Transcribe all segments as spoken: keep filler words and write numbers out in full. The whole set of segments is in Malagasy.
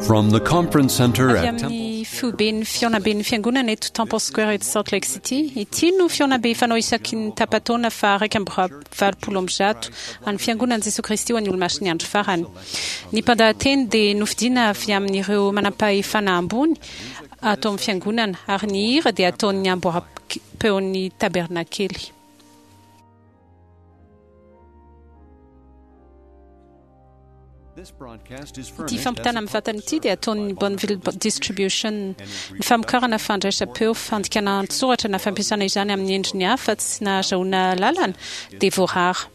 From the conference center Avy at Temple amin'ny foiben'ny fihaonamben'ny fiangonana eto Temple Square eto Salt Lake City. Ity no fihaonambe fanao isaky ny tapa-taona fa iraika amby valopolo amby zato an'ny fiangonan'i Jesoa Kristy ho an'ny Olomasin'ny andro farany. Ny mpandahateny dia nofidiana avy amin'ireo manam-pahefana ambony ato amin'ny fiangonana ary ny hira dia ataon'ny amboaram-peon'ny tabernakely. This broadcast is Ity furnished as fampitana a mivantana ity dia ataon'ny Bonneville Distribution. Ny famokarana fandraisam-peo, fandikana an-tsoratra na fampiasana izany amin'ny endriny hafa tsy nahazoana lalana dia voarara.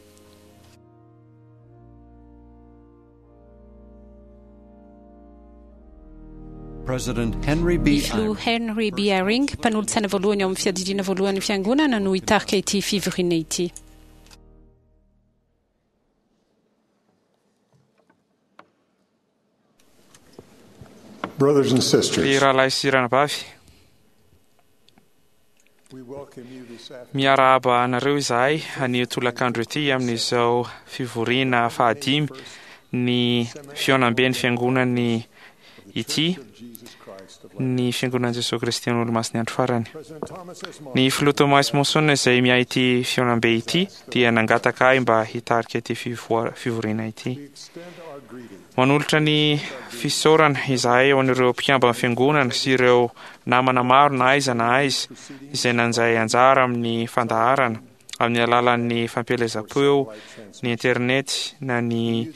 President Henry B. Ny filoha Henry B. Eyring, mpanolotsaina voalohany ao amin'ny fiadidiana voalohan'ny fiangonana no hitarika ity fivoriana ity. Brothers and Ry sisters, rahalahy sy ranabavy, we welcome you this afternoon. miarahaba anareo izahay anio tolakandro ity amin'izao fivoriana fahadimy ny fihaonamben'ny fiangonany ity, Jesus Christ of ny fiangonan'i Jesoa Kristy an'ny Olomasin'ny andro farany. President Thomas S. Monson Ny filoha Thomas Monson izay miahy ity fihaonambe ity dia nangataka ahy mba hitarika ity fivoa- fivoriana ity. we extend our greeting Manolotra ny fisaorana izahay ho an'ireo mpikambana fiangonana sy ireo namana maro na aiza na aiza izay nanjay anjara amin'ny fandaharana amin'ny alalan'ny fampielezam-peo, ny internet na ny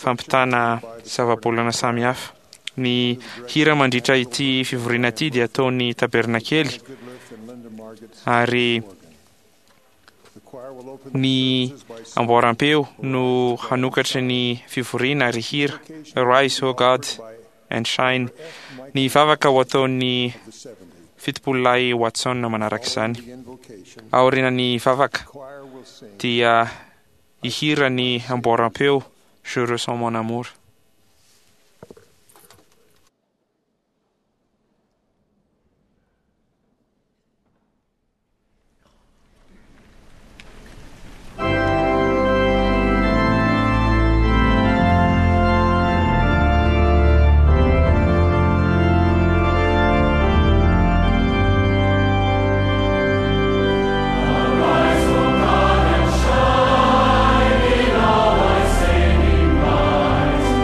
fampitana zava-bolana samihafa. Ny hira mandritra ity fivoriana ity dia ataon'ny tabernakely Goodliff and Linda Margetts. ary The choir will open ny the services by singing amboaram-peo no hanokatra ny fivoriana ary hira Rise, O God, and Shine. Ny vavaka ho ataon'ny the seventy. fitopololahy Watson manaraka izany. The invocation, Aorian'ny vavaka choir will sing dia hihira ny amboaram-peo Je ressens mon amour. Shine in all thy saving light.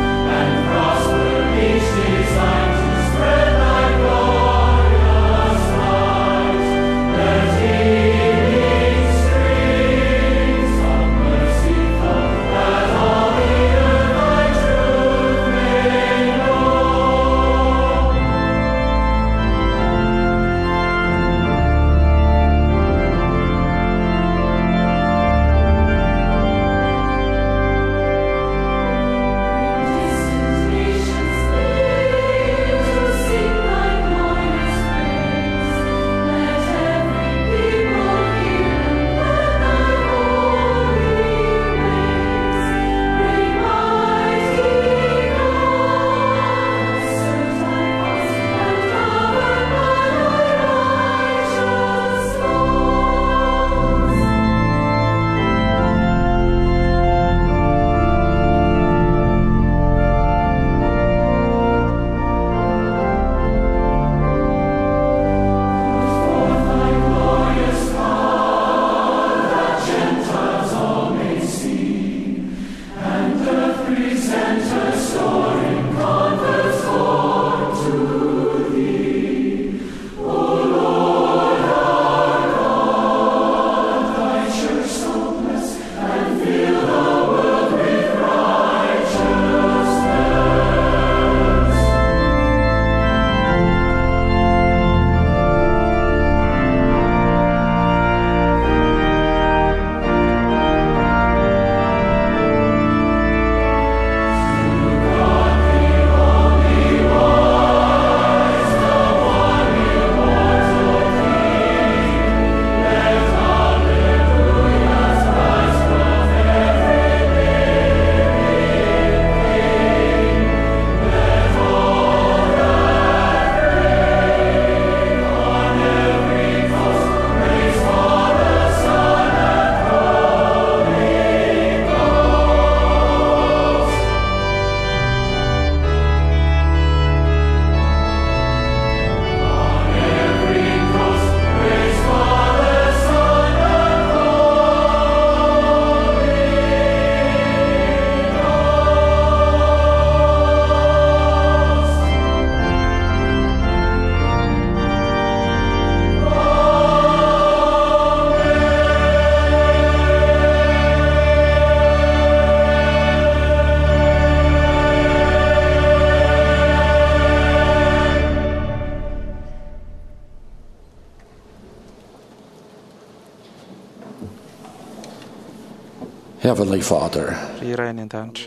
Heavenly Father, Ry Ray any an-danitra,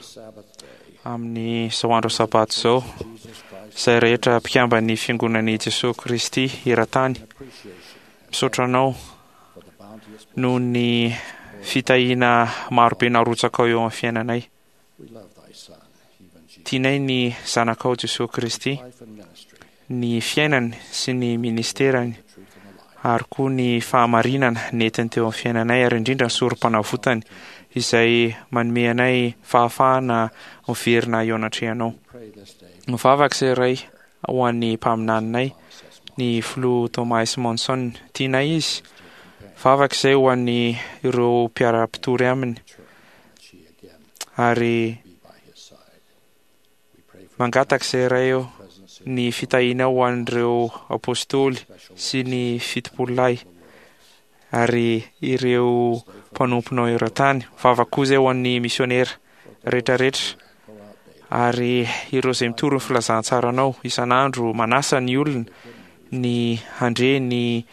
amin'izao andro sabato izao, izay rehetra mpikamban'ny fiangonan'i Jesoa Kristy eran-tany, misaotra anao noho ny fitahiana marobe narotsakao eo amin'ny fiainanay. we love thy Son, even Jesus, Tianay ny zanakao Jesoa Kristy, life and ministry, ny fiainany sy ny ministerany truth and the life. ary koa ny fahamarinana nentiny teo amin'ny fiainanay ary indrindra ny sorom-panavotany izay manome anay fahafahana miverina eo anatrehanao. Pray this day Mivavaka izay Ray ho an'ny mpaminaninay, ny filoha Thomas Monson. Tianay izy. Vavaka izay ho an'ny ireo mpiara-mpitory aminy that she again ary be by his side. We pray for mangataka izay Ray eo presidency ny fitahiana ho an'ireo apôstôly sy ny fitopololahy ary ireo mpanomponao eran-tany. Vavaka koa izay ho an'ny misionera rehetrarehetra ary ireo izay mitory ny filazantsaranao isan'andro manasa ny olona ny handre ny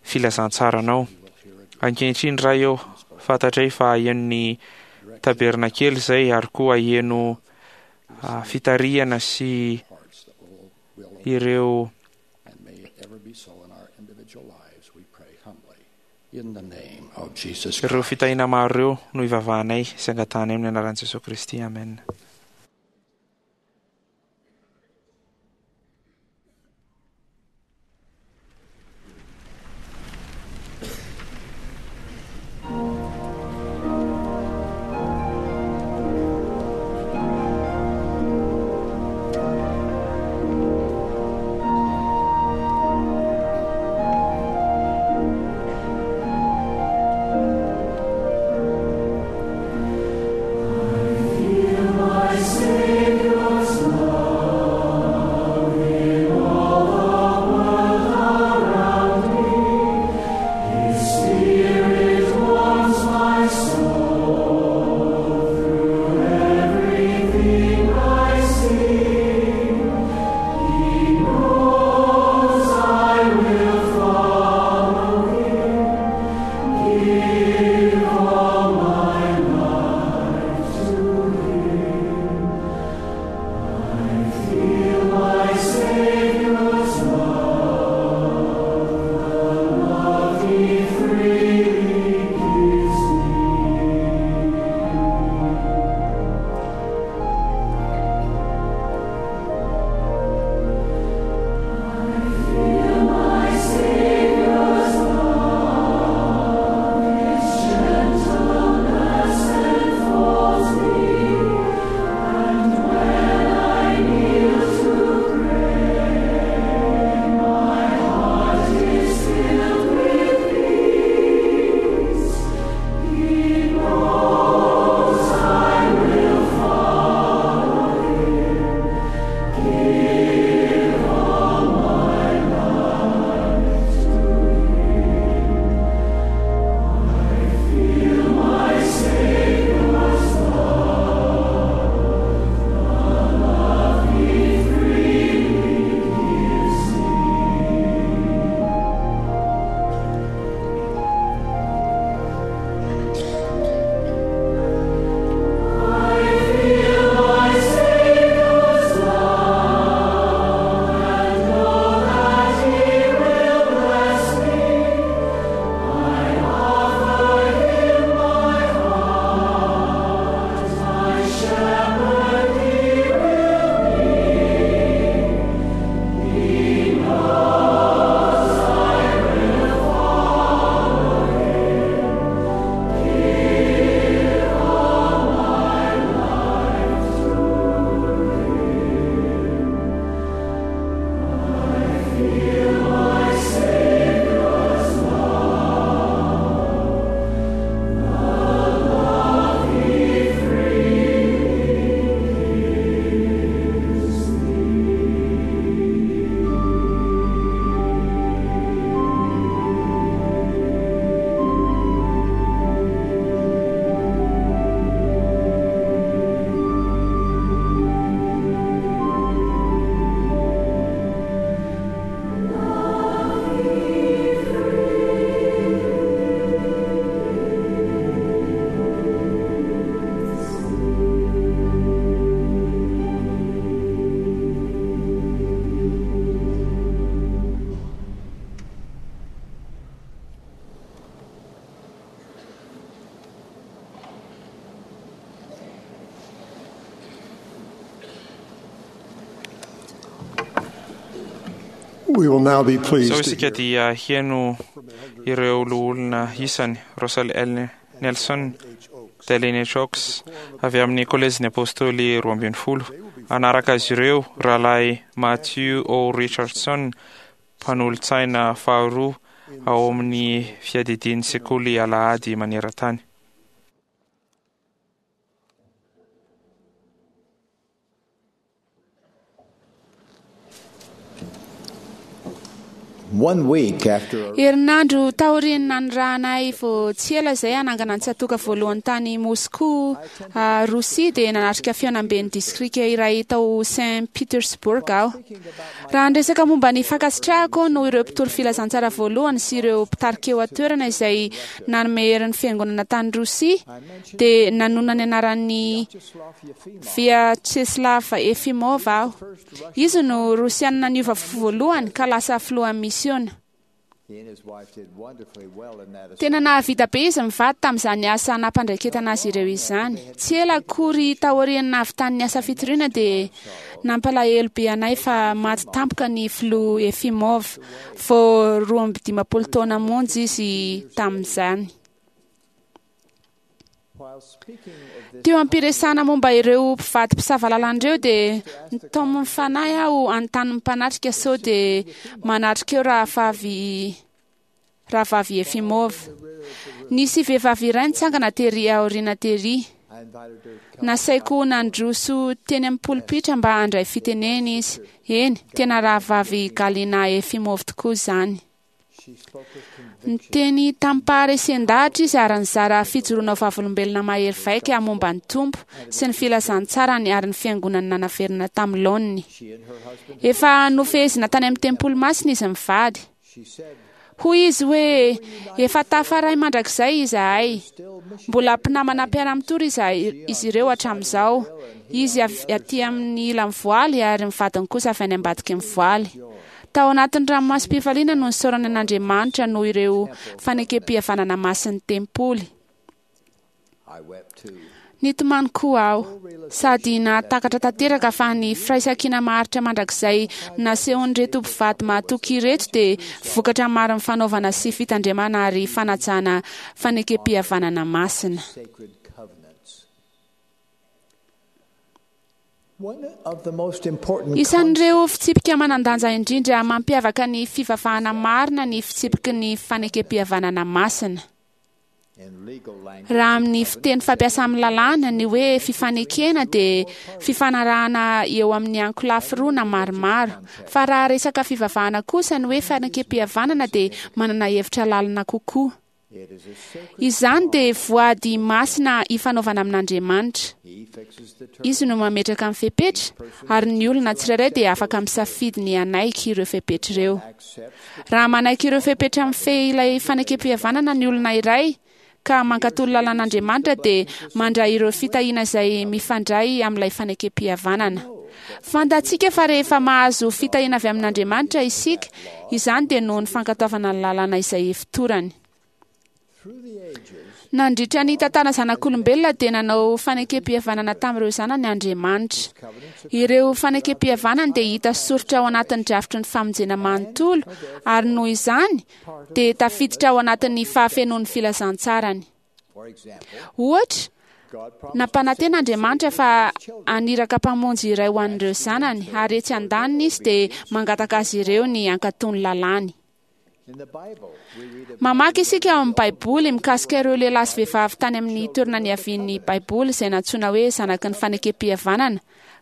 filazantsaranao. Ankehitriny Ray eo, fantatray fa heno ny tabernakely izay ary koa heno ah, fitarihana sy hearts that will, will ireo and may it ever be so in our individual lives, we pray humbly. In the name of Jesus ireo Christ. fitahiana maro ireo no ivavahanay sy angatahanay amin'ny anaran'i Jesoa Kristy. Amen. Feel my We will now be Izao pleased to isika hear dia hieno ireo loholona isany Russell L. Nelson, Dallin H. Oaks avy amin'ny Kolejin'ny Apôstôly roa ambin'ny folo. Anaraka azy ireo rahalahy Matthew O. Richardson, mpanolotsaina faharoa ao amin'ny fiadidian'ny sekoly alahady maneran-tany. One week after Herinandro taorian'ny nanirahanay vao tsy ela izay hanangana ny tsatoka voalohany tany Moscou, ah, Rosia, dia nanatrika fihaonamben'ny distrika iray tao Saint Petersburg aho. Raha niresaka momba ny fankasitrahako noho ireo mpitory filazantsara voalohany sy ireo mpitarika eo an-toerana izay nanome herin'ny fiangonana tany Rosia, dia nanonona ny anaran'ny Vyacheslav Efimov aho. Izy no Rosianina niova fo voalohany ka lasa filohan'ny misiona. he and his wife did wonderfully well in that Tena nahavita be izy mivady tamin'izany asa nampandraiketana azy ireo izany. Tsy ela akory taorian'ny nahavitan'ny asa fitoriana dia nampalahelo be anay fa maty tampoka ny filoha Efimov vao roa amby dimampolo taona monja izy tamin'izany. While speaking of this Teo am-piresahana momba ireo mpivady mpisava lalana ireo dia nitaomin'ny fanahy aho anontany ny mpanatrika sao dia manatrika eo rahavavy rahavavy Efimov. Nisy vehivavy iray nitsangana tery aoriana tery. I invited her to come Nasaiko nandroso teny amin'ny polipitra mba handray fitenena izy. Eny, tena rahavavy Galina Efimov tokoa izany. She spoke with conviction Niteny tamim-paharesen-dahatra izy ary nizara fijoroana ho vavolombelona mahery vaika momba ny Tompo sy ny filazantsarany ary ny fiangonany nanaverina tamin'ny laoniny. She and her husband Efa nofehezina tany amin'ny tempoly masina izy mivady. she said Hoy izy hoe efa tafaray mandrakizay izahay. still mission Mbola mpinamana mpiara-mitory izahay izy ireo hatramin'izao. Izy avy aty amin'ny ilan'ny voaly ary ny vadiny kosa avy any ambadiky ny voaly. Tao anatin'ny ranomasom-pifaliana no nisaorana an'Andriamanitra noho ireo fanekem-pihavanana masin'ny tempoly. I wept too. Nitomany koa aho sady nahatakatra tanteraka fa ny firaisankina maharitra mandrakizay nasehon'ireto mpivady mahatoky ireto dia vokatra marin'ny fanaovana sy fitandremana ary fanajana fanekem-pihavanana masina. Sacred covenants. One of the most important Isan'ireo fitsipika manan-danja indrindra mampiavaka ny fivavahana marina ny fitsipiky ny fanekem-pihavanana masina. in legal language Raha amin'ny fiteny fampiasa amin'ny lalàna ny hoe fifanekena dia fifanarahana eo amin'ny ankolafy roa na maromaro. Fa raha resaka fivavahana kosa ny hoe fanekem-pihavanana dia manana hevitra lalina kokoa. it is a sacred Izany dia voady masina ifanaovana amin'Andriamanitra. he fixes the terms Izy no mametraka ny fepetra ary ny olona tsirairay dia afaka misafidy ny hanaiky ireo fepetra ireo. accepts Raha manaiky ireo fepetra mifehy ilay fanekem-pihavanana ny olona iray ka mankatò ny lalàn'Andriamanitra dia mandray ireo fitahiana izay mifandray amin'ilay fanekem-pihavanana. Fantatsika fa rehefa mahazo fitahiana avy amin'Andriamanitra isika, izany dia noho ny fankatoavana ny lalàna izay ifotorany. through the ages Nandritra ny tantara zanak'olombelona dia nanao fanekem-pihavanana tamin'ireo zanany Andriamanitra. covenants Ireo fanekem-pihavanana dia hita soritra ao anatin'ny drafitry ny famonjena manontolo ary noho izany dia tafiditra ao anatin'ny fahafenoan'ny filazantsarany. for example Ohatra, God promised nampanantena Andriamanitra fa haniraka mpamonjy iray ho an'ireo zanany ary etsy andaniny izy dia mangataka azy ireo ny hankatò ny lalàny. in the Bible we read of Mamaky isika ao amin'ny Baiboly mikasika ireo lehilahy sy vehivavy tany amin'ny toerana niavian'ny Baiboly izay nantsoina hoe zanaky ny fanekem-pihavanana.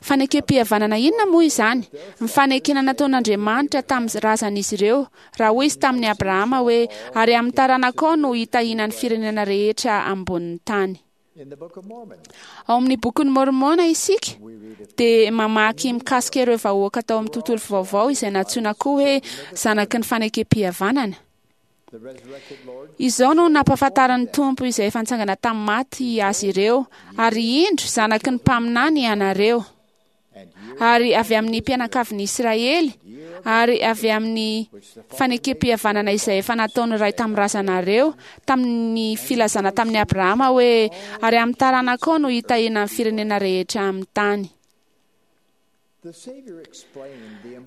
Fanekem-pihavanana inona moa izany? Ny fanekena nataon'Andriamanitra tamin'ny razan'izy ireo, raha hoy izy tamin'i Abrahama hoe ary amin'ny taranakao no hitahiana ny firenena rehetra ambonin'ny tany. in the Book of Mormon Ao amin'ny bokin'ny Mormona isika we read of dia mamaky mikasika ireo vahoaka tao amin'ny tontolo vaovao izay nantsoina koa hoe zanaky ny fanekem-pihavanana. the resurrected Lord Izao no nampahafantaran'ny Tompo izay efa nitsangana tamin'ny maty azy ireo, ary indro zanaky ny mpaminany ianareo, and year ary avy amin'ny mpianakavin'i Israely, ary avy amin'ny fanekem-pihavanana izay efa nataon'ny ray tamin'ny razanareo, tamin'ny filazana tamin'i Abrahama hoe ary amin'ny taranakao no hitahiana ny firenena rehetra amin'ny tany.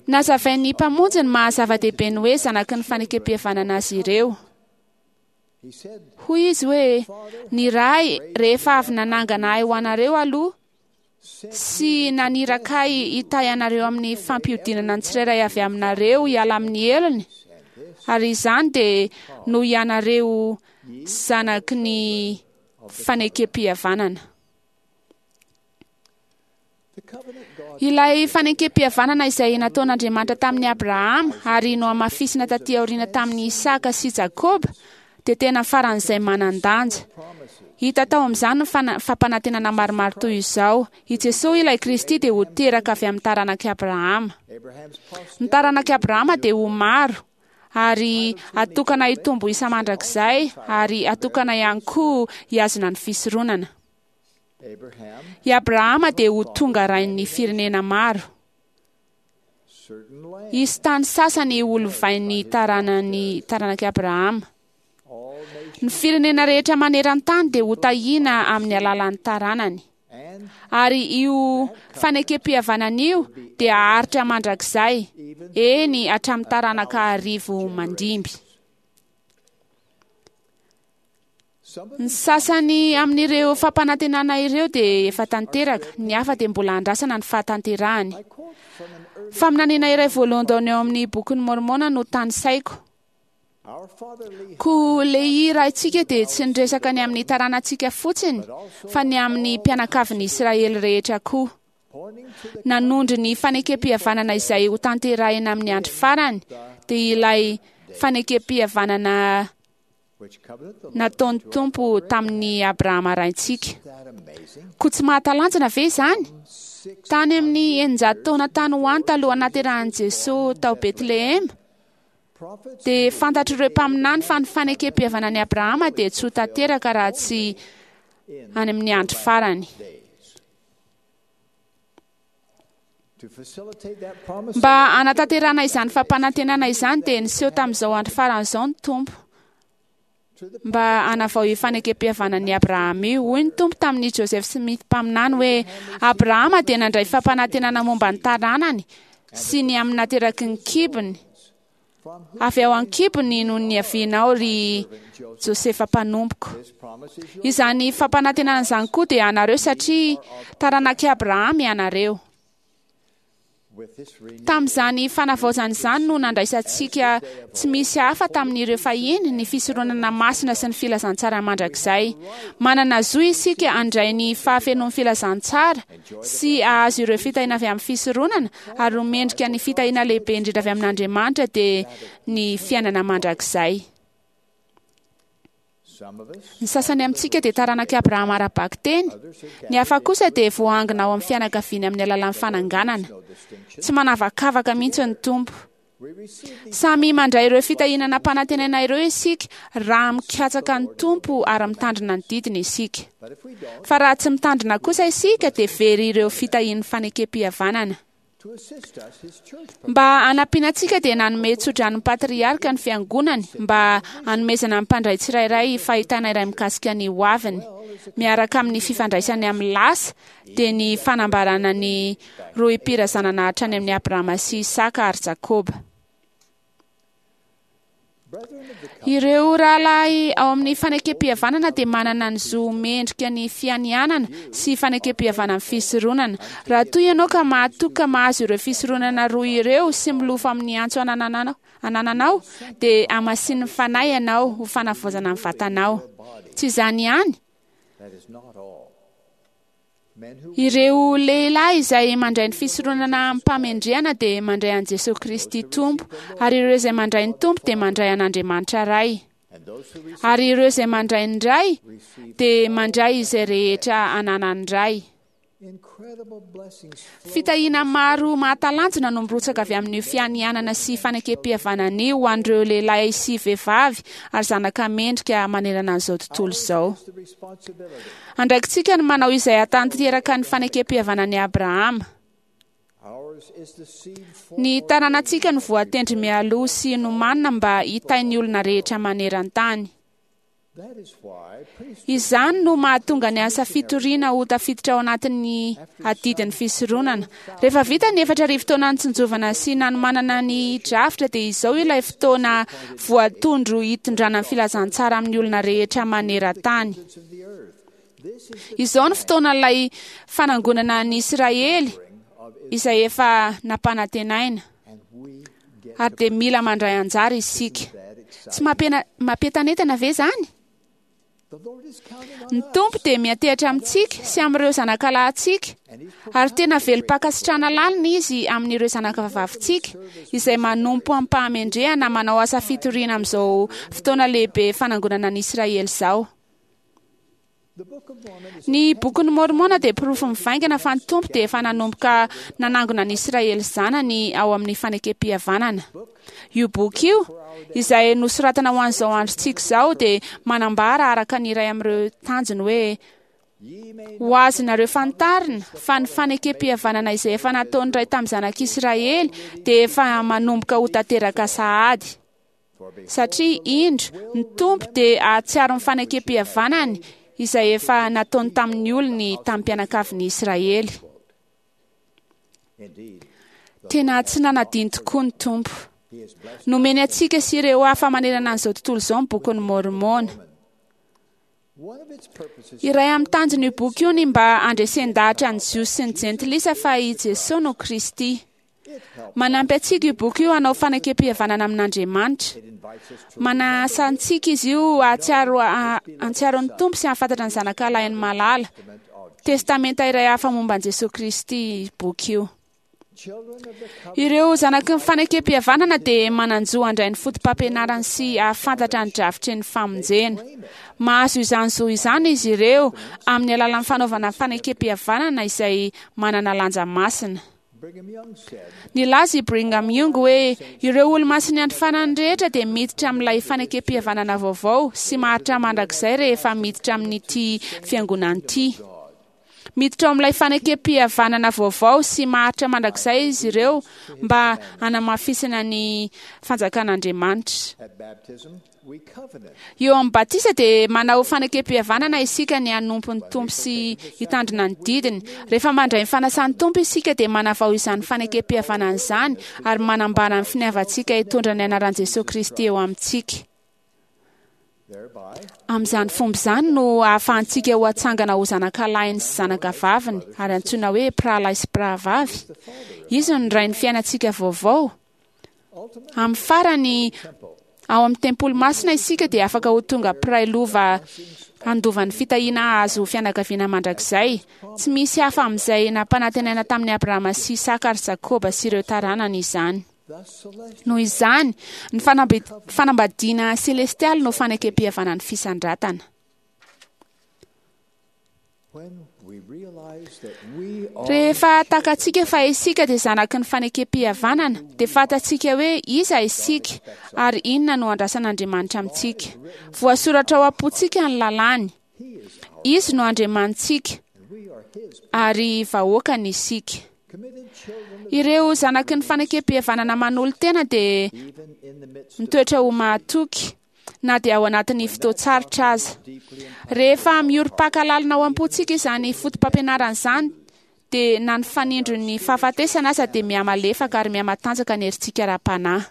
Nazavain'ny Mpamonjy ny maha-zava-dehibe ny hoe zanaky ny fanekem-pihavanana azy ireo. Hoy izy hoe, ny Ray rehefa avy nanangana ahy ho anareo aloha sy naniraka ahy hitahy anareo amin'ny fampiodinana ny tsirairay avy aminareo hiala amin'ny helony, ary izany dia noho ianareo zanaky ny fanekem-pihavanana. Ilay fanekem-pihavanana izay nataon'Andriamanitra tamin'i Abrahama ary nohamafisina taty aoriana tamin'i Isaka sy Jakoba dia tena faran'izay manan-danja. Hita tao amin'izany ny fampanantenana maromaro toy izao: i Jesosy ilay Kristy dia ho teraka avy amin'ny taranak'i Abrahama. Ny taranak'i Abrahama dia ho maro ary atokana hitombo isa mandrakizay ary atokana ihany koa hihazona ny fisoronana. I Abrahama dia ho tonga rain'ny firenena maro. Hisy tany sasany ho lovain'ny taranany taranak'i Abrahama. Ny firenena rehetra maneran-tany dia ho tahiana amin'ny alalan'ny taranany. Ary io fanekem-pihavanana io dia haharitra mandrakizay, eny hatramin'ny taranaka arivo mandimby. Ny sasany amin'ireo fampanantenana ireo dia efa tanteraka, ny hafa dia mbola andrasana ny fahatanterahany. Faminaniana iray voalohany eo amin'ny bokin'ny Mormona no tanisaiko. Koa Lehi raintsika dia tsy niresaka ny amin'ny taranantsika fotsiny, fa ny amin'ny mpianakavin'ny Israely rehetra koa. Nanondro ny fanekem-pihavanana izay ho tanterahina amin'ny andro farany, dia ilay fanekem-pihavanana nataon'ny Tompo tamin'ny Abrahama raintsika. Koa tsy mahatalanjona ve izany? Tany amin'ny eninjato taona tany ho any talohan'ny nahaterahan'i Jesosy tao Betlehema, dia fantatr'ireo mpaminany fa ny fanekem-pihavanan'i Abrahama dia tsy ho tanteraka raha tsy any amin'ny andro farany. Mba hanatanterahana izany fampanantenana izany dia niseho tamin'izao andro farany izao ny Tompo mba hanavao io fanekem-pihavanan'i Abrahama io. Hoy ny Tompo tamin'i Joseph Smith mpaminany hoe, Abrahama dia nandray fampanantenana momba ny taranany sy ny amin'ny nateraky ny kibony. Avy ao an-kibony no niavianao, ry Josefa mpanompoko. Izany fampanantenana izany koa dia anareo satria taranak'i Abrahama ianareo. Tamin'izany fanavaozana izany no nandraisantsika tsy misy hafa tamin'ireo fahiny ny fisoronana masina sy ny filazantsara mandrakizay. Manana zo isika handray ny fahafenoan'ny filazantsara sy hahazo ireo fitahiana avy amin'ny fisoronana ary ho mendrika ny fitahiana lehibe indrindra avy amin'Andriamanitra dia ny fiainana mandrakizay. Ny sasany amintsika dia taranak'i Abrahama ara-bakiteny, ny hafa kosa dia voaangona ao amin'ny fianakaviany amin'ny alalan'ny fananganana. Tsy manavakavaka mihitsy ny Tompo. Samy mandray ireo fitahiana nampanantenaina ireo isika raha mikatsaka ny Tompo ary mitandrina ny didiny isika. Fa raha tsy mitandrina kosa isika dia very ireo fitahian'ny fanekem-pihavanana. Mba hanampiana antsika dia nanome tsodrano patriarka ny fiangonany mba hanomezana ny mpandray tsirairay fahitana iray mikasika ny hoaviny. Miaraka amin'ny fifandraisany amin'ny lasa dia ny fanambarana ny rohim-pirazanana hatrany amin'ny Abrahama sy Isaka ary Jakoba. Ireo rahalahy ao amin'ny fanekem-pihavanana dia manana ny zo mendrika ny fianianana sy fanekem-pihavanana amin'ny fisoronana. Raha toa ianao ka mahatoky ka mahazo ireo fisoronana roa ireo sy milofo amin'ny antso anananao, anananao dia hamasinin'ny Fanahy ianao ho fanavaozana ny vatanao. Tsy izany ihany. Ireo lehilahy izay mandray ny fisoronana amim-pahamendrehana dia mandray an'i Jesosy Kristy Tompo, ary ireo izay mandray ny Tompo dia mandray an'Andriamanitra Ray. Ary ireo izay mandray ny Ray dia mandray izay rehetra ananan'ny Ray. Fitahiana maro mahatalanjona no mirotsaka avy amin'io fianianana sy fanekem-pihavanana io ho an'ireo lehilahy sy vehivavy ary zanaka mendrika manerana an'izao tontolo izao. Andraikitsika ny manao izay hahatanteraka ny fanekem-pihavanan'i Abrahama. Ny taranantsika no voatendry mialoha sy nomanina mba hitahy ny olona rehetra maneran-tany. Izany no mahatonga ny asa fitoriana ho tafiditra ao anatin'ny adidin'ny fisoronana. Rehefa vita ny efatra arivo taona nitsinjovana sy nanomanana ny drafitra, dia izao ilay fotoana voatondro hitondrana ny filazantsara amin'ny olona rehetra maneran-tany. Izao ny fotoana ilay fanangonana ny Israely izay efa nampanantenaina, ary dia mila mandray anjara isika. Tsy mampientanentana ve izany? Ny Tompo dia miantehitra amintsika sy amin'ireo zanakalahintsika, ary tena velom-pankasitrahana lalina izy amin'ireo zanakavavintsika izay manompo amim-pahamendrehana manao asa fitoriana amin'izao fotoana lehibe fanangonana ny Israely izao. Ny bokin'ny Mormona dia porofo mivaingana fa ny Tompo dia efa nanomboka nanangona ny Israely zanany ao amin'ny fanekem-pihavanana. Io boky io, izay nosoratana ho an'izao androntsika izao, dia manambara araka ny iray amin'ireo tanjony hoe: ho azonareo fantarina fa ny fanekem-pihavanana izay efa nataon'ny Ray tamin'ny zanak'Israely dia efa manomboka ho tanteraka sahady. Satria indro, ny Tompo dia hahatsiaro ny fanekem-pihavanany izay efa nataony tamin'ny olony tamin'ny mpianakavin'ny Israely. Tena tsy nanadino tokoa ny Tompo. Nomeny antsika sy ireo hafa manerana an'izao tontolo izao ny bokin'ny Mormona. Iray amin'ny tanjon'io boky io ny mba handresen-dahatra ny Jiosy sy ny Jentilisa fa i Jesoa no Kristy. Manampy antsika io boky io hanao fanekem-pihavanana amin'Andriamanitra. Manasa antsika izy io hahatsiaro hahatsiaro ny Tompo sy hahafantatra ny zanakalahin'ny malala. Testamenta iray hafa momba an'i Jesoa Kristy boky io. Ireo zanaky ny fanekem-pihavanana dia manan-jo handray ny foto-pampianarany sy hahafantatra ny drafitry ny famonjena. Mahazo izany zo izany izy ireo amin'ny alalan'ny fanaovana fanekem-pihavanana izay manana lanja masina. Nilaza i Brigham Young hoe ireo olo-masin'ny andro farany rehetra dia miditra amin'ilay fanekem-pihavanana vaovao sy maharitra mandrakizay rehefa miditra amin'ity fiangonana ity. Miditra ao amin'ilay fanekem-pihavanana vaovao sy maharitra mandrakizay izy ireo mba hanamafisana ny fanjakan'Andriamanitra. Eo amin'ny batisa dia manao fanekem-pihavanana isika ny hanompo ny Tompo sy hitandrina ny didiny. Rehefa mandray ny fanasan'ny Tompo isika dia manavao izany fanekem-pihavanana izany ary manambara ny finiavantsika hitondra ny anaran'i Jesoa Kristy eo amintsika. Amin'izany fomba izany no ahafahantsika ho atsangana ho zanakalahy sy zanakavaviny ary antsoina hoe mpirahalahy sy mpirahavavy. Izy no rain'ny fiainantsika vaovao. Amin'ny farany, ao amin'ny tempoly masina isika dia afaka ho tonga mpiray lova handova ny fitahiana hahazo fianakaviana mandrakizay. Tsy misy hafa amin'izay nampanantenaina tamin'i Abrahama sy Isaka ary Jakoba sy ireo taranany izany. Noho izany, ny fanambadiana selestialy no fanekem-pihavanan'ny fisandratana. Rehefa takatsika fa isika dia zanaky ny fanekem-pihavanana, dia fantatsika hoe iza isika ary inona no andrasan'Andriamanitra amintsika. Voasoratra ao am-pontsika ny lalàny. Izy no Andriamanitsika ary vahoakany isika. Ireo zanaky ny fanekem-pihavanana manolo-tena dia mitoetra ho mahatoky na dia ao anatin'ny fotoan-tsarotra aza. Rehefa miorim-paka lalina ao am-pontsika izany foto-pampianarana izany, dia na ny fanindron'ny fahafatesana aza dia mihamalefaka ary mihamatanjaka ny herintsika ara-panahy.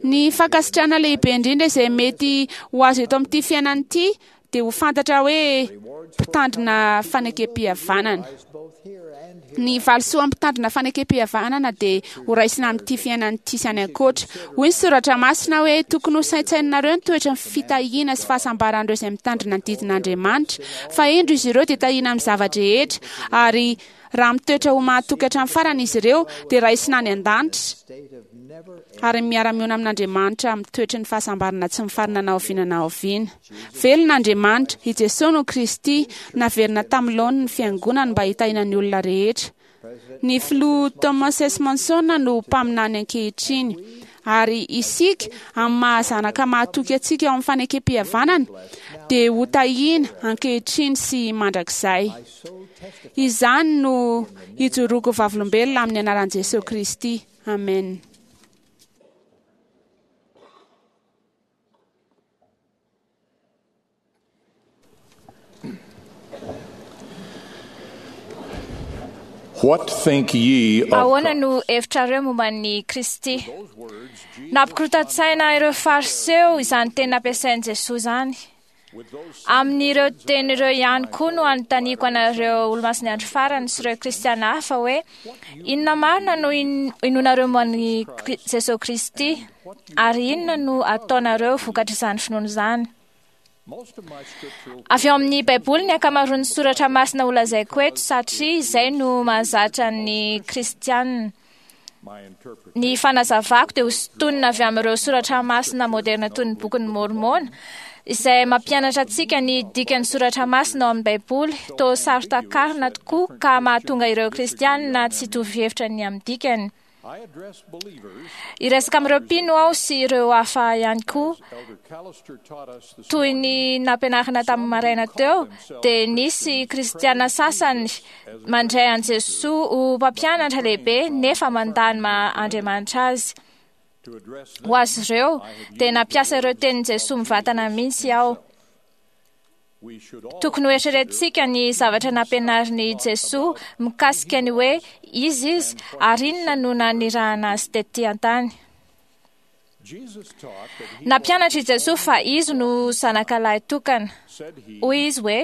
Ny fankasitrahana lehibe indrindra izay mety ho azo eto amin'ity fiainana ity dia ho fantatra hoe mpitandrina fanekem-pihavanana. Ny valisoa mpitandrina fanekem-pihavanana dia ho raisina amin'ity fiainana ity sy any ankoatra. Hoy ny soratra masina hoe tokony ho saintsaininareo ny toetra ny fitahiana sy fahasambaran'ireo izay mitandrina ny didin'Andriamanitra. Fa indro izy ireo dia tahiana amin'ny zava-drehetra, ary raha mitoetra ho mahatoky hatramin'ny farany izy ireo dia raisina any an-danitra ary miara-miona amin'Andriamanitra amin'ny toetry ny fahasambarana tsy mifarana na oviana na oviana. Velona Andriamanitra, i Jesoa no Kristy, naverina tamin'ny laoniny ny fiangonany mba hitahiana ny olona rehetra. Ny filoha Thomas S. Monson no mpaminany ankehitriny, ary isika amin'ny maha-zanaka mahatoky antsika ao amin'ny fanekem-pihavanana dia ho tahiana ankehitriny sy mandrakizay. Izany no ijoroako vavolombelona amin'ny anaran'i Jesoa Kristy. Amen. What think ye of Ahoana no hevitrareo momba ny Kristy? Nampikorontan-tsaina ireo Fariseo izany teny nampiasain'i Jesoa izany. Amin'ireo teny ireo ihany koa no anontaniako anareo Olomasin'ny Andro Farany sy ireo Kristiana hafa hoe inona marina no inoanareo momba an'i Jesoa Kristy ary inona no ataonareo vokatr'izany finoana izany? Avy ao amin'ny Baiboly ny ankamaroan'ny soratra masina holazaiko eto satria izay no mahazatra ny Kristianina. Ny fanazavako dia hosintonina avy amin'ireo soratra masina moderna toy ny bokin'ny Môrmôna izay mampianatra antsika ny dikan'ny soratra masina ao amin'ny Baiboly toa saro-takarina tokoa ka mahatonga ireo Kristianina tsy hitovy hevitra ny amin'ny dikany. Hiresaka amin'ireo mpino aho sy ireo hafa ihany koa. Toy ny nampianarina tamin'ny maraina teo, dia nisy Kristiana sasany mandray an'i Jesoa ho mpampianatra lehibe nefa mandà ny maha Andriamanitra azy. Ho azy ireo, dia nampiasa ireo tenin'i Jesoa mivantana mihitsy aho. Tokony hoeritreretintsika ny zavatra nampianarin'i Jesoa mikasika ny hoe izy izy ary inona no nanirahana azy tetỳ an-tany. Nampianatra i Jesoa fa izy no zanakalahy tokana. Hoy izy hoe,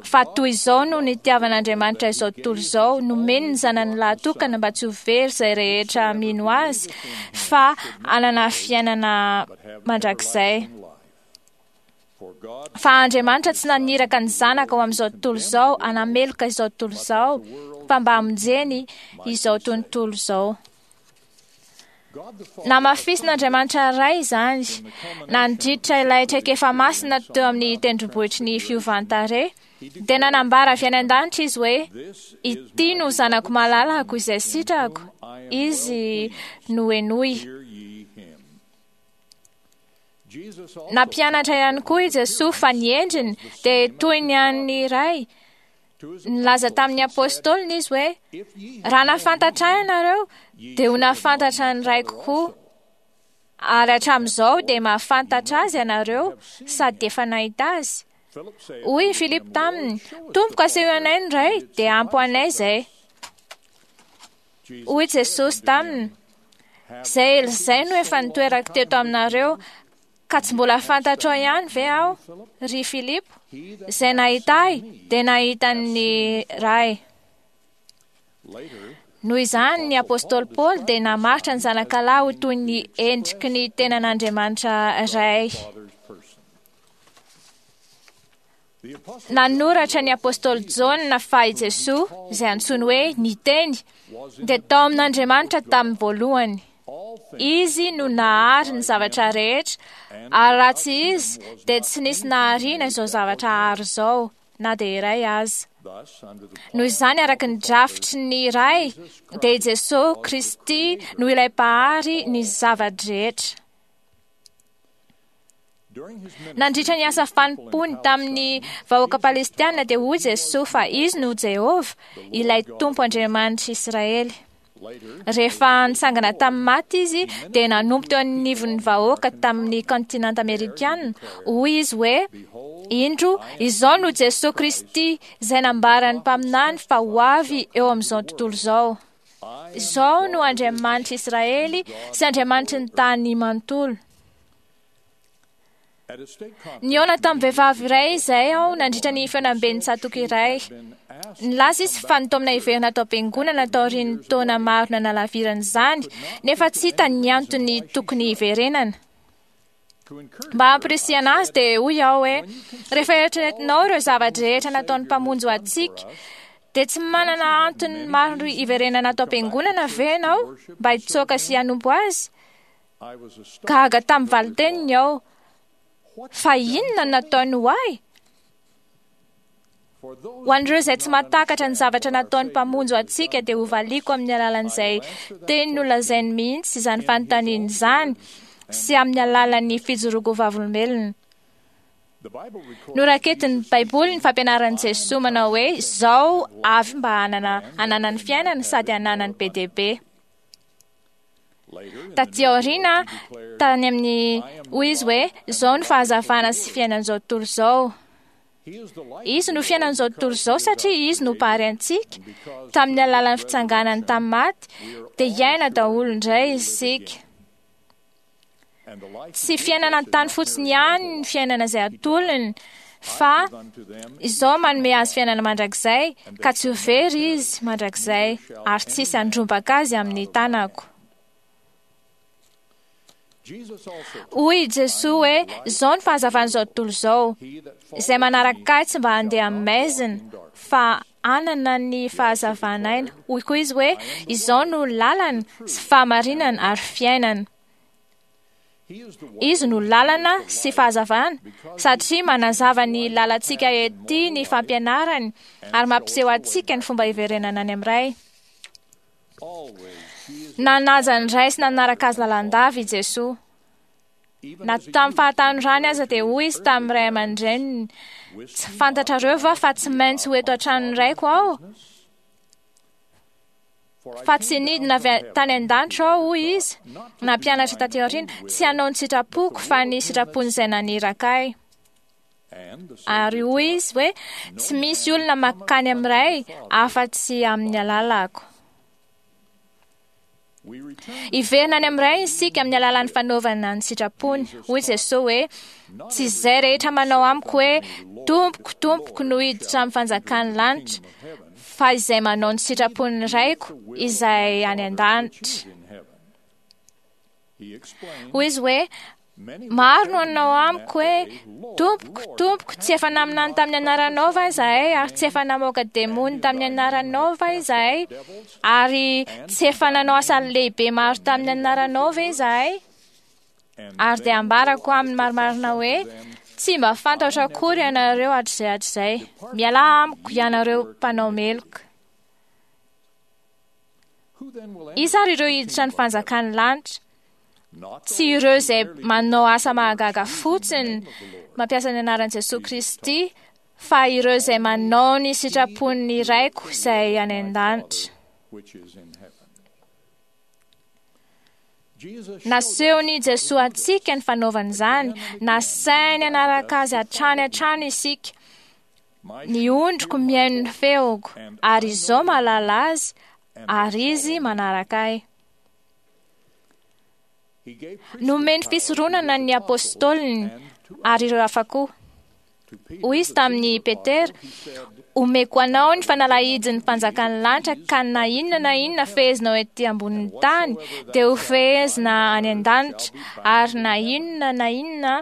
fa toy izao no nitiavan'Andriamanitra izao tontolo izao, nomeny ny zanany lahy tokana mba tsy ho very izay rehetra mino azy, fa hanana fiainana mandrakizay. Fa Andriamanitra tsy naniraka ny zanaka ho amin'izao tontolo izao, hanameloka izao tontolo izao, fa mba hamonjeny izao tontolo izao. Namafisin'Andriamanitra Ray izany, nandritra ilay traikefa masina teo amin'ny tendrombohitry ny fiovan-tarehy, dia nanambara avy any an-danitra izy hoe, ity no zanako malalako izay sitrako, izy no henoy. Nampianatra ihany koa i Jesoa fa ny endriny dia toy ny an'ny Ray. Nilaza tamin'ny apôstôliny izy hoe, raha nahafantatra ahy ianareo, dia ho nahafantatra ny Raiko koa. Ary hatramin'izao dia mahafantatra azy ianareo sady efa nahita azy. Hoy i Filipo taminy, Tompoko aseho anay ny Ray, dia ampy ho anay izay. Hoy Jesosy taminy, izay ela izay no efa nitoerako teto aminareo, ka tsy mbola fantatrao ihany ve aho, ry Filipo? Izay nahita ahy dia nahita ny Ray. Noho izany, ny apôstôly Paoly dia namaritra ny zanakalahy ho toy ny endriky ny tenan'Andriamanitra Ray. Nanoratra ny apôstôly Jaona fa i Jesoa, izay antsoiny hoe ny Teny, dia tao amin'Andriamanitra tamin'ny voalohany. Izy no nahary ny zavatra rehetra, ary raha tsy izy dia tsy nisy nahariana izao zavatra ary izao, na dia iray aza. Noho izany, araka ny drafitry ny Ray, dia i Jesoa Kristy no ilay mpahary ny zava-drehetra. Nandritra ny asa fanompoany tamin'ny vahoaka palestiana dia hoy Jesoa fa izy no Jehovah, ilay Tompo Andriamanitr'i Israely. Rehefa nitsangana tamin'ny maty izy dia nanompo teo anivon'ny vahoaka tamin'ny kontinanta amerikana. Hoy izy hoe, indro, izao no Jesoa Kristy izay nambaran'ny mpaminany fa ho avy eo amin'izao tontolo izao. Izao no Andriamanitr'i Israely sy Andriamanitry ny tany manontolo. Nihaona tamin'ny vehivavy iray izay aho nandritra ny fihaonamben'ny tsatòka iray. Nilaza izy fa nitaomina hiverina tao am-piangonana taorian'ny taona maro nanalavirana izany, nefa tsy hita ny antony tokony hiverenana. Mba hampirisihana azy dia hoy aho hoe, rehefa eritreretinao ireo zava-drehetra nataon'ny Mpamonjy ho antsika, dia tsy manana antony maro hiverenana tao am-piangonana ve ianao mba hitsoaka sy hanompo azy? Gaga tamin'ny valin-teniny aho. Fa inona no nataony ho ahy? Ho an'ireo izay tsy mahatakatra ny zavatra nataon'ny Mpamonjy ho antsika dia hovaliako amin'ny alalan'izay teny nolazainy mihitsy izany fanontaniana izany sy amin'ny alalan'ny fijoroako vavolombelona. Noraketin'ny Baiboly ny fampianaran'i Jesoa manao hoe izao avy mba hanana hananany fiainana sady hananany be dia be. Taty aoriana, tany amin'ny hoy izy hoe izao no fahazavana sy fiainan'izao tontolo izao. Izy no fiainan'izao tontolo izao satria izy no mpahary antsika. Tamin'ny alalan'ny fitsanganany tamin'ny maty dia hiaina daholo indray isika. Tsy fiainana an-tany fotsiny ihany ny fiainana izay atolony, fa izao manome azy fiainana mandrakizay ka tsy ho very izy mandrakizay ary tsy hisy handrombaka azy amin'ny tanako. Hoy i Jesoa hoe izao ny fahazavan'izao tontolo izao, izay manaraka ahy tsy mba handeha amin'ny maizina fa hanana ny fahazavan'aina. Hoy koa izy hoe izao no lalana sy fahamarinana ary fiainana. Izy no lalana sy fahazavana satria manazava ny lalantsika ety ny fampianarany ary mampiseho antsika ny fomba hiverenana any amin'ny Ray. Nanaja ny Ray sy nanaraka azy lalandava i Jesoa. Na tamin'ny fahatanorany aza dia hoy izy tamin'ny ray aman-dreniny, tsy fantatrareo va fa tsy maintsy ho eto an-tranon'ny Raiko aho? Fa tsy nidina avy tany an-danitra aho, hoy izy, nampianatra taty aoriana, tsy hanao ny sitrapoko fa ny sitrapon'izay naniraka ahy. Ary hoy izy hoe tsy misy olona mankany amin'ny Ray afa-tsy amin'ny alalako. Hiverina any amin'ny Ray isika amin'ny alalan'ny fanaovana ny sitrapony. Hoy Jesoa hoe tsy izay rehetra manao amiko hoe tompoko tompoko no hiditra amin'ny fanjakan'ny lanitra, fa izay manao ny sitrapon'ny Raiko izay any an-danitra. Hoy izy hoe maro no hanao amiko hoe tompoko tompoko, tsy efa naminany tamin'ny anaranao va izahay, ary tsy efa namoaka demony tamin'ny anaranao va izahay, ary tsy efa nanao asa lehibe maro tamin'ny anaranao va izahay? Ary dia ambarako aminy marimarina hoe tsy mba fantatro akory ianareo hatrizay hatrizay. Mialà amiko ianareo mpanao meloka. Iza ary ireo hiditra ny fanjakan'ny lanitra? Tsy ireo izay manao asa mahagaga fotsiny mampiasa ny anaran'i Jesoa Kristy, fa ireo izay manao ny sitrapon'ny Raiko izay any an-danitra. Nasehon'i Jesoa antsika ny fanaovana izany, nasainy hanaraka azy hatrany hatrany isika. Ny ondriko mihaino ny feoko, ary izao mahalala azy, ary izy manaraka ahy. Nomeny fisoronana ny apôstôliny ary ireo hafa koa. Hoy izy tamin'i Petera, omeko anao ny fanalahidin'ny mpanjakan'ny lanitra ka na inona na inona fehezinao ety ambonin'ny tany dia ho fehezina any an-danitra, ary na inona na inona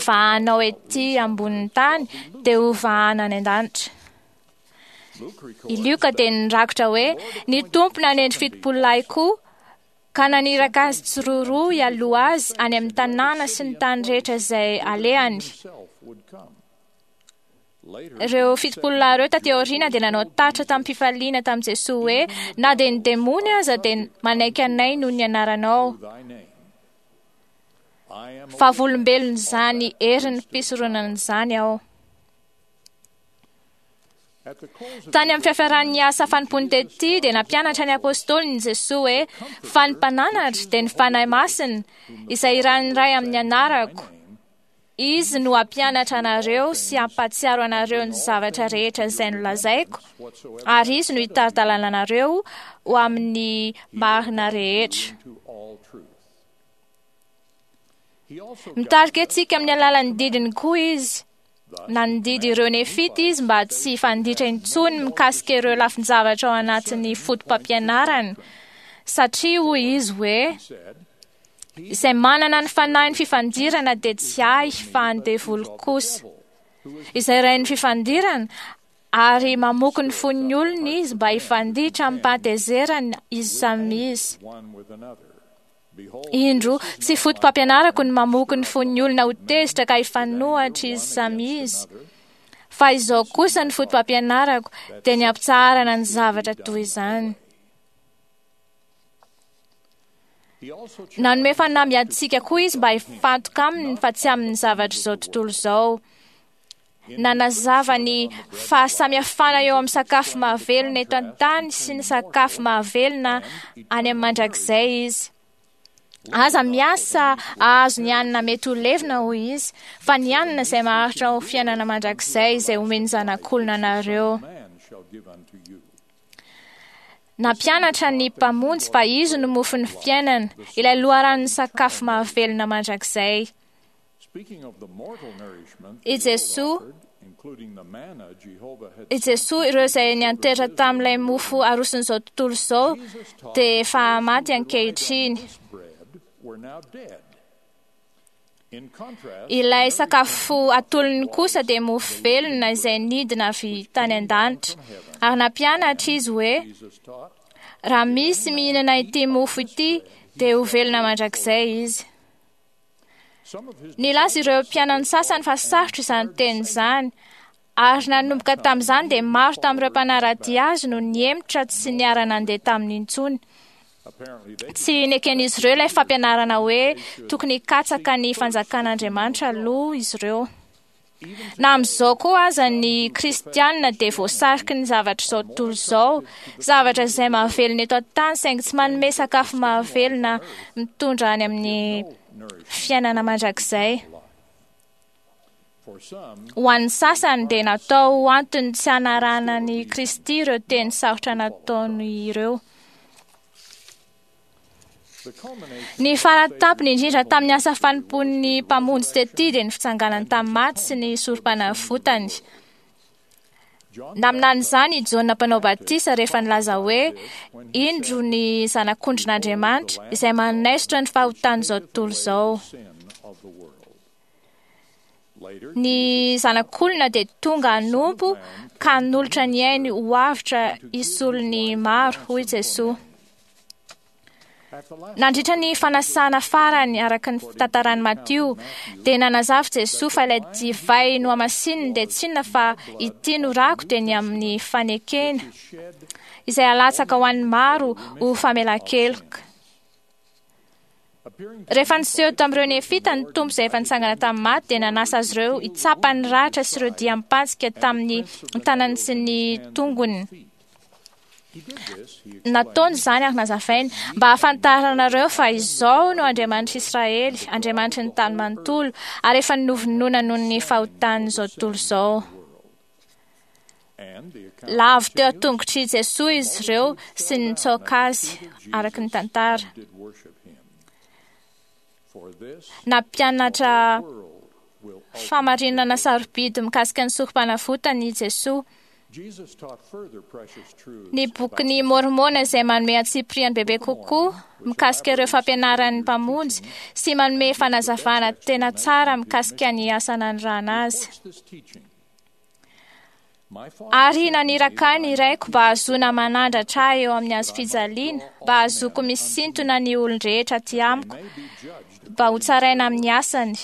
vahanao ety ambonin'ny tany dia ho vahana any an-danitra. I Lioka dia nirakitra hoe ny Tompo nanendry fitopolo lahy koa ka naniraka azy tsiroaroa hialoha azy any amin'ny tanàna sy ny tany rehetra izay alehany. Ireo fitopolo lahy ireo taty aoriana dia nanao tatitra tamin'ny-pifaliana tamin'i Jesoa hoe na dia ny demony aza dia manaiky anay noho ny anaranao. Vavolombelon'izany herin'ny fisoronana izany aho. Tany amin'ny fiafaran'ny asa fanompoany tety dia nampianatra ny apôstôliny Jesoa hoe fa ny mpananatra dia ny Fanahy Masina izay irahin'ny Ray amin'ny anarako. Izy no hampianatra anareo sy hampahatsiaro anareo ny zavatra rehetra izay nolazaiko, ary izy no hitari-dalana anareo ho amin'ny marina rehetra. Mitarika antsika amin'ny alalan'ny didiny koa izy. Nandidy ireo nefita izy mba tsy hifanditra intsony mikasika ireo lafin-javatra ao anatin'ny foto-pampianarana, satria hoy izy hoe izay manana ny fanahin'ny fifandirana dia tsy ahy fa ny devoly kosa. Izay rain'ny fifandirana ary mamoky ny fon'ny olona izy mba hifanditra amim-pahatezerana izy samy izy. Indro, tsy foto-pampianarako ny mamoky ny fon'ny olona ho tezitra ka hifanohatra izy samy izy. Fa izao kosa ny foto-pampianarako dia ny hampitsaharana ny zavatra toy izany. Nanome fanamby antsika koa izy mba hifantoka aminy fa tsy amin'ny zavatra izao tontolo izao. Nanazava ny fahasamihafana eo amin'ny sakafo mahavelona eto an-tany sy ny sakafo mahavelona any amin'ny mandrakizay izy. Aza miasa ahazo ny hanina mety ho levona, hoy izy, fa ny hanina izay maharitra ho fiainana mandrakizay izay omen'ny Zanak'olona anareo. Nampianatra ny Mpamonjy fa izy no mofon'ny fiainana, ilay loharanon'ny sakafo mahavelona mandrakizay. I Jesoa I Jesoa, ireo izay niantehitra tamin'ilay mofo aroson'izao tontolo izao dia efa maty ankehitriny. Ilay sakafo atolony kosa dia mofo velona izay nidina avy tany an-danitra. Ary nampianatra izy hoe raha misy mihinana ity mofo ity dia ho velona mandrakizay izy. Nilaza ireo mpianany sasany fa sarotra izany teny izany, ary nanomboka tamin'izany dia maro tamin'ireo mpanara-dia azy no nihemotra tsy niara-nandeha taminy intsony. Tsy neken'izy ireo ilay fampianarana hoe tokony hikatsaka ny fanjakan'Andriamanitra aloha izy ireo. Na amin'izao koa aza ny kristianina dia voasariky ny zavatra izao tontolo izao, zavatra izay mahavelona eto an-tany saingy tsy manome sakafo mahavelona mitondra any amin'ny fiainana mandrakizay. Ho an'ny sasany dia natao ho antony tsy hanarahana ny Kristy ireo teny sarotra nataony ireo. Ny faratampony indrindra tamin'ny asa fanompoan'ny Mpamonjy tety dia ny fitsanganany tamin'ny maty sy ny sorom-panavotany. Naminany izany i Jaona mpanao batisa rehefa nilaza hoe indro ny Zanak'ondrin'Andriamanitra izay manaisotra ny fahotan'izao tontolo izao. Ny Zanak'olona dia tonga hanompo ka hanolotra ny ainy ho avotra hisolo ny maro, hoy Jesoa. Nandritra ny fanasana farany araka ny fitantaran'i Matio dia nanazava Jesoa fa ilay divay nohamasininy dia tsy inona fa ity no rako dia ny amin'ny fanekena izay alatsaka ho an'ny maro ho famelan-keloka. Rehefa niseho tamin'ireo Nefita ny Tompo izay efa nitsangana tamin'ny maty dia nanasa azy ireo hitsapa ny ratra sy ireo diam-pantsika tamin'ny tanany sy ny tongony. Nataony izany ary nazavainy mba hahafantaranareo fa izao no Andriamanitra Israely, Andriamanitry ny tany manontolo, ary efa novonoina noho ny fahotan'izao tontolo izao. Lavo teo an-tongotr'i Jesoa izy ireo sy nitsaoka azy araka ny tantara. Nampianatra fahamarinana sarobidy mikasika ny sorom-panavotana i Jesoa. Ny bokin'ny Môrmôna izay manome antsipiriany bebe kokoa mikasika ireo fampianaran'ny Mpamonjy sy manome fanazavana tena tsara mikasika ny asa nanirahana azy. Ary naniraka ahy ny Raiko mba hahazoana manandratra ahy eo amin'ny hazo fijaliana, mba hahazoako misintona ny olon-drehetra aty amiko, mba hotsaraina amin'ny asany.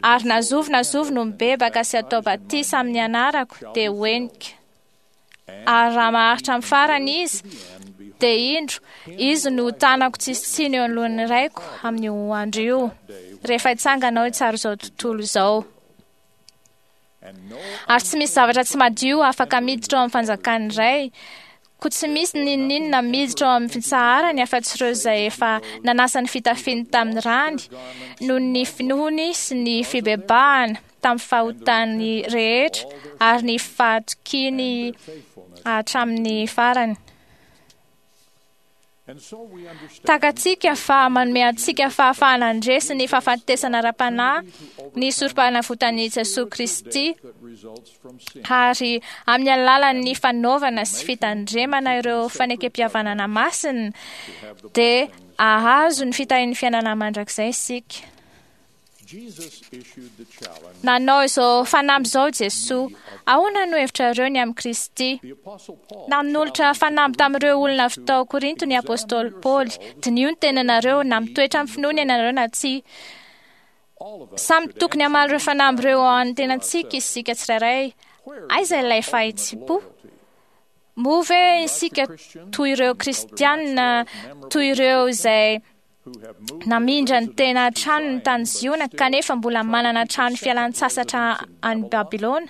Ary na zovy na zovy no mibebaka sy atao batisa amin'ny anarako dia ho henika. Ary raha maharitra amin'ny farany izy, dia indro, izy no tanako tsisy tsiny eo anoloan'ny Raiko amin'io andro io, rehefa hitsangana aho hitsara izao tontolo izao. Ary tsy misy zavatra tsy madio afaka miditra ao amin'ny fanjakan'ny Ray, koa tsy misy n'inon'inona miditra ao amin'ny fitsaharany afa-tsy ireo izay efa nanasa ny fitafiany tamin'ny rany noho ny finoany sy ny fibebahana tamin'ny fahotany rehetra ary ny fahatokiany hatramin'ny farany. Takatsika fa manome antsika fahafahana handresy ny fahafatesana ara-panahy ny sorom-panavotan'i Jesoa Kristy, ary amin'ny alalan'ny fanaovana sy fitandremana ireo fanekem-pihavanana masina dia hahazo ny fitahian'ny fiainana mandrakizay isika. Nanao izao fanamby izao Jesoa, ahoana no hevitrareo ny amin'i Kristy? Nanolotra fanamby tamin'ireo olona avy tao Korinto ny Apôstôly Paoly, diniho ny tenanareo na mitoetra amin'ny finoana ianareo na tsia. Samy tokony hamaly ireo fanamby ireo ao amin'ny tenantsika isika tsirairay. Aiza ilay fahitsim-po? Moa ve isika toy ireo kristianina, toy ireo izay namindra ny tena tranony tany Ziona kanefa mbola manana trano fialan-tsasatra any Babylona?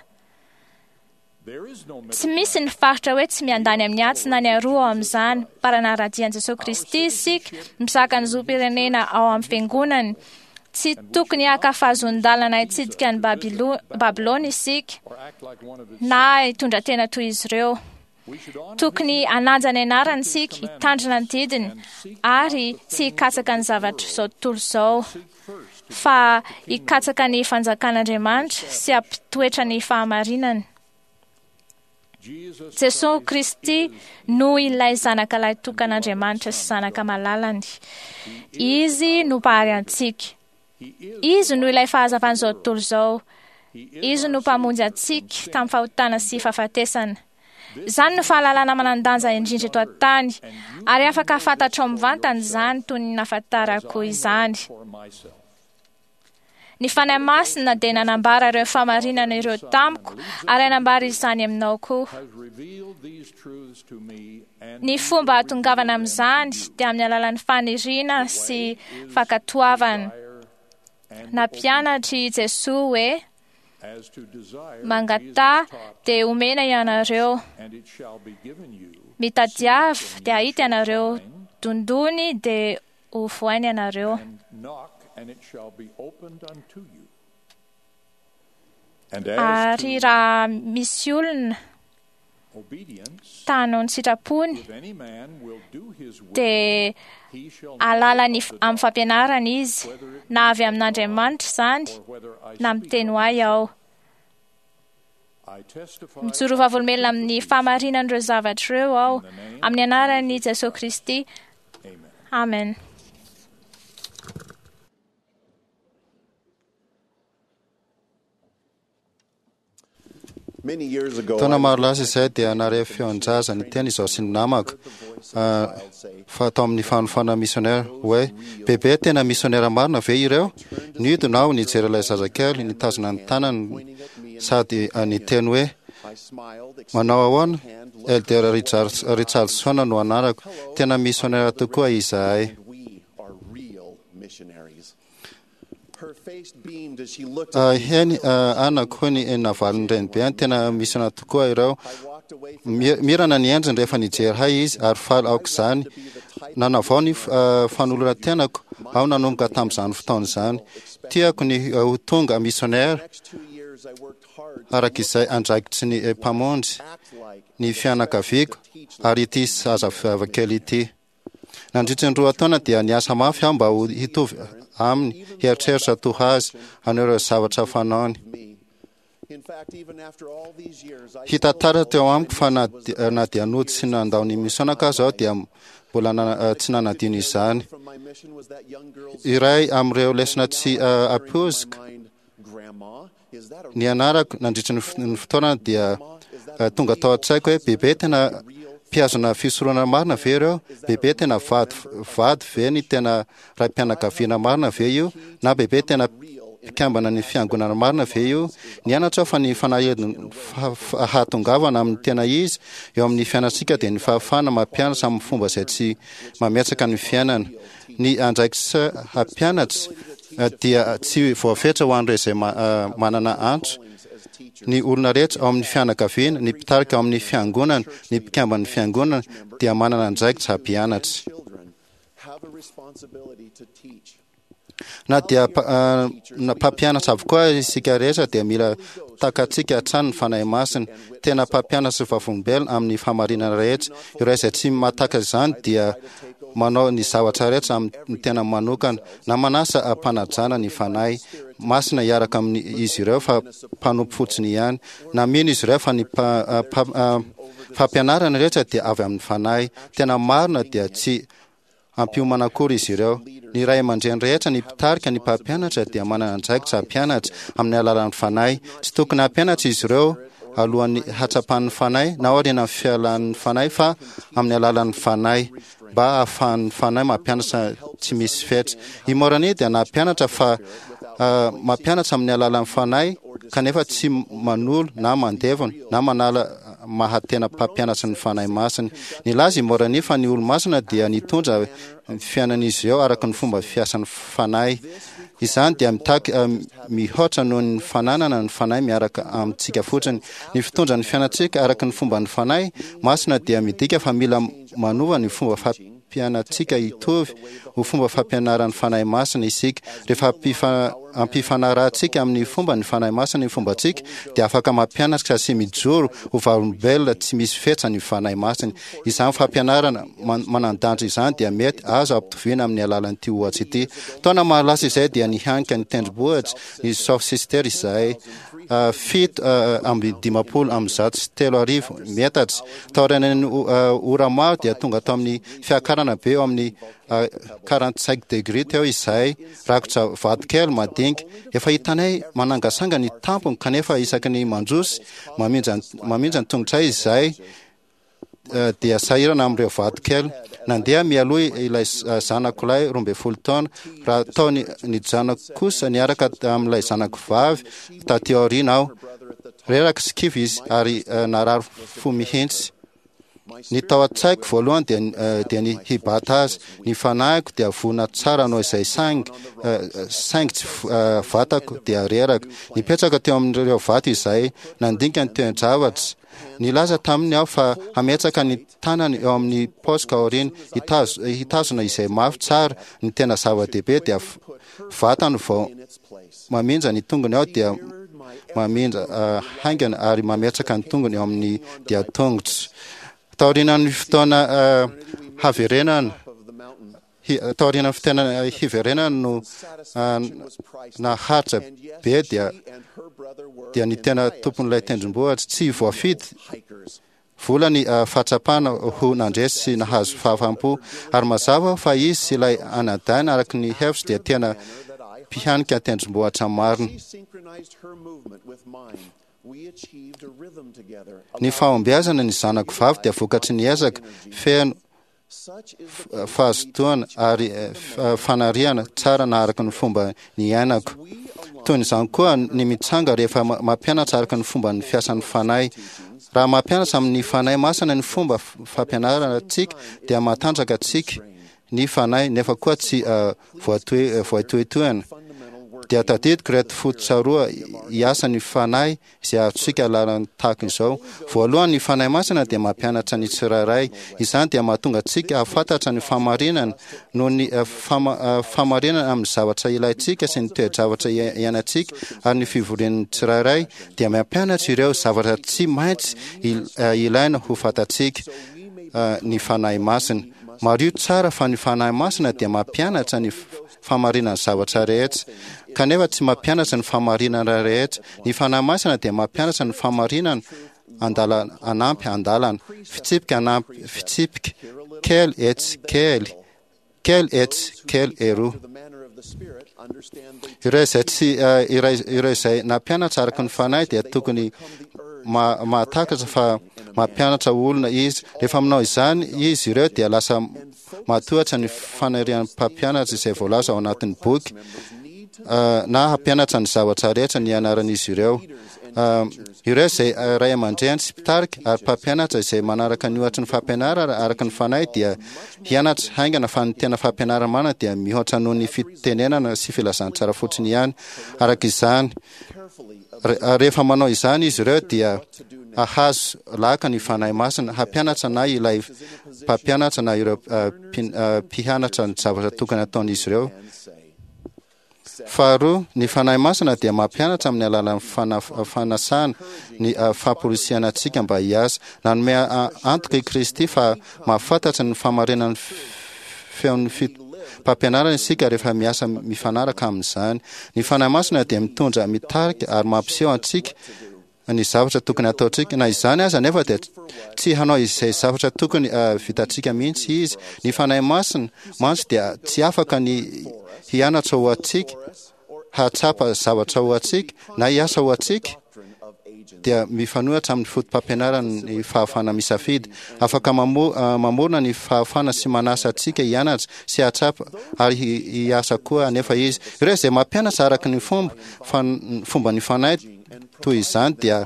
Tsy misy ny faritra hoe tsy miandany amin'ny atsy na ny aroa ao amin'izany. Mpanara-dia an'i Jesosy Kristy isika, mizaka ny zom-pirenena ao amin'ny fiangonany. Tsy tokony haka fahazoan-dalana hitsidika ny Babylona isika na hitondra tena toy izy ireo. Tokony hanaja ny anarany isika, hitandrina ny didiny ary tsy hikatsaka ny zavatra izao tontolo izao, fa hikatsaka ny fanjakan'Andriamanitra sy hampitoetra ny fahamarinany. Jesosy Kristy no ilay zanaka lahy tokan'Andriamanitra sy zanaka malalany. Izy no mpahary antsika. Izy no ilay fahazavan'izao tontolo izao. Izy no mpamonjy antsika tamin'ny fahotana sy fahafatesana. Izany no fahalalana manan-danja indrindra eto an-tany, ary afaka fantatrao mivantana izany toy ny nahafantarako izany. Ny Fanahy Masina dia nanambara ireo fahamarinana ireo tamiko ary hanambara izany aminao koa. Ny fomba hahatongavana amin'izany dia amin'ny alalan'ny faniriana sy fankatoavana. Nampianatra i Jesoa hoe: mangataha dia omena ianareo, mitadiava dia hahita ianareo, dondony dia ho vohaina ianareo. Ary raha misy olona ta hanao ny sitrapony dia alalany amin'ny fampianarana izy, na avy amin'Andriamanitra izany na miteny ho ahy aho. Mijoro vavolombelona amin'ny fahamarinan'ireo zavatra ireo aho, amin'ny anaran'i Jesosy Kristy. Amen. Taona maro lasa izay dia nahare feon-jaza niteny izaho sy ny namako fa tao amin'ny fanofana missionnaire hoe: bebe, tena missionnaire marina ve ireo? Niodina aho nijery ilay zazakely nitazona ny tanany sady niteny hoe: manao ahoana? Elder Richardson no anarako. Tena missionnaire tokoa izahay. Heny anako, hoy ny navalin'ny renibeany, tena missionnaire tokoa ireo. Mirana ny endriny rehefa nijery hay izy ary faly aoka izany. Nanavao ny fanoloran-tenako aho nanomboka tamin'izany fotoana izany. Tiako ny ho tonga missionnaire araka izay andraikitry ny mpamonjy, ny fianakaviako ary ity zazavavakely ity. Nandritra ny roa taona dia niasa mafy aho mba ho hitovy aminy, hieritreritra toa azy, hanao ireo zavatra fanaony. Hita taratra teo amiko fa na dia nody sy nandao ny misionako aza aho dia mbola tsy nanadino izany. Iray amin'ireo lesona tsy ampoiziko ny anarako nandritra ny fotoana dia tonga tao an-tsaiko hoe: bebe, tena mpihazona fisoronana marina ve ireo? Bebe, tena vady vady ve ny tena raim-pianakaviana marina ve io? Na bebe, tena mpikambana ny fiangonana marina ve io? Nianatra aho fa ny fanahidiny hahatongavana amin'ny tena izy eo amin'ny fiainantsika dia ny fahafahana mampianatra amin'ny fomba izay tsy mametsaka ny fiainana. Ny andraikitra hampianatra dia tsy voafetra ho an'ireo izay manana antso. Ny olona rehetra ao amin'ny fianakaviana, ny mpitarika ao amin'ny fiangonana, ny mpikamban'ny fiangonana dia manana andraikitra hampianatra. Na dia mpampianatra avokoa isika rehetra dia mila takatsika hatrany ny Fanahy Masina. Tena mpampianatra sy vavolombelona amin'ny fahamarinana rehetra. Ireo izay tsy mahataka izany dia manao ny zavatra rehetra amin'ny tena manokana, na manasa ampanajana ny Fanahy Masina hiaraka amin'izy ireo fa mpanompo fotsiny ihany. Na mino izy ireo fa ny fampianarana rehetra dia avy amin'ny Fanahy tena marina dia tsy ampiomana akory izy ireo. Ny ray aman-dreny rehetra, ny mpitarika, ny mpampianatra dia manana andraikitra hampianatra amin'ny alalan'ny Fanahy. Tsy tokony hampianatra izy ireo alohan'ny hatsapan'ny Fanahy na aorian'ny fialan'ny Fanahy fa amin'ny alalan'ny Fanahy mba hahafahan'ny Fanahy mampianatra tsy misy fetra. I Moroni dia nampianatra fa mampianatra amin'ny alalan'ny Fanahy kanefa tsy manolo na mandevona na manala mahatena mpampianatra ny Fanahy Masina. Nilaza i Moroni fa ny olo-masina dia nitondra ny fiainan'izy ireo araka ny fomba fiasan'ny Fanahy. Izany dia mitaky mihoatra noho ny fananana ny Fanahy miaraka amintsika fotsiny. Ny fitondra ny fiainantsika araka ny fomba ny Fanahy Masina dia midika fa mila manova ny fomba fampianantsika hitovy ho fomba fampianaran'ny Fanahy Masina isika. Rehefa ampifanarahantsika amin'ny fomba ny Fanahy Masina ny fombantsika, dia afaka mampianatra sy mijoro ho vavolombelona tsy misy fetra ny Fanahy Masina. Izany fampianarana manan-danja izany dia mety azo ampitoviana amin'ny alalan'ity ohatsy ity. Taona maro lasa izay dia nihanika ny tendrombohitra ny South Sister izahay, fito amby dimampolo amby zato sy telo arivo metatra. Taorian'ny ora maro dia tonga tao amin'ny fiakarana be eo amin'ny quarante-cinq degré teo izahay, rakotra vato kely madinika. Efa hitanay manangasanga ny tampony, kanefa isaky ny mandroso mamindra mamindra ny tongotray izahay dia sahirana amin'ireo vato kely. Nandeha mialoha ilay zanako lahy roa ambin'ny folo taona, raha tao nijanona kosa niaraka amin'ilay zanako vavy taty aoriana aho. Reraka sy kivy izy ary narary fo mihitsy. Ny tao an-tsaiko voalohany dia dia ny hibata azy. Ny fanahiko dia vonona tsara hanao izay saingy saingy tsy vatako dia reraka. Nipetraka teo amin'ireo vato izahay, nandinika ny toe-javatra. Nilaza taminy aho fa hametraka ny tanany eo amin'ny paosiko aoriana, hitazona izay mafy tsara. Ny tena zava-dehibe dia vatany vao mamindra ny tongony aho dia mamindra haingana ary mametraka ny tongony eo amin'ny dian-tongotra. Taorian'ny fotoana haverenana, taorian'ny fotoana hiverenana no naharitra be dia dia ny tena tompon'ilay tendrombohitra tsy voafidy vola ny fahatsapana ho nandresy sy nahazo fahafaham-po, ary mazava fa izy sy ilay anadahiny araka ny hevitro dia tena mpihanika tendrombohitra marina. Ny fahombiazana ny zanako vavy dia vokatry ny ezaka feno fahazotoana ary fanariana tsara na araka ny fomba niainako. Toy izany koa ny mitsanga rehefa mampianatra araka ny fomba ny fiasan'ny Fanahy. Raha mampianatra amin'ny Fanahy Masina ny fomba fampianarana antsika dia matanjaka antsika ny Fanahy, nefa koa tsy voatohitohina. Dia tadidiko ireto fototra roa hiasan'ny Fanahy izay azontsika alalana tahaka izao. Voalohany, ny Fanahy Masina dia mampianatra ny tsirairay. Izany dia mahatonga antsika hahafantatra ny fahamarinana noho ny fahamarinana amin'ny zavatra ilaintsika sy ny toe-javatra iainantsika, ary ny fivorian'ny tsirairay dia mampianatra ireo zavatra tsy maintsy ilaina ho fantatsika ny Fanahy Masina. Mariho tsara fa ny Fanahy Masina dia mampianatra ny fahamarinan'ny zavatra rehetra, kanefa tsy mampianatra ny fahamarinana rehetra. Ny Fanahy Masina dia mampianatra ny fahamarinana andalana anampy andalana, fitsipika anampy fitsipika, kely etsy kely, kely etsy kely eroa. Ireo izay tsy ireo izay nampianatra araka ny Fanahy dia tokony mahatakatra fa mampianatra olona izy. Rehefa manao izany izy ireo dia lasa matohatra ny fanirian'ny mpampianatra izay voalaza ao anatin'ny boky na hampianatra ny zavatra rehetra nianaran'izy ireo. Ireo izay ray aman-dreny sy mpitarika ary mpampianatra izay manaraka ny ohatry ny fampianarana araka ny Fanahy dia hianatra haingana fa ny tena fampianarana marina dia mihoatra noho ny fitenenana sy filazantsara fotsiny ihany. Araka izany, rehefa manao izany izy ireo dia hahazo laka ny Fanahy Masina hampianatra na ilay mpampianatra na ireo mpianatra ny zavatra tokony hataon'izy ireo. Faharoa, ny Fanahy Masina dia mampianatra amin'ny alalan'ny fanasana ny famporisihana antsika mba hiasa. Nanome antoka i Kristy fa mahafantatra ny fahamarinan'ny feon'ny mpampianarana isika rehefa miasa mifanaraka amin'izany. Ny Fanahy Masina dia mitondra, mitarika ary mampiseho antsika ny zavatra tokony hataontsika. Na izany aza anefa dia tsy hanao izay zavatra tokony vitantsika mihitsy izy. Ny Fanahy Masina mantsy dia tsy afaka ny hianatra ho antsika, hahatsapa zavatra ho antsika, na hiasa ho antsika, dia mifanohitra amin'ny fotopampianarany ny fahafahana misafidy. Afaka mamorona ny fahafahana sy manasa antsika hianatra sy hahatsapa ary hiasa koa anefa izy. Ireo izay mampianatra araka ny fomba fomban'ny Fanahy toy izany dia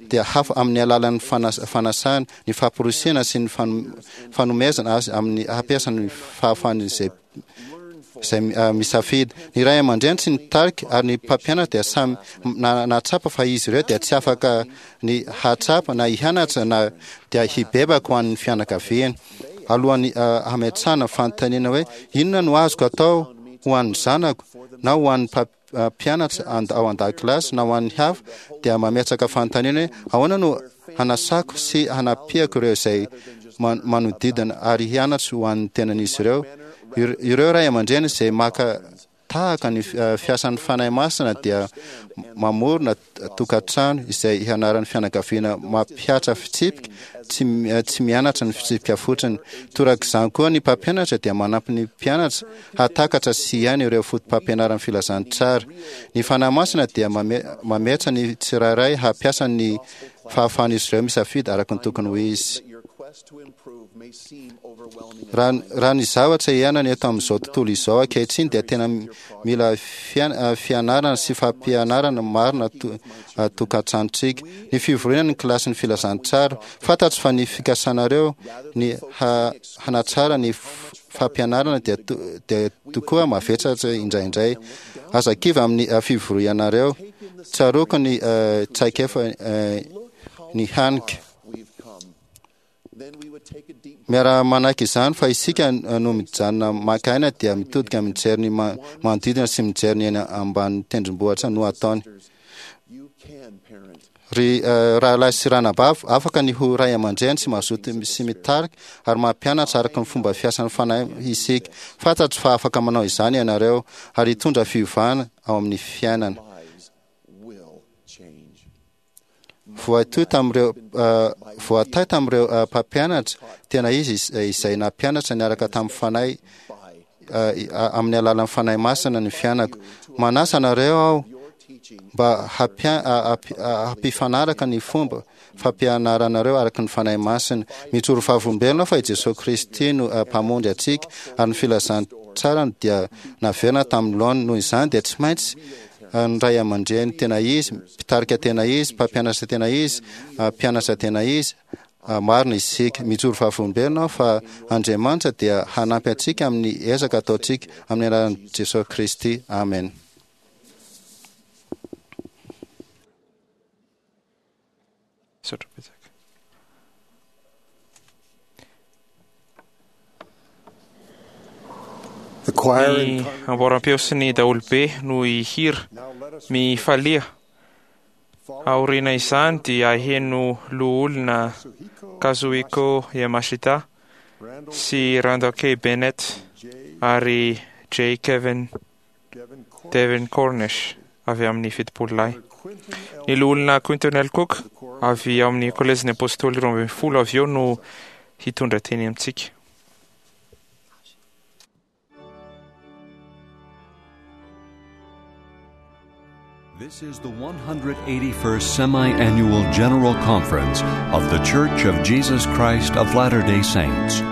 dia hafa amin'ny alalan'ny fanasana, ny famporisihana sy ny fanomezana azy amin'ny hampiasa ny fahafahan'izay izay misafidy. Ny ray aman-dreny sy ny tarika ary ny mpampianatra dia samy nahatsapa fa izy ireo dia tsy afaka ny hahatsapa na hianatra na dia hibebaka ho an'ny fianakaviany. Alohan'ny hametrahana fanontaniana hoe inona no azoko atao ho an'ny zanako na ho an'ny mpianatra ao an-dakilasy na ho an'ny hafa, dia mametraka fanontaniana hoe ahoana no hanasako sy hanampiako ireo izay manodidina ary hianatra ho an'ny tenan'izy ireo. Ireo ray aman-dreny izay maka tahaka ny fiasan'ny Fanahy Masina dia mamorona tokantrano izay hianaran'ny fianakaviana mampihatra fitsipika, tsy tsy mianatra ny fitsipika fotsiny. Torak'izany koa ny mpampianatra dia manampy ny mpianatra hahatakatra sy hiaina ireo fotopampianaran'ny filazantsara. Ny Fanahy Masina dia mametra ny tsirairay hampiasa ny fahafahan'izy ireo misafidy araka ny tokony ho izy. Raha raha ny zavatra iainana eto amin'izao tontolo izao ankehitriny dia tena mila fianarana sy fampianarana marina tokantranontsika. Ny fivoriana ny kilasin'ny filazantsara. Fantatro fa ny fikasanareo ny hanatsara ny fampianarana dia dia tokoa mavesatra indraindray. Aza kivy amin'ny fivorianareo. Tsaroako ny traikefa ny hanika. Miara-manaiky izany fa isika no mijanona maka aina dia mitodika mijery ny manodidina sy mijery ny eny ambanin'ny tendrombohitra no ataony. Ry rahalahy sy ranabavy, afaka ny ho ray aman-dreny sy mazoto sy mitarika ary mampianatra araka ny fomba fiasan'ny Fanahy isika. Fantatro fa afaka manao izany ianareo ary hitondra fiovana ao amin'ny fiainana. Voatohy tamin'ireo voatahy tamin'ireo mpampianatra tena izy izay nampianatra niaraka tamin'ny Fanahy amin'ny alalan'ny Fanahy Masina ny fiainako. Manasa anareo aho mba hampifanaraka ny fomba fampianaranareo araka ny Fanahy Masina. Mijoro vavolombelona fa i Jesoa Kristy no Mpamonjy antsika ary ny filazantsarany dia naverina tamin'ny laoniny. Noho izany dia tsy maintsy ny ray aman-dreny tena izy, mpitarika tena izy, mpampianatra tena izy, mpianatra tena izy. Marina isika. Mijoro vavolombelona aho fa Andriamanitra dia hanampy antsika amin'ny ezaka ataontsika amin'ny anaran'i Jesoa Kristy. Amen. Misaotra betsaka. Ny amboaram-peo sy ny daholobe no hihira. Mifalia. Aoriana izany dia heno loholona Kazuhiko Yamashita sy Randall K. Bennett ary J. Kevin Devin Cornish avy amin'ny Fitopolo Lahy. Ny loholona Quinton L. Cook avy ao amin'ny Kolejin'ny Apôstôly roa ambin'ny folo avy eo no hitondra teny amintsika. This is the one hundred eighty-first Semi-Annual General Conference of The Church of Jesus Christ of Latter-day Saints.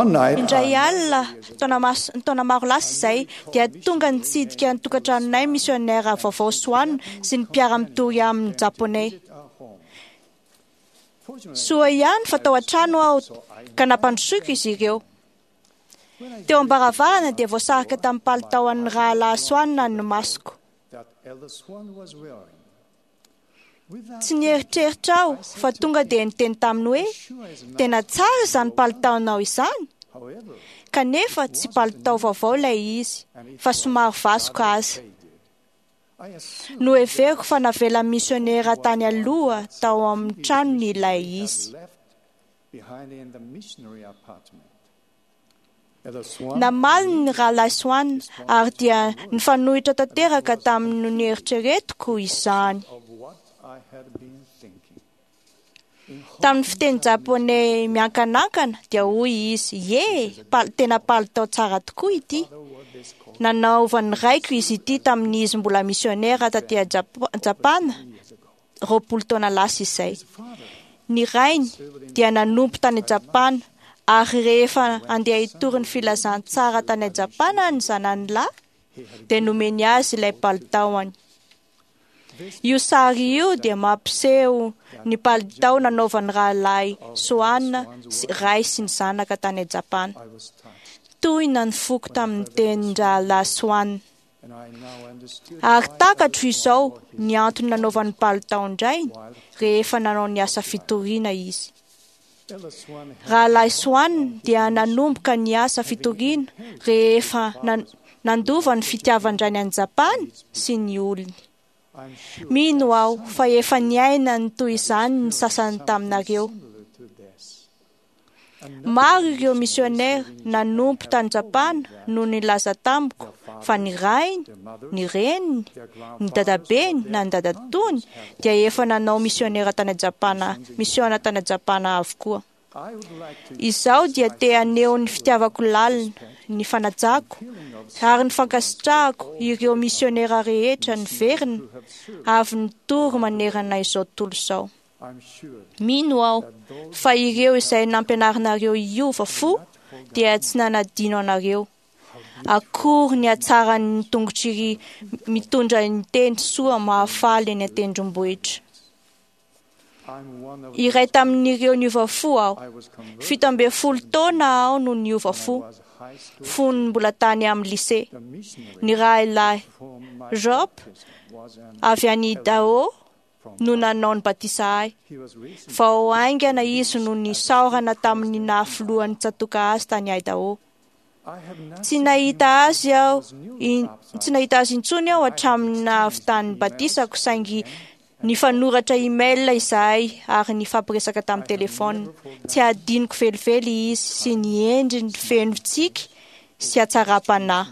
Indray alina, taona maro lasa izay, dia tonga nitsidika ny tokantranonay misionera vaovao Swan sy ny mpiara-mitory aminy japoney. Soa ihany fa tao an-trano aho ka nampandrosoiko izy ireo. Teo am-baravarana dia voasarika tamin'ny palitaon'ny rahalahy Swan ny masoko. Tsy nieritreritra aho fa tonga dia niteny taminy hoe tena tsara izany palitaonao izany. Kanefa tsy palitao vaovao ilay izy fa somary vasoka aza. Noheveriko fa navelan'ny misionera tany aloha tao amin'ny tranony ilay izy. Namaly ny rahalahy Swan ary dia nifanohitra tanteraka tamin'ny nieritreretiko izany. Tamin'ny fiteny japoney miankanankana dia hoy izy, "Ie, tena palitao tsara tokoa ity. Nanaovan'ny raiko izy ity tamin'izy mbola misionera taty Japana roapolo taona lasa izay. Ny rainy dia nanompo tany Japana ary rehefa andeha hitory ny filazantsara tany Japana ny zanany lahy dia nomeny azy ilay palitaony. Io sary io dia mampiseho ny palitao nanaovan'ny rahalahy Swan sy ray sy ny zanaka tany Japana. Tohina ny foko tamin'ny tenin-drahalahy Swan. Ary takatro izao ny antony nanaovan'ny palitaon-drainy rehefa nanao ny asa fitoriana izy. Rahalahy Swan dia nanomboka ny asa fitoriana rehefa nandova ny fitiavan-drainy an'i Japana sy ny olony. Mino aho fa efa niaina ny toy izany ny sasany taminareo. Maro ireo misionera nanompo tany Japana no nilaza tamiko fa ny rainy, ny reniny, ny dadabeny na ny dadatony dia efa nanao misionera tany Japana, misiona tany Japana avokoa. Izaho dia te haneho ny fitiavako lalina, ny fanajako ary ny fankasitrahako ireo misionera rehetra niverina avy nitory manerana izao tontolo izao. Mino aho fa ireo izay nampianarinareo hiova fo dia tsy nanadino anareo. Akory ny hatsaran'ny tongotry mitondra ny teny soa mahafaly eny an-tendrombohitra. Iray tamin'ireo niova fo aho. Fito ambin'ny folo taona aho no niova fo, fony mbola tany amin'ny lycée. Ny rahalahy Job avy any Idaho no nanao ny batisa ahy. Vao haingana izy no nisaorana tamin'ny nahafilohan'ny tsatoka azy tany Idaho. Tsy nahita azy aho, tsy nahita azy intsony aho hatramin'ny nahavitan'ny batisako, saingy nifanoratra email izahay ary nifampiresaka tamin'ny telefona. Tsy hadinoko velively izy sy ny endriny feno tsiky sy hatsaram-panahy.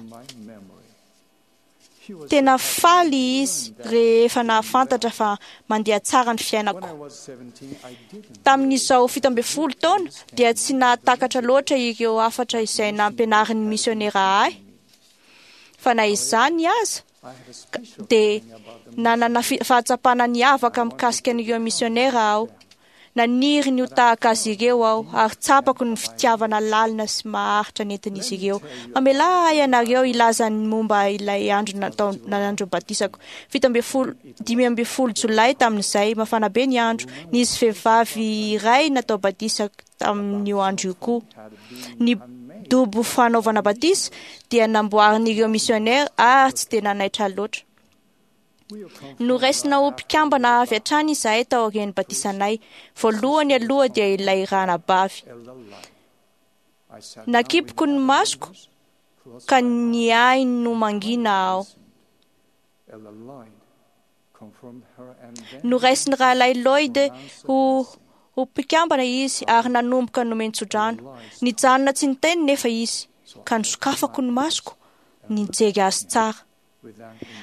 Tena faly izy rehefa nahafantatra fa mandeha tsara ny fiainako. Tamin'izao fito ambin'ny folo taona dia tsy nahatakatra loatra ireo hafatra izay nampianarin'ny misionera ahy. Fa na izany aza dia nanana fahatsapana niavaka mikasika an'ireo misionera aho. Naniry ny ho tahaka azy ireo aho ary tsapako ny fitiavana lalina sy maharitra nentin'izy ireo. Mamelà ahy ianareo hilaza ny momba ilay andro natao nanandro batisako. Fito ambin'ny folo dimy ambin'ny folo jolay tamin'izay, mafana be ny andro. Nisy vehivavy iray natao batisa tamin'io andro io koa. Ny dobo fanaovana batisa dia namboarin'ireo misionera ary tsy dia nanaitra loatra. Noraisina ho mpikambana avy hatrany izahay taorian'ny batisanay. Voalohany aloha dia ilay ranabavy. Nakipiko ny masoko ka niahy no mangina aho. Noraisin'ny rahalahy Lloyd ho ho mpikambana izy ary nanomboka nomen-tsodrano. Nijanona tsy niteny nefa izy ka nosokafako ny masoko nijery azy tsara.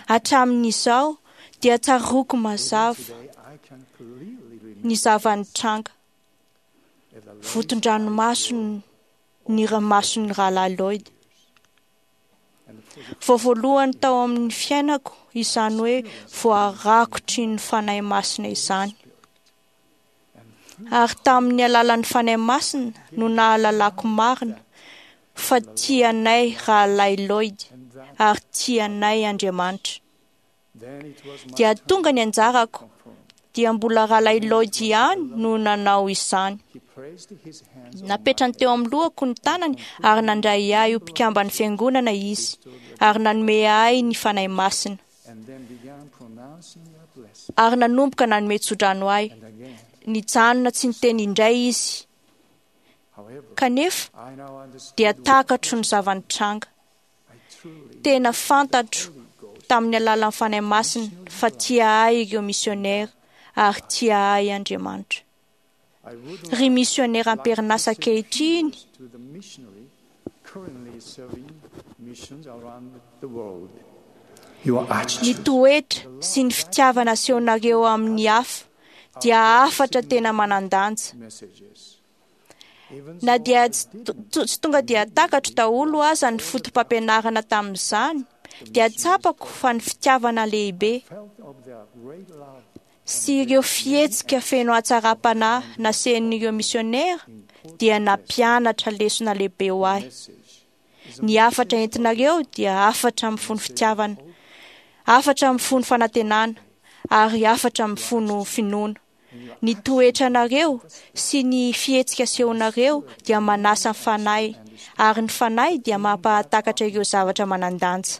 Hatramin'izao dia tsaroako mazava ny zava-nitranga. Voton-dranomaso ny ranomason'ny rahalahy Lloyd. Vao voalohany tao amin'ny fiainako izany hoe voarakotry ny Fanahy Masina izany. Ary tamin'ny alalan'ny Fanahy Masina no nahalalako marina fa tianay rahalahy Lloyd ary tianay Andriamanitra. Dia tonga ny anjarako, dia mbola rahalahy Lloyd ihany no nanao izany. Napetrany teo amin'ny lohako ny tanany ary nandray ahy ho mpikamban'ny fiangonana izy ary nanome ahy ny Fanahy Masina. Ary nanomboka nanome tsodrano ahy. Nijanona tsy niteny indray izy. Kanefa dia takatro ny zava-nitranga. Tena fantatro tamin'ny alalan'ny Fanahy Masina fa tia ahy ireo misionera ary tia ahy Andriamanitra. Ry misionera am-perinasa ankehitriny, ny toetra sy ny fitiavana asehonareo amin'ny hafa dia hafatra tena manan-danja. Na dia tsy tonga dia takatro daholo aza ny foto-pampianarana tamin'izany, dia tsapako fa ny fitiavana lehibe sy ireo fihetsika feno hatsaram-panahy nasehin'ireo misionera dia nampianatra lesona lehibe ho ahy. Ny hafatra entinareo dia hafatra mifono fitiavana, hafatra mifono fanantenana ary hafatra mifono finoana. Ny toetranareo sy ny fihetsika asehonareo dia manasa ny fanahy ary ny fanahy dia mampahatakatra ireo zavatra manan-danja.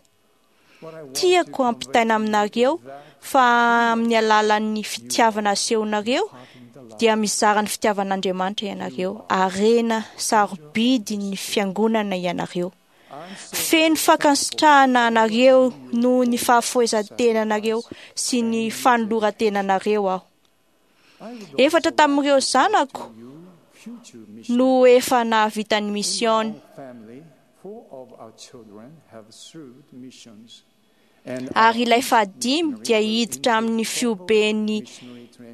Tiako hampitaina aminareo fa amin'ny alalan'ny fitiavana asehonareo dia mizara ny fitiavan'Andriamanitra ianareo. Harena sarobidy ny fiangonana ianareo. Feno fankasitrahana anareo noho ny fahafoizan-tenanareo sy ny fanoloran-tenanareo aho. Efatra tamin'ireo zanako no efa nahavita ny misiôny. Ary ilay fahadimy dia hiditra amin'ny fioben'ny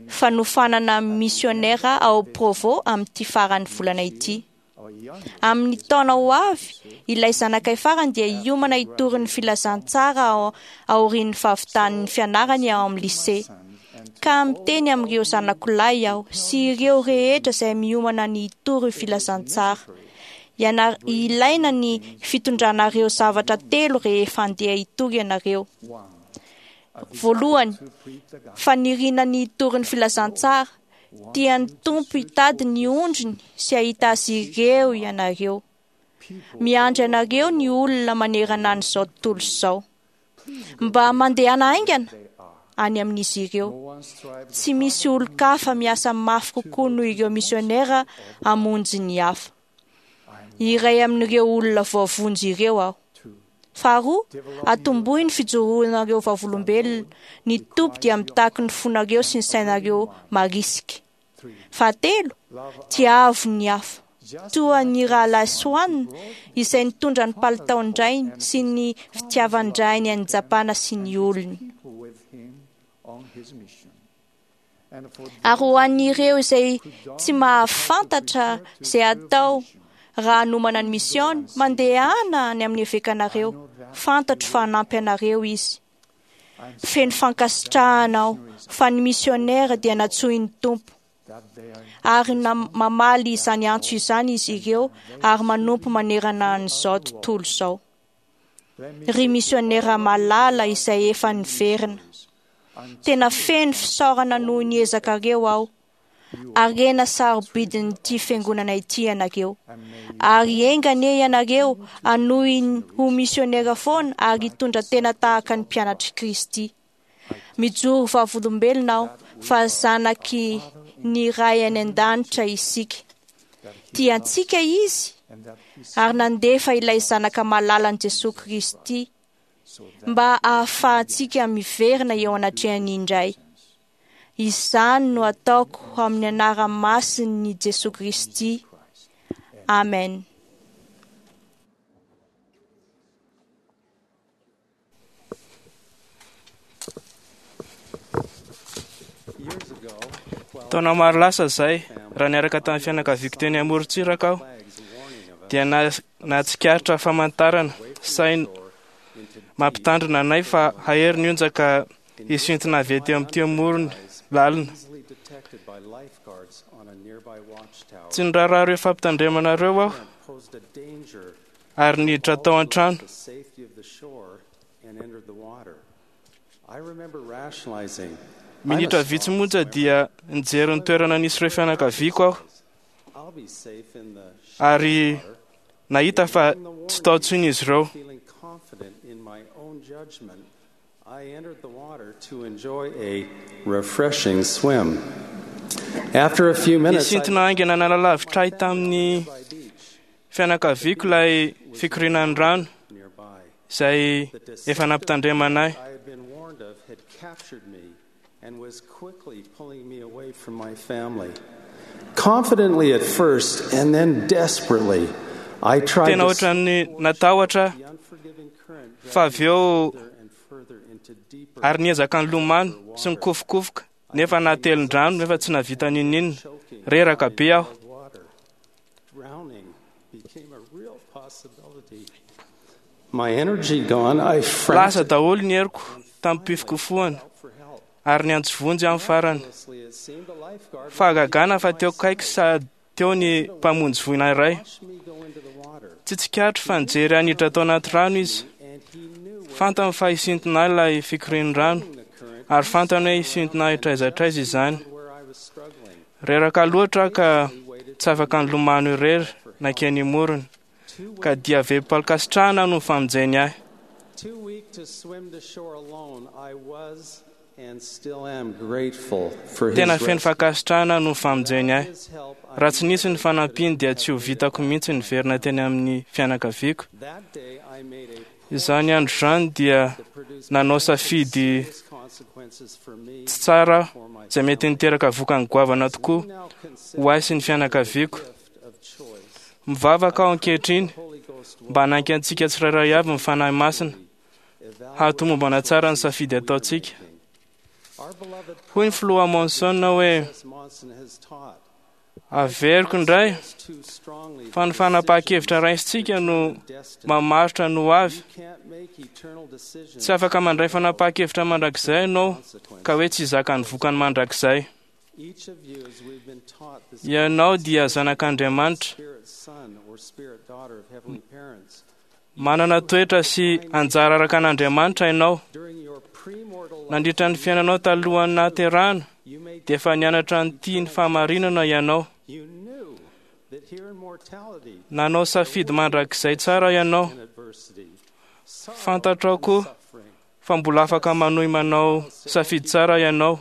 fanofanana misionera ao Provo amin'ity faran'ny volana ity. Amin'ny taona ho avy, ilay zanakay farany dia hiomana hitory ny filazantsara aorian'ny fahavitan'ny fianarany ao amin'ny lycée. Ka miteny amin'ireo zanako lahy aho sy ireo rehetra izay miomana ny hitory ny filazantsara. Iana- ilaina ny fitondranareo zavatra telo rehefa andeha hitory ianareo. Voalohany, faniriana ny hitory ny filazantsara. Tian'ny Tompo hitady ny ondriny sy hahita azy ireo ianareo. Miandry anareo ny olona manerana an'izao tontolo izao. Mba mandehana haingana any amin'izy ireo. Tsy misy olon-kafa miasa mafy kokoa noho ireo misionera hamonjy ny hafa. Iray amin'ireo olona voavonjy ireo aho. Faharoa, atombohy ny fijoroanareo vavolombelona. Ny Tompo dia mitaky ny fonareo sy ny sainareo marisika. Fahatelo, tiavo ny hafa. Toa ny rahalahy Swan izay nitondra ny palitaon-drainy sy ny fitiavan-drainy any Japana sy ny olony. Ary ho an'ireo izay tsy mahafantatra izay atao raha hanomana ny misiôny, mandehana any amin'ny evekanareo. Fantatro fa hanampy anareo izy. Feno fankasitrahana aho fa ny misionera dia nantsoin'ny Tompo. Ary mamaly izany antso izany izy ireo ary manompo manerana an'izao tontolo izao. Ry misionera malala izay efa niverina. Tena feno fisaorana noho ny ezakareo aho. Harena sarobidin'ity fiangonana ity ianareo. Ary enga anie ianareo hanohy ho misionera foana ary hitondra tena tahaka ny mpianatr'i Kristy. Mijoro vavolombelona aho fa zanaky ny Ray any an-danitra isika. Tiantsika izy ary nandefa ilay zanaka malalan'i Jesoa Kristy mba ahafahantsika miverina eo anatrehany indray. Izany no ataoko amin'ny anarana masin'i Jesoa Kristy. Amen. Taona maro lasa izay, raha niaraka tamin'ny fianakaviako teny amorontsiraka aho, dia nahatsikaritra famantarana saina mampitandrina anay fa hahery ny onja ka hisintona avy ety amin'ity morony lalina. Tsy niraharaha ireo fampitandremanareo aho ary niditra tao an-trano. Minitra vitsy monja dia nijery ny toerana nisy ireo fianakaviako aho ary nahita fa tsy tao intsony izy ireo. Nisintona haingana nanalavitra ahy tamin'ny fianakaviako ilay fikorianan'ny rano izay efa nampitandremana ahy. And was quickly pulling me away from my family. Confidently at first, and then desperately, I tried Tena to ohatran'ny natahotra fa avy eo ary niezaka nilomano sy nikofokofoka nefa nahatelin-drano nefa tsy nahavita n'inon'inona. Reraka be aho. Drowning became a real possibility. My energy gone, I Lasa daholo ny heriko tamin'ny fikofohana ary niantso vonjy amin'ny farany. Fahagagana fa teo akaiky sady teo ny mpamonjy voina iray. Tsy tsikaritro fa nijery ahy niditra tao anaty rano izy. Fantany fa hisintona ahy ilay fikorian'ny rano ary fantany hoe hisintona ahy hatraiza hatraiza izany. Reraka loatra aho ka tsy afaka nilomano irery nankeny imorony, ka dia velom-pankasitrahana no famonjeny ahy. Too weak to swim to shore alone, I was and still am grateful for his Tena feno rescue. fankasitrahana no famonjeny ahy. Raha tsy nisy ny fanampiany dia tsy ho vitako mihitsy niverina teny amin'ny fianakaviako. That day I made a Izany andro izany dia nanao safidy consequences for me tsy tsara aho, izay mety niteraka vokany goavana tokoa ho ahy sy ny fianakaviako. Mivavaka aho ankehitriny mba hanampy antsika tsirairay avy ny Fanahy Masina hahatomombana tsara ny safidy ataontsika. Hoy ny filoha Monson hoe Monson has taught. averiko indray fa ny fanapahan-kevitra raisintsika no mamaritra ny ho avy. Can't make eternal decisions. Tsy afaka mandray fanapahan-kevitra mandrakizay ianao ka hoe tsy hizaka ny vokany mandrakizay. Each of you, as we've been taught this Ianao dia zanak'Andriamanitra, spirit son or spirit daughter of heavenly parents, manana toetra sy anjara araka an'Andriamanitra ianao. during your premortal life, Nandritra ny fiainanao talohan'ny nahaterahana dia efa nianatra ny ny fahamarinana ianao. you knew that here in mortality Nanao safidy mandrakizay tsara ianao. and adversity, Fantatrao koa fa mbola afaka manohy manao safidy tsara ianao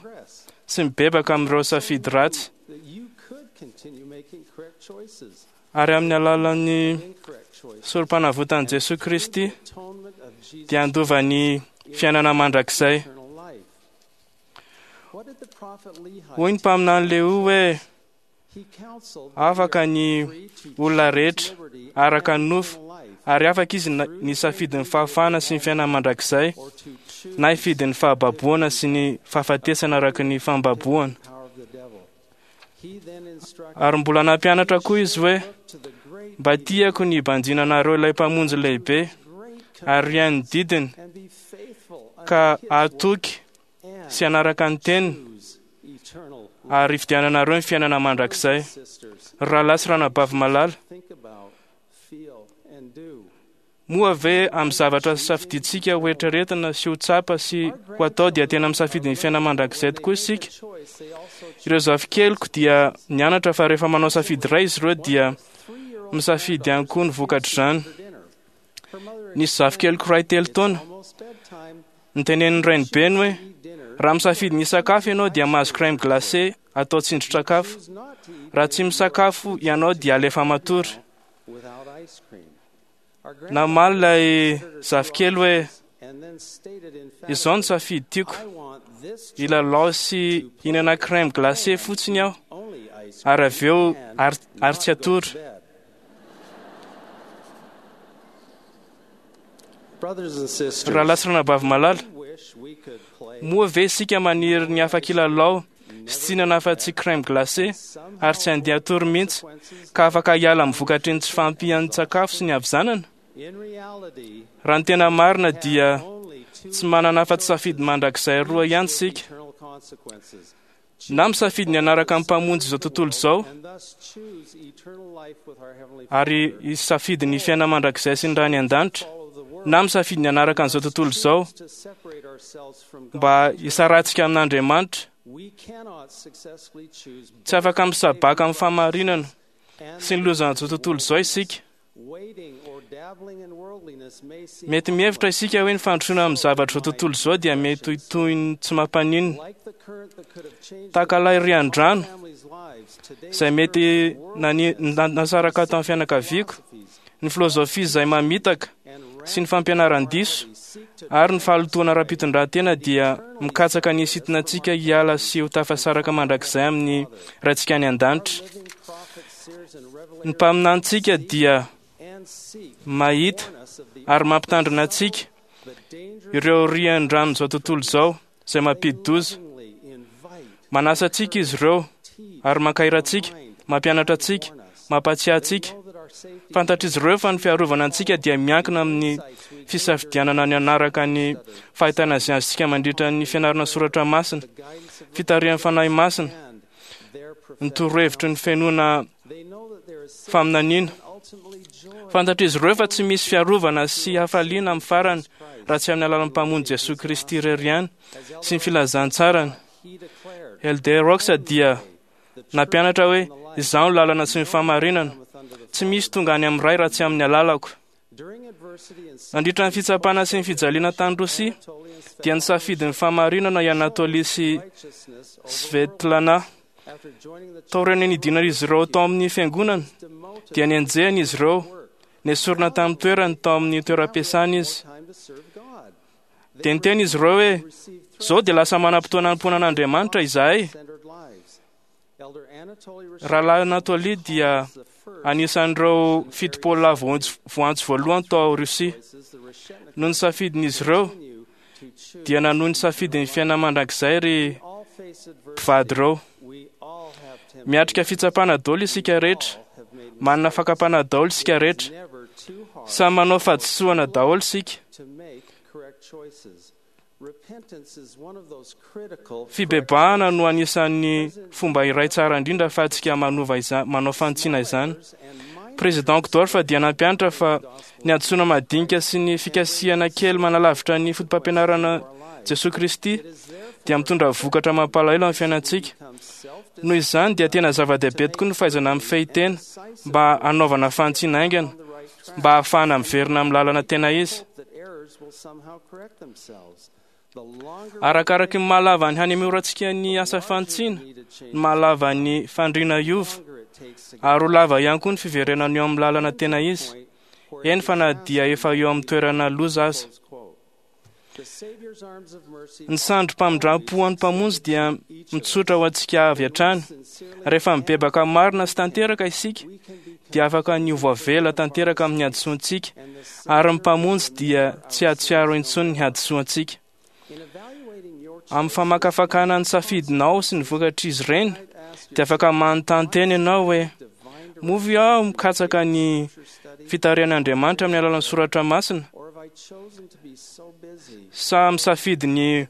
sy mibebaka amin'ireo safidy ratsy that you could continue making correct choices, ary amin'ny alalan'ny incorrect choices. sorom-panavotan'i Jesoa Kristy Atonement of Jesus dia handova ny fiainana mandrakizay. eternal life. What did the prophet Lehi Hoy ny mpaminany Leo hoe He counseled afaka ny olona rehetra araka ny nofo ary afaka izy na- nisafidy ny fahafahana sy ny fiainana mandrakizay na hifidy ny fahababoana sy ny fahafatesana araka ny fambaboana. power of the devil. He then instructed Ary mbola nampianatra koa izy hoe to the great mba tiako ny hibanjinanareo ilay mpamonjy lehibe ary haino ny didiny and be faithful ka unto his hahatoky word sy hanaraka ny teniny and choose eternal ary hifidiananareo ny fiainana mandrakizay. sisters. Rahalahy sy ranabavy malala, Think about, feel, and do. moa ve amin'ny zavatra safidintsika ho eritreretina sy ho tsapa sy ho atao dia tena misafidy ny fiainana mandrakizay tokoa isika? Choice, they also Ireo zafikeliko dia nianatra fa rehefa manao safidy iray izy ireo dia misafidy ihany koa ny vokatr'izany. dinner. Her mother Nisy zafikeliko iray telo taona almost bedtime, nitenenin'ny rainibeny hoe eat dinner. raha misafidy ny sakafo ianao dia mahazo crème glacée atao tsindrin-tsakafo. Choose not to eat Raha tsy misakafo ianao dia alefa matory. without ice cream. Our Namaly ilay zafikely hoe and then stated izao ny emphatically, safidy tiako I want this hilalao sy hihinana crème glacée fotsiny aho only ice ary avy eo and ary, ary not tsy go to hatory. bed. Brothers and sisters, Rahalahy sy ranabavy malala, we wish we could play moa ve isika maniry ny afaka hilalao sy tsy hihinana afa-tsy crème glacée ary tsy handeha hatory mihitsy ka afaka hiala amin'ny vokatry ny tsy fahampian'ny sakafo sy ny havizanana? in reality Raha ny tena marina dia only two tsy manana afa-tsy safidy mandrakizay roa ihany isika. eternal consequences. Na misafidy ny hanaraka ny Mpamonjy izao tontolo izao ary hisafidy ny fiainana mandrakizay sy ny Ray any an-danitra, na misafidy ny hanaraka an'izao tontolo izao mba hisarahantsika amin'Andriamanitra. Tsy afaka misabaka amin'ny fahamarinana sy ny lozan'izao tontolo izao isika. Mety mihevitra isika hoe ny fandrosoana amin'ny zavatra izao tontolo izao dia mety ho toy ny tsy mampaninona, tahaka ilay rian-drano izay mety nani- nasaraka tamin'ny fianakaviako, ny filozofia izay mamitaka sy ny fampianaran-diso ary ny fahalotoana ara-pitondran-tena dia mikatsaka ny hisintona antsika hiala sy ho tafasaraka mandrakizay amin'ny Raintsika any an-danitra. Ny mpaminanintsika dia mahita ary mampitandrina antsika ireo rian-dranon'izao tontolo izao izay mampidi-doza. Manasa antsika izy ireo ary mankahery antsika, mampianatra antsika, mampahatsiahy antsika. Fantatr'izy ireo fa ny fiarovana antsika dia miankina amin'ny fisafidianana ny hanaraka ny fahitana izay azontsika mandritra ny fianarana soratra masina, fitarihan'ny Fanahy Masina, ny torohevitry ny fenoana faminaniana. Fantatr'izy ireo fa tsy misy fiarovana sy hafaliana amin'ny farany raha tsy amin'ny alalan'ny Mpamonjy Jesoa Kristy irery ihany sy ny filazantsarany. Elder Oaks dia nampianatra hoe izaho no lalana sy ny fahamarinana, tsy misy tonga any amin'ny Ray raha tsy amin'ny alalako. Nandritra ny fitsapana sy ny fijaliana tany Rosia dia nisafidy ny fahamarinana i Anatoly sy Svetlana. Taorian'ny nidinan'izy ireo tao amin'ny fiangonana dia nenjehina izy ireo, nesorina tamin'ny toerany tao amin'ny toeram-piasana izy. Dia niteny izy ireo hoe izao dia lasa manam-potoana hanompoana an'Andriamanitra izahay. Rahalahy Anatoly dia anisan'ireo fitopolo lahy voantso voalohany tao Rosia. Noho ny safidin'izy ireo dia nanohy ny safidin'ny fiainana mandrakizay ry mpivady ireo. Miatrika fitsapana daholo isika rehetra, manana fakam-panahy daholo isika rehetra, samy manao fahadisoana daholo isika. Fibebahana no anisan'ny fomba iray tsara indrindra ahafahantsika manova izany, manao fanitsiana izany. Président Uchtdorf dia nampianatra fa ny hadisoana madinika sy ny fikasihana kely manalavitra ny fotopampianarana Jesoa Kristy dia mitondra vokatra mampalahelo amin'ny fiainantsika. Noho izany dia tena zava-dehibe tokoa ny fahaizana mifehy tena mba hanaovana fanitsiana haingana mba hahafahana miverina amin'ny lalana tena izy. Arakaraky ny mahalava ny hanemorantsika ny asa fanitsiana, ny mahalava ny fandriana hiova, ary ho lava ihany koa ny fiverenana eo amin'ny lalana tena izy, eny fa na dia efa eo amin'ny toerana loza aza. Ny sandrim-pamindram-po an'ny Mpamonjy dia mitsotra ho antsika avy hatrany. Rehefa mibebaka marina sy tanteraka isika, dia afaka ny ho voavela tanteraka amin'ny hadisoantsika, ary ny Mpamonjy dia tsy hahatsiaro intsony ny hadisoantsika. Amin'ny famakafakana ny safidinao sy ny vokatr'izy ireny, dia afaka manontany tena ianao hoe, moa ve aho mikatsaka ny fitarihan'Andriamanitra amin'ny alalan'ny soratra masina, sa misafidy ny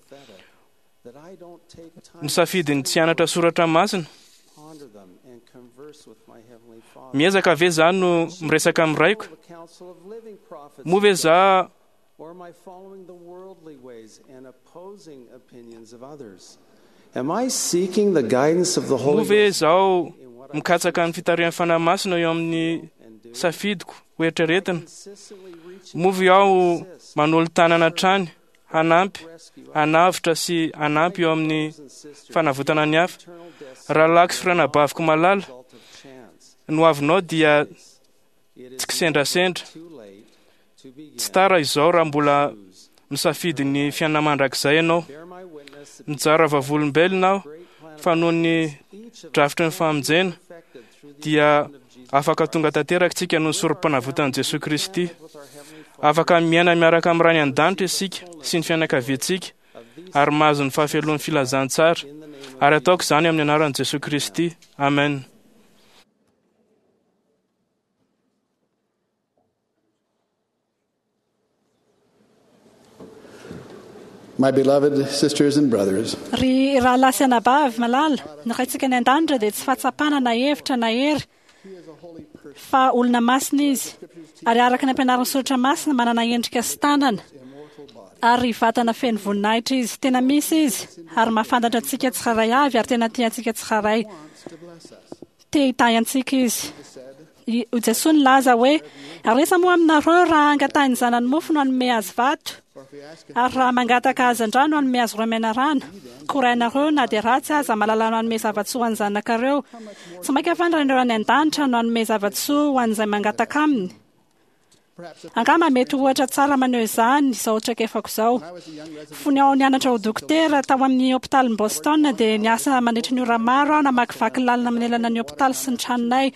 misafidy ny tsy hianatra soratra masina? Miezaka ve za no miresaka amin'ny raiko? Moa ve za Moa ve izaho mikatsaka ny fitarihan'ny Fanahy Masina eo amin'ny safidiko ho eritreretina? Moa ve aho manolo-tanana hatrany hanampy, hanavotra sy hanampy eo amin'ny fanavotana ny hafa? Rahalahiko sy ranabaviko malala, ny hoavinao dia tsy kisendrasendra. Tsy tara izao raha mbola misafidy ny fiainana mandrakizay ianao. Mijara vavolombelona aho fa noho ny drafitry ny famonjena dia afaka tonga tanteraka isika noho ny sorom-panavotan'i Jesoa Kristy. Afaka miaina miaraka amin'ny Ray any an-danitra isika sy ny fianakaviantsika ary mahazo ny fahafeloan'ny filazantsara. Ary ataoko izany amin'ny anaran'i Jesoa Kristy. Amen. My beloved sisters and brothers, Ry rahalahy sy anabavy malala, ny Raintsika any an-danitra dia tsy fahatsapana na hevitra na hery fa olona masina izy, ary araka ny ampianarin'ny soratra masina manana endrika sy tanana ary vatana feno voninahitra izy. Tena misy izy ary mahafantatra antsika tsirairay avy ary tena tia antsika tsirairay. Te hitahy antsika izy. I Jesoa nilaza hoe ary aiza moa aminareo raha angatahin'ny zanany mofo no hanome azy vato, ary raha mangataka hazandrano hanome azy roa menarana? Koa rainareo na dia ratsy aza mahalala no hanome zava-tsoa ho an'ny zanakareo, tsy mainka fa ny Rainareo any an-danitra no hanome zava-tsoa ho an'izay mangataka aminy. Angamba mety ho ohatra tsara maneho izany izao traikefako izao. Fony aho nianatra ho dokotera tao amin'ny hopitalin'i Boston dia niasa mandritra ny ora maro aho namakivaky lalana manelana ny hopitaly sy ny tranonay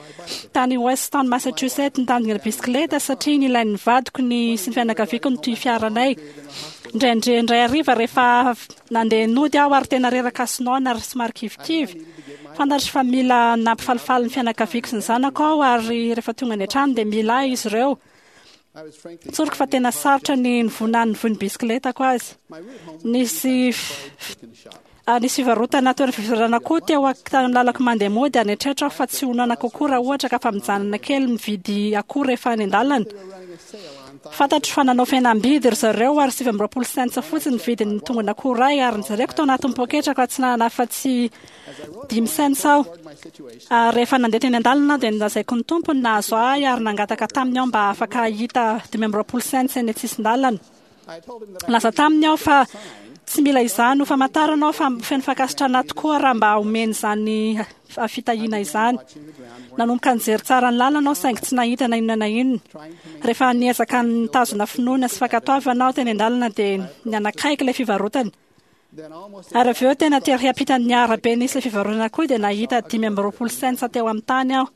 tany Weston, Massachusetts, nitandrina bisikileta satria nilain'ny vadiko ny sy ny fianakaviako ny toy fiaranay. Indraindray indray hariva rehefa nandeha nody aho ary tena reraka sy noana ary somary kivikivy. Fantatro fa mila nampifalifaly ny fianakaviako sy ny zanako aho ary rehefa tonga any an-trano dia mila ahy izy ireo. Tsoriko fa tena sarotra ny nivonan'ny voin'ny bisikletako azy. Nisy nisy fivarotana toerana fivarotana koa teo amin'ny lalako mandeha mody ary nieritreritra aho fa tsy ho noana kokoa raha ohatra ka fa mijanona kely mividy akoho rehefa any an-dalana. Fantatro fa nanao fihenam-bidy ry zareo ary sivy amby roapolo cents fotsiny ny vidin'ny tongon'akoho iray ary nojereko tao anatin'ny poketrako fa tsy nanana afa-tsy dimy cents aho. Ary rehefa nandeha teny an-dalana aho dia nolazaiko ny tompony nahazo ahy ary nangataka taminy aho mba afaka hahita dimy amby roapolo cents eny an-tsisin-dalana. Nilaza taminy aho fa tsy mila izany ho famantarana aho fa feno fankasitrahana tokoa raha mba omeny izany fitahiana izany. Nanomboka nijery tsara ny lalana aho saingy tsy nahita na inona na inona. Rehefa niezaka nitazona finoana sy fankatoavana aho teny an-dalana dia nianakaiky ilay fivarotana. Ary avy eo tena tery hampitan'ny arabe nisy ilay fivarotana koa dia nahita dimy amby roapolo cents teo amin'ny tany aho.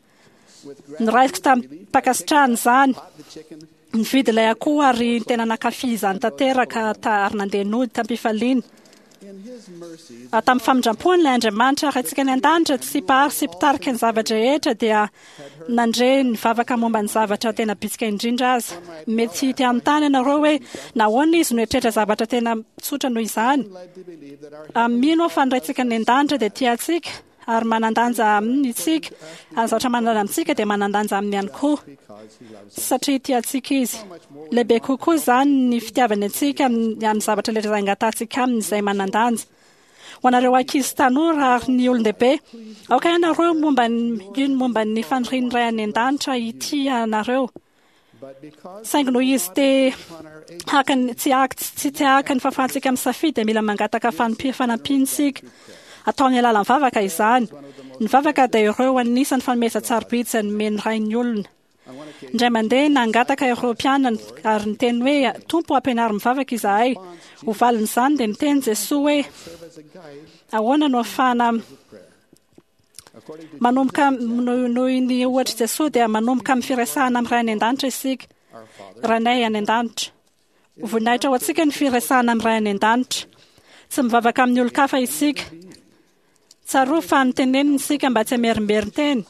Noraisiko tamim-pankasitrahana izany. Nividy ilay akoho ary tena nankafy izany tanteraka ary nandeha nody tam-pifaliana. Tamin'ny famindram-pony ilay Andriamanitra Raintsika any an-danitra tsy mpahary sy mpitarika ny zava-drehetra dia nandre ny vavaka momba ny zavatra tena bitsika indrindra aza. Mety te hanontany ianareo hoe nahoana izy no eritreritra zavatra tena tsotra noho izany. Mino aho fa ny Raintsika any an-danitra dia tia antsika ary manan-danja aminy isika, ary ny zavatra manan-danja amintsika dia manan-danja aminy ihany koa satria tia antsika izy. Lehibe kokoa izany ny fitiavany antsika amin'ny zavatra rehetra izay angatahantsika aminy izay manan-danja. Ho anareo ankizy tanora ary ny olon-dehibe, aoka ianareo momba ny ino momba ny fanirian'ny Ray any an-danitra hitia anareo. Saingy noho izy te haka ny tsy haka tsy te haka ny fahafahantsika misafidy dia mila mangataka fanampiana isika. Atao amin'ny alalan'ny vavaka izany. Ny vavaka dia ireo anisan'ny fanomezan-tsarobidy izay nomen'ny Rain'ny olona. Indray mandeha nangataka ireo mpianany ary niteny hoe Tompo ampianaro mivavaka izahay. Ho valin'izany dia niteny Jesoa hoe ahoana no ahafahana manomboka noho ny ohatr'i Jesoa dia manomboka amin'ny firesahana amin'ny Ray any an-danitra isika. Rainay any an-danitra. Ho voninahitra ho antsika ny firesahana amin'ny Ray any an-danitra. Tsy mivavaka amin'ny olon-kafa isika. Tsarovy fa noteneniny isika mba tsy hamerimberin-teny.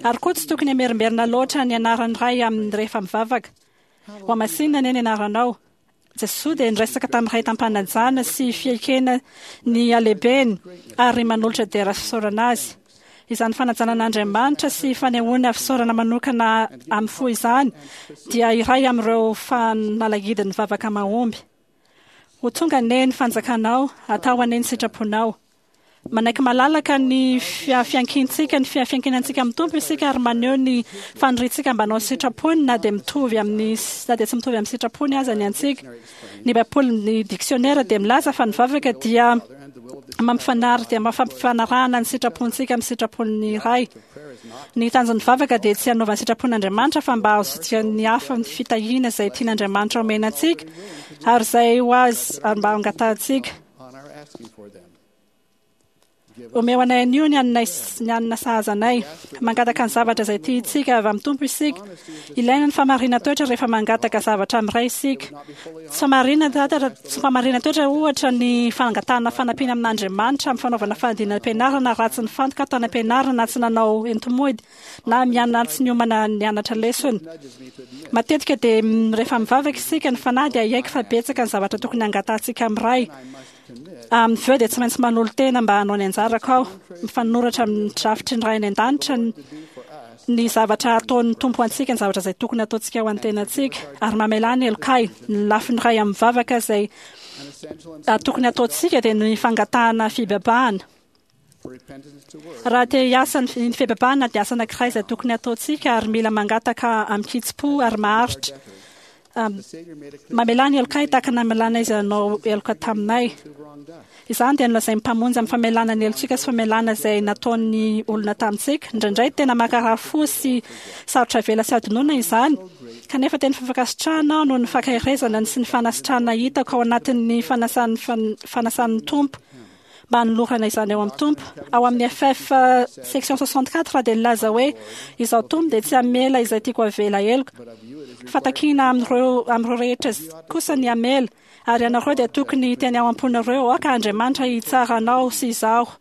Ary koa tsy tokony hamerimberina loatra ny anaran'ny Ray amin'ny rehefa mivavaka. Ho hamasinina anie ny anaranao. Jesoa dia niresaka tamin'ny Ray tam-panajana sy fiekena ny halehibeny ary manolotra dera fisaorana azy. Izany fanajana an'Andriamanitra sy fanehoana fisaorana manokana amin'ny fo izany dia iray amin'ireo fanalahidin'ny vavaka mahomby. Ho tonga anie ny fanjakanao, atao anie ny sitraponao. Manaiky malalaka ny fiankintsika, ny fiankinantsika amin'ny Tompo isika ary maneho ny faniriantsika mba hanao ny sitrapony na dia mitovy amin'ny na dia tsy mitovy amin'ny sitrapony aza ny antsika. Ny Baiboly, ny dictionnaire dia milaza fa ny vavaka dia mampifanary dia mampifanarahana ny sitrapontsika amin'ny sitrapon'ny Ray. Ny tanjon'ny vavaka dia tsy hanaovana sitrapon'Andriamanitra fa mba hahazoantsika ny hafa ny fitahiana izay tian'Andriamanitra omena antsika ary izay ho azy ary mba hangatahantsika. Omeo anay anio ny hanina ny hanina sahaza anay. Mangataka ny zavatra izay tiantsika avy amin'ny Tompo isika. Ilaina ny fahamarinan-toetra rehefa mangataka zavatra amin'ny Ray isika. Tsy fahamarinan- tsy fahamarinan-toetra ohatra ny fangatahana fanampiana amin'Andriamanitra amin'ny fanaovana fanadinam-pianarana raha tsy nifantoka tany am-pianarana na tsy nanao enti-mody na miana tsy niomana nianatra lesona. Matetika dia rehefa mivavaka isika ny fanahy dia hiaiky fa betsaka ny zavatra tokony hangatahantsika amin'ny Ray. Amin'ny avy eo dia tsy maintsy manolo-tena mba hanao ny anjarako aho. Mifanoratra amin'ny drafitry ny Ray any an-danitra ny zavatra ataon'ny Tompo antsika, ny zavatra izay tokony ataontsika ho an'ny tenantsika, ary mamelà ny helokay. Ny lafiny iray amin'ny vavaka izay tokony ataontsika dia ny fangatahana fibebahana. Raha te hiasa ny fibebahana dia asa anankiray izay tokony ataontsika ary mila mangataka amin-kitsim-po ary maharitra. Mamelà ny helokay tahaka ny namelàna izay nanao heloka taminay. Izany dia nolazain'ny Mpamonjy amin'ny famelàna ny helotsika sy famelàna izay nataon'ny olona tamintsika. Indraindray tena mankarary fo sy sarotra avela sy adinoina izany, kanefa tena fankasitrahana aho noho ny fankaherezana sy ny fanasitrahana hitako ao anatin'ny fanasan'ny fanasan'ny Tompo mba hanolorana izany ao amin'ny Tompo. Ao amin'ny F F section soixante-quatre dia nilaza hoe izaho Tompo dia tsy hamela izay tiako avela heloka. Fa takiana amin'ireo amin'ireo rehetra kosa ny hamela, ary ianareo dia tokony hiteny ao am-ponareo, aoka Andriamanitra hitsara anao sy izaho.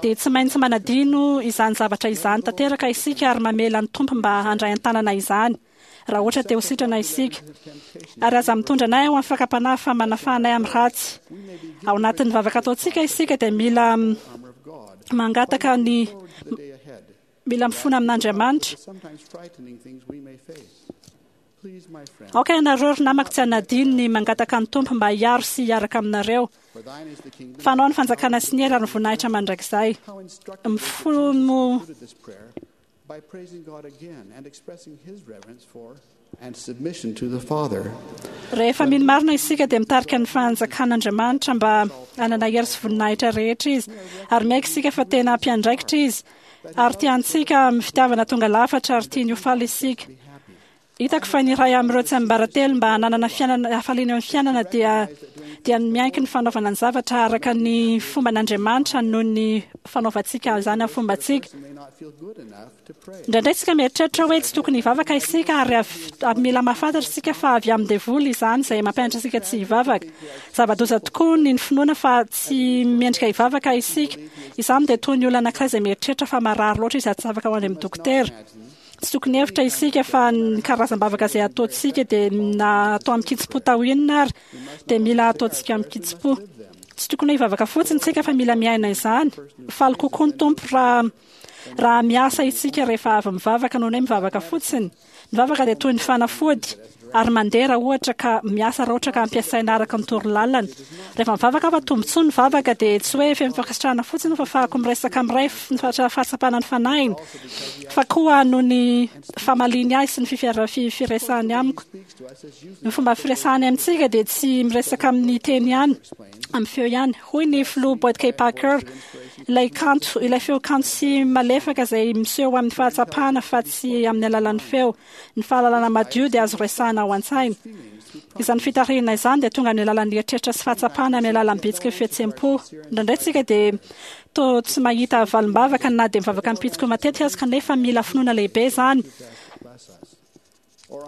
Dia tsy maintsy manadino izany zavatra izany tanteraka isika ary mamela ny Tompo mba handray an-tanana izany, raha ohatra te ho sitrana isika. Ary aza mitondra anay ao amin'ny fakam-panahy fa manafaha anay amin'ny ratsy. Ao anatin'ny vavaka ataontsika isika dia mila mangataka ny mila mifona amin'Andriamanitra. Aoka ianareo ry namako tsy hanadino ny mangataka ny Tompo mba hiaro sy hiaraka aminareo. Fa anao ny fanjakana sy ny hery ary ny voninahitra mandrakizay. Mifono Rehefa mino marina isika dia mitarika ny fanjakan'Andriamanitra mba hanana hery sy voninahitra rehetra izy, ary miaiky isika fa tena mpiandraikitra izy, ary tia antsika amin'ny fitiavana tonga lafatra ary tiany ho faly isika. Hitako fa ny iray amin'ireo tsiambaratelo mba hananana fiainana hafaliana eo amin'ny fiainana dia dia ny miaiky ny fanaovana ny zavatra araka ny fomban'Andriamanitra noho ny fanaovantsika izany amin'ny fombantsika. Indraindray isika mieritreritra hoe tsy tokony hivavaka isika ary avy mila mahafantatra isika fa avy amin'ny devoly izany izay mampianatra antsika tsy hivavaka. Zava-doza tokoa ny finoana fa tsy mendrika hivavaka isika. Izany dia toy ny olona anankiray izay mieritreritra fa marary loatra izy ary tsy afaka ho any amin'ny dokotera. Tsy tokony hevitra isika fa ny karazam-bavaka izay ataontsika dia na atao amin-kitsim-po tao inona ary dia mila ataontsika amin-kitsim-po. Tsy tokony hoe hivavaka fotsiny isika fa mila miaina izany. Faly kokoa ny Tompo raha raha miasa isika rehefa avy mivavaka noho ny hoe mivavaka fotsiny. Ny vavaka dia toy ny fanafody ary mandeha raha ohatra ka miasa raha ohatra ka ampiasaina araka ny torolalana. Rehefa mivavaka aho fa tombontsoa ny vavaka dia tsy hoe feno fankasitrahana fotsiny fa afahako miresaka amin'ny Ray ny fahatsapana ny fanahiny fa koa noho ny famaliany ahy sy ny firesahany amiko. Ny fomba firesahany amintsika dia tsy miresaka amin'ny teny ihany, amin'ny feo ihany. Hoy ny filoha Boyd K. Packer, ilay kanto, ilay feo kanto sy malefaka izay miseho amin'ny fahatsapana fa tsy amin'ny alalan'ny feo. Ny fahalalana madio dia azo resahina ao an-tsaina. Izany fitarihina izany dia tonga amin'ny alalan'ny eritreritra sy fahatsapana amin'ny alalan'ny bitsiky ny fihetseham-po. Indraindray isika dia toa tsy mahita valim-bavaka na dia mivavaka am-pitsiko matetika aza kanefa mila finoana lehibe izany.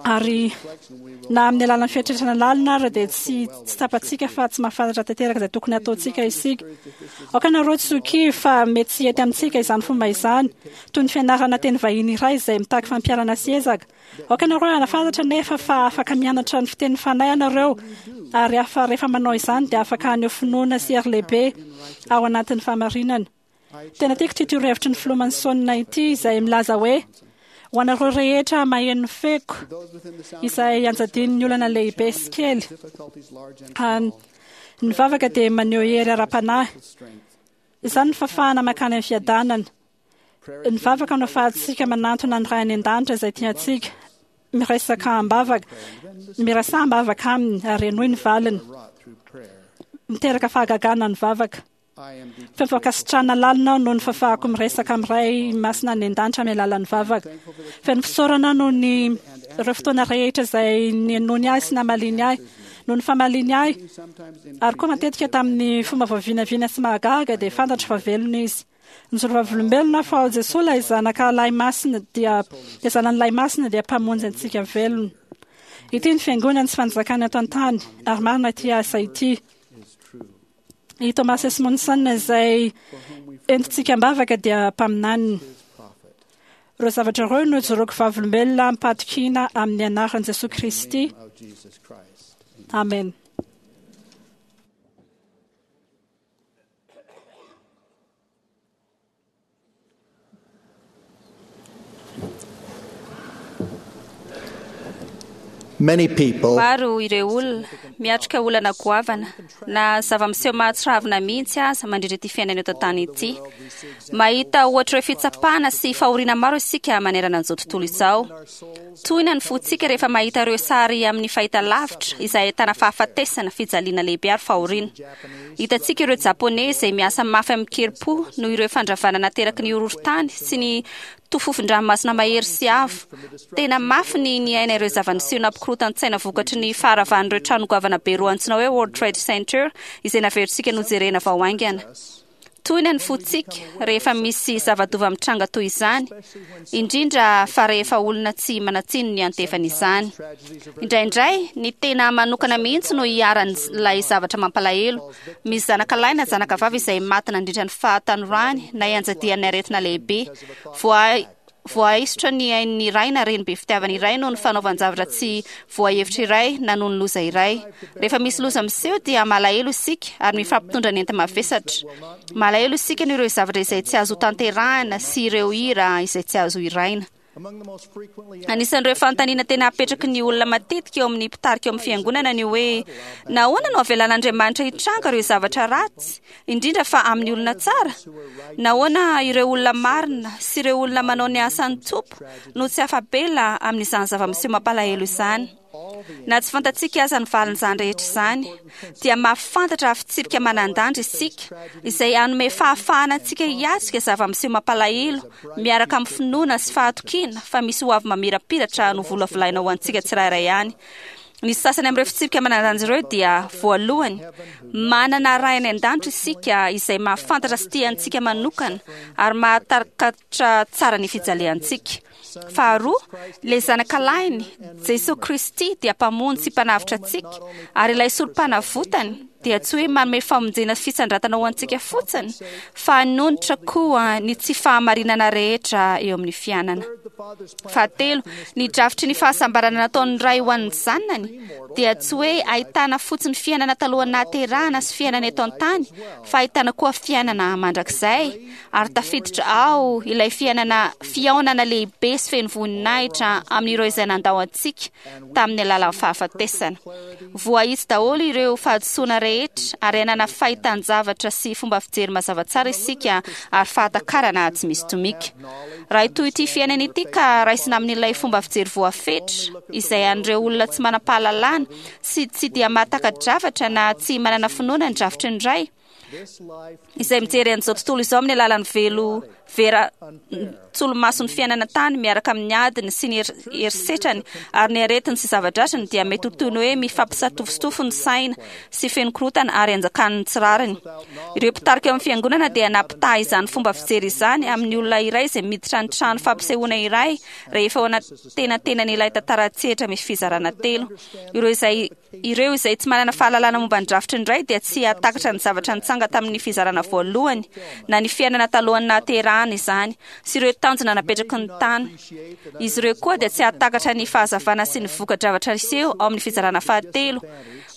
Ary na amin'ny alalan'ny fieritreretana lalina ary dia tsy tsy tsapantsika fa tsy mahafantatra tanteraka izay tokony hataontsika isika. Aoka ianareo tsy ho kivy fa mety tsy hety amintsika izany fomba izany, toy ny fianarana teny vahiny iray izay mitaky fampiharana sy ezaka. Aoka ianareo hanafantatra anefa fa afaka mianatra ny fitenin'ny fanahy ianareo, ary afa rehefa manao izany dia afaka haneho finoana sy hery lehibe ao anatin'ny fahamarinana. Tena tiako ity torohevitry ny filoha Manson ity izay milaza hoe, Ho anareo rehetra maheno ny feoko, izay anjadian'ny olana lehibe sy kely, ny vavaka dia maneho hery ara-panahy. Izany no fahafahana mankany amin'ny fiadanana. Ny vavaka no ahafahantsika manantona ny Ray any An-danitra izay tia antsika. Miresaka am-bavaka, miresaha am-bavaka aminy ary henoy ny valiny. Miteraka fahagagana ny vavaka. Feno fankasitrahana lalina aho noho ny fahafahako miresaka amin'ny Ray Masina any An-danitra amin'ny alalan'ny vavaka. Feno fisaorana aho noho ny ireo fotoana rehetra izay nihainoany ahy sy namaliany ahy. Noho ny famaliany ahy, ary koa matetika tamin'ny fomba voavinavina sy mahagaga, dia fantatro fa velona izy. Nijoro vavolombelona fa Jesoa ilay zanaka lahy masina dia dia zanany lahy masina dia mpamonjy antsika velona. Ity ny fiangonana sy fanjakana eto an-tany, ary marina ity asa ity. I Thomas S. Monson izay entintsika am-bavaka dia mpaminaniny. Ireo zavatra ireo no ijoroako vavolombelona am-pahatokiana amin'ny anaran'i Jesoa Kristy. Amen. Many people Maro ireo olona miatrika olana goavana na zava-miseho mahatsiravina mihitsy aza mandritra ity fiainana eto an-tany ity. Mahita ohatra ireo fitsapana sy fahoriana maro isika manerana an'izao tontolo izao. Tohina ny fontsika rehefa mahita ireo sary amin'ny fahita lavitra izay ahitana fahafatesana, fijaliana lehibe ary fahoriana. Hitantsika ireo Japoney izay miasa mafy amin-kerim-po noho ireo fandravana nateraky ny horohorontany sy ny tofofon-dranomasina mahery sy avo. Tena mafy ny niaina ireo zava-niseho nampikorotan-tsaina vokatry ny faharavan'ireo trano goavana be roa antsoina hoe World Trade Center izay naverintsika nojerena vao haingana. Tohina ny fontsika rehefa misy zava-doza mitranga toy izany, indrindra fa rehefa olona tsy manan-tsiny ny antefan'izany. Indraindray, ny tena manokana mihitsy no iharan'ilay zavatra mampalahelo. Misy zanaka lahy na zanaka vavy izay maty nandritra ny fahatanorany na ianjadian'ny aretina lehibe. Voa voaisotra ny ain'ny iray na reny be fitiavana iray noho ny fanaovan-javatra tsy voahevitra iray na noho ny loza iray. Rehefa misy loza miseho dia malahelo isika ary mifampitondra ny enta-mavesatra. Malahelo isika noho ireo zavatra izay tsy azo tanterahina sy ireo hira izay tsy azo hiraina. Anisan'ireo fanontaniana tena apetraky ny olona matetika eo amin'ny mpitarika eo amin'ny fiangonana ny hoe nahoana no avelan'Andriamanitra hitranga ireo zavatra ratsy, indrindra fa amin'ny olona tsara? Nahoana ireo olona marina sy ireo olona manao ny asan'ny Tompo no tsy afa-bela amin'izany zava-miseho mampalahelo izany? Na tsy fantatsika aza ny valin'izany rehetra izany, dia mahafantatra fitsipika manan-danja isika izay hanome fahafahana antsika hiatrika zava-miseho mampalahelo miaraka amin'ny finoana sy fahatokiana fa misy ho avy mamirapiratra no volavolaina ho antsika tsirairay ihany. Ny sasany amin'ireo fitsipika manan-danja ireo dia voalohany, manana Ray any an-danitra isika izay mahafantatra sy tia antsika manokana ary mahatakatra tsara ny fijaliantsika. Faharoa, ilay zanaka lahiny, Jesoa Kristy, dia mpamonjy sy mpanavotra antsika, ary ilay sorom-panavotany dia tsy hoe manome famonjena sy fisandratana ho antsika fotsiny, fa hanonitra koa ny tsy fahamarinana rehetra eo amin'ny fiainana. Fahatelo, ny drafitry ny fahasambarana nataon'ny Ray ho an'ny zanany dia tsy hoe ahitana fotsiny fiainana talohan'ny nahaterahana sy fiainana eto an-tany, fa ahitana koa fiainana mandrakizay, ary tafiditra ao ilay fiainana fihaonana lehibe sy feno voninahitra amin'ireo izay nandao antsika tamin'ny alalan'ny fahafatesana. Voahitsy daholo ireo fahadisoana rehetra ary hanana fahitan-javatra sy fomba fijery mazava tsara isika ary fahatakarana tsy misy tomika. Raha hitohy ity fiainana ity ka raisina amin'ilay fomba fijery voafetra izay an'ireo olona tsy manam-pahalalana sy tsy dia mahataka-javatra na tsy manana finoana ny drafitry ny Ray, izay mijery an'izao tontolo izao amin'ny alalan'ny velo vera tsolomason'ny fiainana tany miaraka amin'ny adiny sy ny herisetrany ary ny aretiny sy zava-dratriny, dia mety ho toy ny hoe mifampisatofotofo ny saina sy feno korotana ary anjakan'ny tsy rariny. Ireo mpitarika eo amin'ny fiangonana dia nampitaha izany fomba fijery izany amin'ny olona iray izay miditra ny trano fampisehoana iray rehefa ao anatenantenan'ilay tantara an-tsehatra misy fizarana telo. Ireo izay Ireo izay tsy manana fahalalana momba ny drafitry ny Ray dia tsy hahatakatra ny zavatra nitsanga tamin'ny fizarana voalohany, na ny fiainana talohan'ny nahaterahana izany, sy ireo tanjona napetraky ny tany. Izy ireo koa dia tsy hahatakatra ny fahazavana sy ny voka-javatra hiseho ao amin'ny fizarana fahatelo.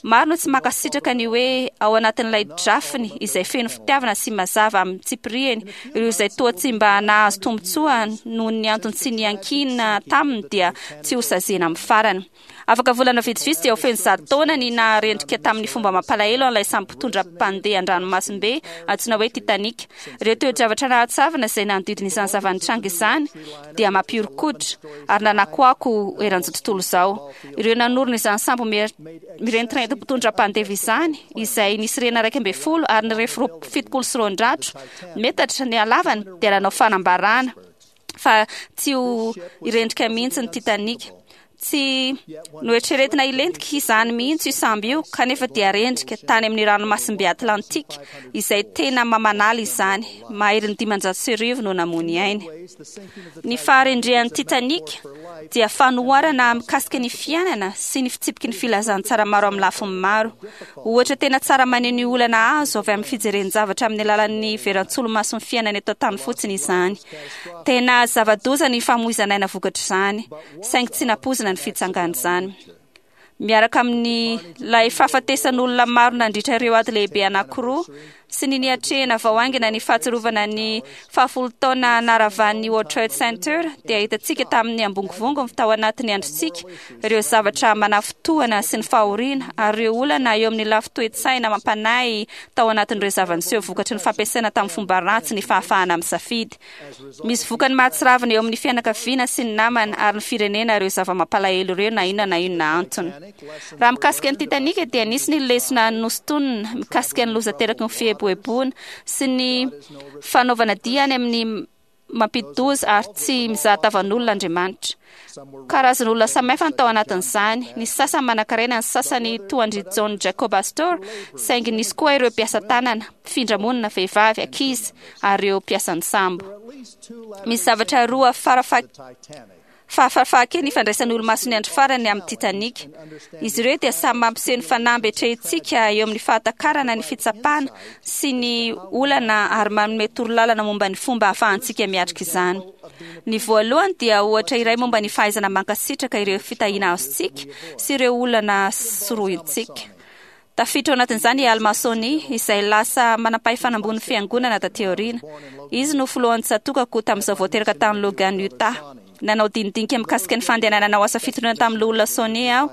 Maro no tsy mankasitraka ny hoe ao anatin'ilay drafiny izay feno fitiavana sy mazava amin'ny tsipiriany, ireo izay toa tsy mba nahazo tombontsoa noho ny antony tsy niankina taminy dia tsy hosaziana amin'ny farany. Afaka volana vitsivitsy dia ho feno zato taona ny naharendrika tamin'ny fomba mampalahelo an'ilay sambo mpitondra mpandeha an-dranomasimbe antsoina hoe Titanic. Ireo toe-javatra nahatsiravina izay nanodidina izany zava-nitranga izany dia mampihoron-koditra ary nanakoako eran'izao tontolo izao. Ireo nanorina izany sambo mirentirenty mpitondra mpandeha izany, izay nisy rihana iraika ambin'ny folo ary nirefy fitopolo sy roanjato metatra ny halavany, dia nanao fanambarana fa tsy ho rendrika mihitsy ny Titanic. Tsy noeritreretina hilentika izany mihitsy io sambo io, kanefa dia rendrika tany amin'ny ranomasimbe Atlantika izay tena mamanala izany. Maherin'ny dimanjato sy arivo no namoy ainy. Ny faharendrehan'ny Titanic dia fanoharana mikasika ny fiainana sy ny fitsipiky ny filazantsara maro amin'ny lafiny maro. Ohatra tena tsara maneho ny olana azo avy amin'ny fijeren-javatra amin'ny alalan'ny veran-tsolomason'ny fiainana eto an-tany fotsiny izany. Tena zava-doza ny famoizana aina vokatr'izany, saingy tsy nampoizina ny fitsangan'izany. Miaraka amin'ny ilay fahafatesan'olona maro nandritra ireo ady lehibe anankiroa sy ny niatrehana vao haingana ny fahatsiarovana ny fahafolo taona naravan'ny World Trade Center, dia hitantsika tamin'ny ambongovongo tao anatin'ny androntsika ireo zavatra manafintohina sy ny fahoriana ary ireo olana eo amin'ny lafy toe-tsaina mampanahy tao anatin'ireo zava-niseho vokatry ny fampiasaina tamin'ny fomba ratsy ny fahafahana misafidy. Misy vokany mahatsiravina eo amin'ny fianakaviana sy ny namana ary ny firenena ireo zava-mampalahelo ireo na inona na inona antony. Raha mikasika ny Titanic dia nisy ny lesona nosintonina mikasika ny loza teraky ny fieboeboana sy ny fanaovana dia any amin'ny mampidi-doza ary tsy mizaha tavan'olona Andriamanitra. Karazan'olona samihafa no tao anatin'izany. Nisy sasany manankarena, ny sasany toa an-dry John Jacob Astor, saingy nisy koa ireo mpiasa tanana, mpifindra-monina, vehivavy, ankizy ary ireo mpiasan'ny sambo. Misy zavatra roa farafa Fahafahafahakely ny ifandraisan'ny olomason'ny andro farany amin'ny Titanic. Izy ireo dia samy mampiseho ny fanamby atrehintsika eo amin'ny fahatakarana ny fitsapana sy ny olana ary manome torolalana momba ny fomba ahafahantsika miatrika izany. Ny voalohany dia ohatra iray momba ny fahaizana mankasitraka ireo fitahiana azontsika sy ireo olana sorohintsika. Tafiditra ao anatin'izany i Alma Soni, izay lasa manam-pahefana ambonin'ny fiangonana taty aoriana. Izy no filohan'ny tsatòkako tamin'izao vao teraka tany Logan, Utah. Nanao dinidinika mikasika ny fandehanana hanao asa fitoriana tamin'ny loholona Soni aho.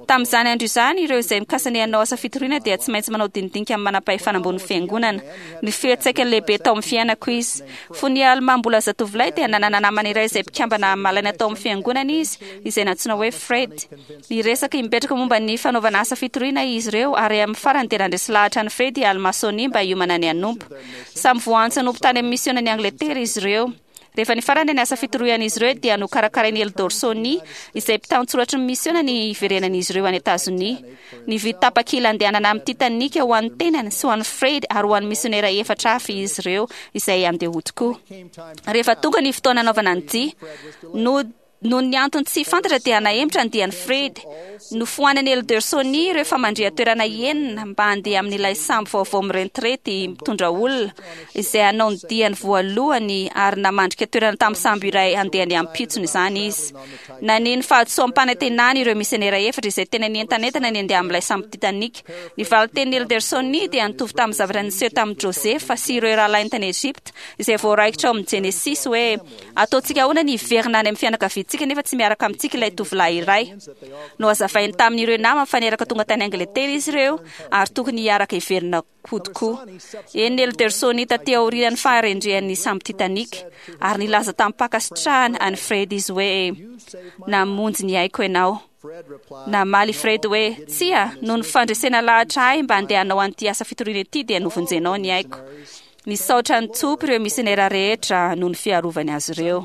Tamin'izany andro izany, ireo izay mikasa ny hanao asa fitoriana dia tsy maintsy manao dinidinika amin'ny manam-pahefana ambonin'ny fiangonana. Ny fiantraikany lehibe tao amin'ny fiainako izy. Fony i Alma mbola zatovolahy dia nanana namana iray izay mpikambana malaina tao amin'ny fiangonana izy, izay nantsoina hoe Fred. Niresaka imbetraka momba ny fanaovana asa fitoriana izy ireo ary amin'ny farany dia nandresy lahatra an'i Fred i Alma Soni mba hiomana ny hanompo. Samy voaantso hanompo tany amin'ny misionan'i Angletera izy ireo. Rehefa nifarana ny asa fitorian'izy ireo dia nokarakarain'i Eldor Soni, izay mpitantsoratry ny misiona, ny hiverenan'izy ireo any Etazonia. Nividy tapakila handehanana amin'ny Titanic ho an'ny tenany sy ho an'i Fred ary ho an'ny misionera efatra hafa izy ireo izay handeha hody koa. Rehefa tonga ny fotoana hanaovana ny dia, no Noho ny antony tsy fantatra dia nahemotra ny dian'i Fred. Nofoanan'i Elder Soni ireo famandrihan-toerana enina mba handeha amin'ilay sambo vaovao mirentirety mitondra olona, izay hanao ny diany voalohany ary namandrika toerana tamin'ny sambo iray handeha ny ampitsony izany izy. Naneho ny fahadisoam-panantenany ireo misionera efatra izay tena nientanentana ny handeha amin'ilay sambo Titanic. Ny valin-tenin'i Elder Soni dia nitovy tamin'ny zavatra niseho tamin'i Josefa sy ireo rahalahiny tany Egypta, izay voaraikitra ao amin'ny Genesisy hoe, Ataontsika ahoana ny hiverina any amin'ny fianakaviantsika nefa tsy miaraka amintsika ilay tovolahy iray? Nohazavainy tamin'ireo namany fa niaraka tonga tany Angletera izy ireo ary tokony hiaraka hiverina hody koa. Henon'i Elder Soni taty aorian'ny faharendrehan'ny sambo Titanic, ary nilaza tamim-pankasitrahana an'i Fred izy hoe, Namonjy ny aiko ianao. Namaly i Fred hoe, Tsia, noho ny fandresena lahatra ahy mba handeha hanao an'ity asa fitoriana ity dia novonjenao ny aiko. Nisaotra an'i Tompo ireo misionera rehetra noho ny fiarovany azy ireo.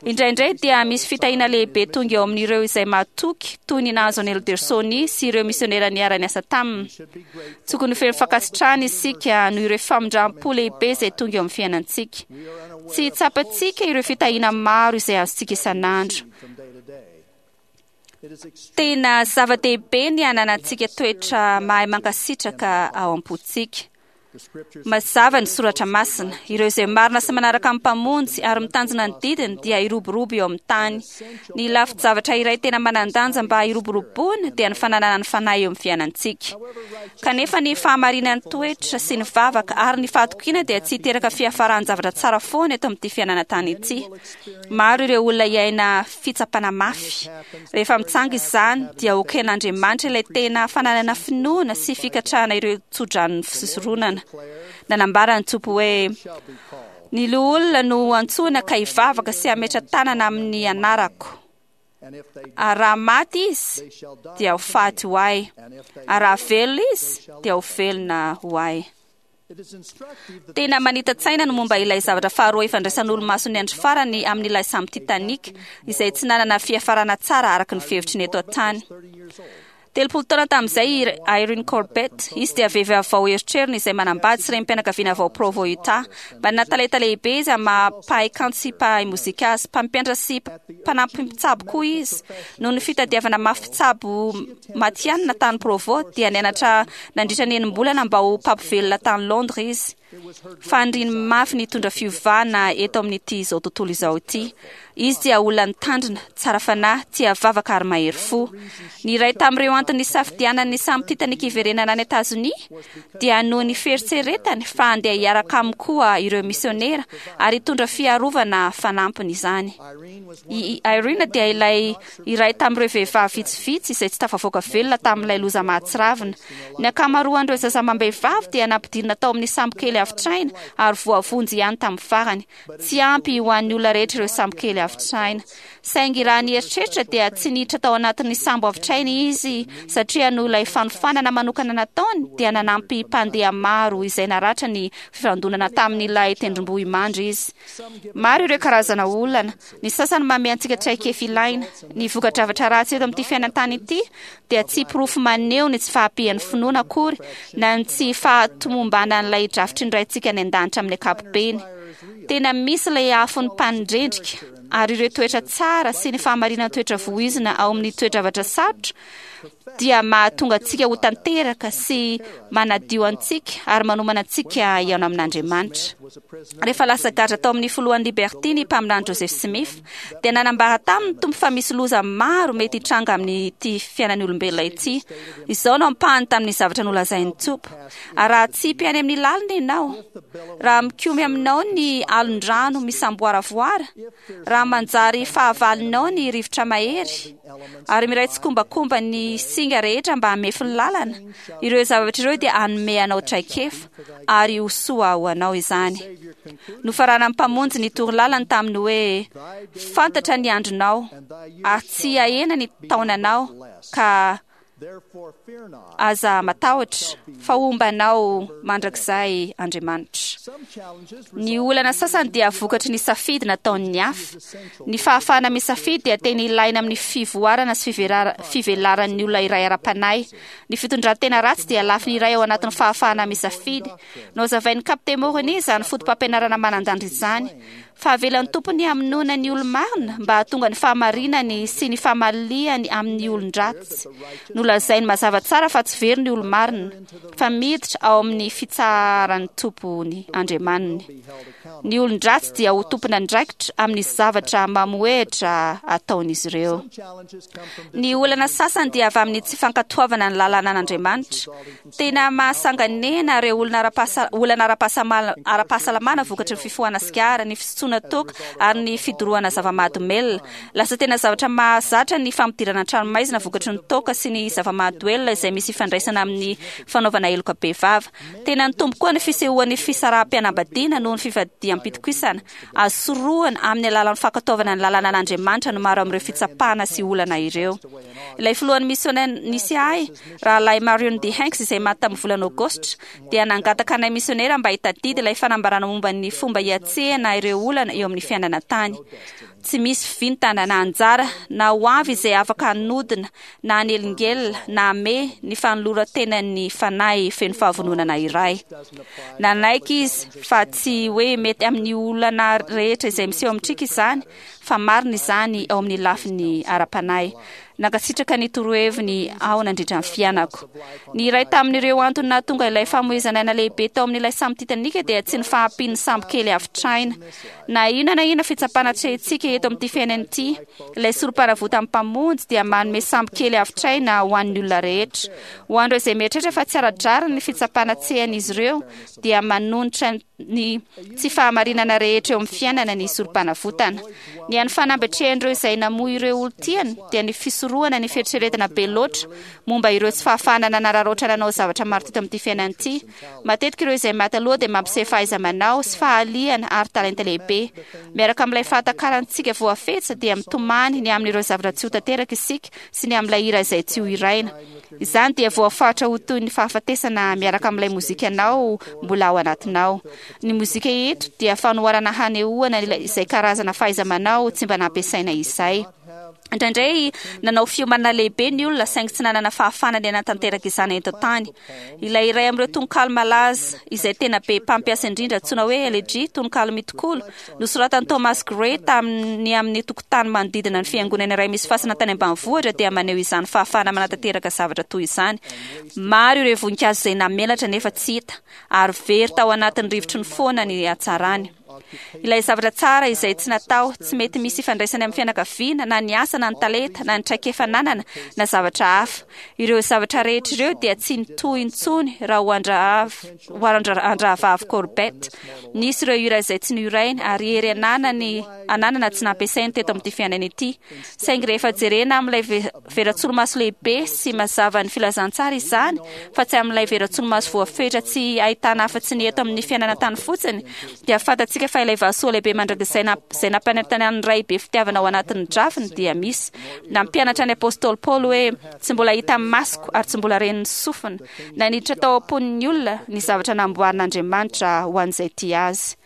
Indraindray dia misy fitahiana lehibe tonga eo amin'ireo izay mahatoky toy ny nahazo an'i Elder Soni sy ireo misionera niara-niasa taminy. Tokony ho feno fankasitrahana isika noho ireo famindram-po lehibe izay tonga eo amin'ny fiainantsika. Tsy tsapantsika ireo fitahiana maro izay azontsika isan'andro. Tena zava-dehibe ny hananantsika toetra mahay mankasitraka ao am-pontsika. Mazava ny soratra masina. Ireo izay marina sy manaraka ny Mpamonjy ary mitanjona ny didiny dia hiroborobo eo amin'ny tany. Ny lafin-javatra iray tena manan-danja mba hiroboroboana dia ny fananana ny Fanahy eo amin'ny fiainantsika. Kanefa ny fahamarinan'ny toetra sy ny vavaka ary ny fahatokiana dia tsy hiteraka fiafaran-javatra tsara foana eto amin'ity fiainana tany ity. Maro ireo olona hiaina fitsapana mafy. Rehefa mitsanga izany, dia hoken'Andriamanitra ilay tena fananana finoana sy fikatrahana ireo tsodranon'ny fisoronana. Nanambara ny Tompo hoe, Ny loholona no ho antsoina ka hivavaka sy hametra tanana amin'ny anarako. Ary raha maty izy, dia ho faty ho ahy. Ary raha velona izy, dia ho velona ho ahy. Tena manita-tsaina ny momba ilay zavatra faharoa ifandraisan'olo-mason'ny andro farany amin'ilay sambo Titanic, izay tsy nanana fiafarana tsara araka ny fihevitry ny eto an-tany. Telopolo taona tamin'izay i Irene Corbett, izy dia vehivavy vao eritreriny izay manambady sy renim-pianakaviana vao Provo, Utah. Manana talenta lehibe izy amin'ny maha mpahay kanto sy mpahay mozika azy, mpampianatra sy mpanampy mpitsabo koa izy. Noho ny fitadiavana mafy mpitsabo matihanina tany Provo, dia nianatra nandritra ny enim-bolana mba ho mpampivelona tany Londres izy. Faniriany mafy ny hitondra fiovana eto amin'ity izao tontolo izao ity. Izy dia olona nitandrina, tsara fanahy, tia vavaka ary mahery fo. Ny iray tamin'ireo antony nisafidianany ny sambo Titanic hiverenana any Etazonia dia noho ny fieritreretany fa handeha hiaraka aminy koa ireo misionera ary hitondra fiarovana fanampiny izany. I Irene dia ilay iray tamin'ireo vehivavy vitsivitsy izay tsy tafavoaka velona tamin'ilay loza mahatsiravina. Ny ankamaroan'ireo zaza amam-behivavy dia nampidirina tao amin'ny sambo kely avotraina ary voavonjy ihany tamin'ny farany. Tsy ampy ho an'ny olona rehetra ireo sambo kely avotraina. Saingy raha ny eritreritra dia tsy niditra tao anatin'ny sambo avotraina izy satria noho ilay fanofanana manokana nataony dia nanampy mpandeha maro izay naratra ny fifandonana tamin'ilay tendrombohimandry izy. Maro ireo karazana olana. Ny sasany manome antsika traikefa ilaina. Ny voka-javatra ratsy eto amin'ity fiainan-tany ity dia tsy porofo maneho ny tsy fahampian'ny finoana akory na ny tsy fahatomombanan'ilay drafitry ny Raintsika any an-danitra amin'ny ankapobeny. Tena misy ilay afon'ny mpanendrendrika ary ireo toetra tsara sy ny fahamarinan-toetra voizina ao amin'ny toe-javatra sarotra dia mahatonga antsika ho tanteraka sy manadio antsika ary manomana antsika hihaona amin'Andriamanitra. Rehefa lasa gadra tao amin'ny filohan'ny Liberty ny mpaminany Joseph Smith, dia nanambara taminy ny Tompo fa misy loza maro mety hitranga amin'ity fiainan'ny olombelona ity. Izao no ampahany tamin'ny zavatra nolazain'ny Tompo: Ary raha atsipy any amin'ny lalina ianao, raha mikomy aminao ny alon-drano misamboaravoara, raha manjary fahavalonao ny rivotra mahery, ary miray tsikombakomba ny singa rehetra mba hamefy ny lalana, ireo zavatra ireo dia hanome anao traikefa, ary ho soa ho anao izany. Nofaranan'ny Mpamonjy ny torolalany tamin'ny hoe, Fantatra ny andronao, ary tsy hahena ny taonanao, ka aza matahotra, fa homba anao mandrakizay Andriamanitra. Ny olana sasany dia vokatry ny safidy nataon'ny hafa. Ny fahafahana misafidy dia tena ilaina amin'ny fivoarana sy fivelaran'ny olona iray ara-panahy. Ny fitondran-tena ratsy dia lafiny iray ao anatin'ny fahafahana misafidy. Nohazavain'ny Kapiteny Moroni izany fotopampianarana manan-danja izany. Fa avelan'ny Tompo ny hamonoana ny olo-marina mba hahatonga ny fahamarinany sy ny famaliany amin'ny olon-dratsy. Nolazainy mazava tsara fa tsy very ny olo-marina, fa miditra ao amin'ny fitsaharan'ny Tompony Andriamaniny. Ny olon-dratsy dia ho tompon'andraikitra amin'ny zavatra mamohehitra ataon'izy ireo. Ny olana sasany dia avy amin'ny tsy fankatoavana ny lalànan'Andriamanitra. Tena mahasanganehana ireo olona ara-pahasa- olana ara-pahasamala- ara-pahasalamana vokatry ny fifohana sigara, ny fisotroana toaka ary ny fidorohana zava-mahadomelina. Lasa tena zavatra mahazatra ny fampidirana an-tranomaizina vokatry ny toaka sy ny zava-mahadoelina izay misy ifandraisana amin'ny fanaovana heloka bevava. Tena nitombo koa ny fisehoan'ny fisaraham-pianambadiana noho ny fivadiham-pitokisana. Azo sorohana amin'ny alalan'ny fankatoavana ny lalànan'Andriamanitra ny maro amin'ireo fitsapana sy olana ireo. Ilay filohan'ny misiona nisy ahy, Rahalahy Marion D. Hanks izay maty tamin'ny volana Aogositra, dia nangataka anay misionera mba hitadidy ilay fanambarana momba ny fomba hiatrehana ireo olana eo amin'ny fiainana tany. Tsy misy vintana na anjara na ho avy izay afaka hanodina na hanelingelina na hamehy ny fanoloran-tenan'ny fanahy feno fahavononana iray. Nanaiky izy fa tsy hoe mety amin'ny olana rehetra izay miseho amintsika izany, fa marina izany ao amin'ny lafiny ara-panahy. Nankasitraka ny toroheviny aho nandritra ny fiainako. Ny iray tamin'ireo antony nahatonga ilay famoizana aina lehibe tao amin'ilay sambo Titanic dia tsy ny fahampian'ny sambo kely avotraina. Na inona na inona fitsapana atrehintsika eto amin'ity fiainana ity, ilay sorom-panavotan'ny Mpamonjy dia manome sambo kely avotraina ho an'ny olona rehetra. Ho an'ireo izay mieritreritra fa tsy ara-drariny ny fitsapana atrehan'izy ireo, dia manonitra ny tsy fahamarinana rehetra eo amin'ny fiainana ny sorom-panavotana. Ny hany fanamby atrehan'ireo izay namoy ireo olon-tiany dia ny fisorohana hisorohana ny fieritreretana be loatra momba ireo tsy fahafahana nanararaotra nanao zavatra maro teto amin'ity fiainana ity. Matetika ireo izay maty aloha dia mampiseho fahaiza-manao sy fahaliana ary talenta lehibe. Miaraka amin'ilay fahatakarantsika voafetra dia mitomany ny amin'ireo zavatra tsy ho tanteraka isika sy ny amin'ilay hira izay tsy ho hiraina. Izany dia voafaritra ho toy ny fahafatesana miaraka amin'ilay mozikanao mbola ao anatinao. Ny mozika eto dia fanoharana hanehoana izay karazana fahaiza-manao tsy mba nampiasaina izay. Indraindray nanao fiomanana lehibe ny olona saingy tsy nanana fahafahana ny hanatanteraka izany eto an-tany. Ilay iray amin'ireo tononkalo malaza izay tena be mpampiasa indrindra antsoina hoe Elegy, tononkalo mitokolo, nosoratan'i Thomas Gray tamin'ny amin'ny tokotany manodidina ny fiangonana iray misy fasana tany ambanivohitra dia maneho izany fahafahana manatanteraka zavatra toy izany. Maro ireo voninkazo izay namelatra nefa tsy hita ary very tao anatin'ny rivotry ny foana ny hatsarany. Ilay zavatra tsara izay tsy natao, tsy mety misy ifandraisany amin'ny fianakaviana, na ny asa, na ny talenta, na ny traikefa ananana, na zavatra hafa. Ireo zavatra rehetra ireo dia tsy nitohy intsony raha ho an-drahavavy Corbett. Nisy ireo hira izay tsy nohirainy ary hery ananany ananana tsy nampiasainy teto amin'ity fiainana ity. Saingy rehefa jerena amin'ilay veran-tsolomaso lehibe sy mazava ny filazantsara izany, fa tsy amin'ilay veran-tsolomaso voafetra tsy ahitana afa-tsy ny eto amin'ny fiainana tany fotsiny, dia fantatsika fa ilay vahasoa lehibe mandrakizay izay nampanantenan'ny Ray be fitiavana ao anatin'ny drafiny dia misy. Nampianatra ny apostoly Paoly hoe tsy mbola hita masoko ary tsy mbola ren'ny sofina, na niditra tao am-pon'ny olona ny zavatra namboarin'Andriamanitra ho an'izay tia azy.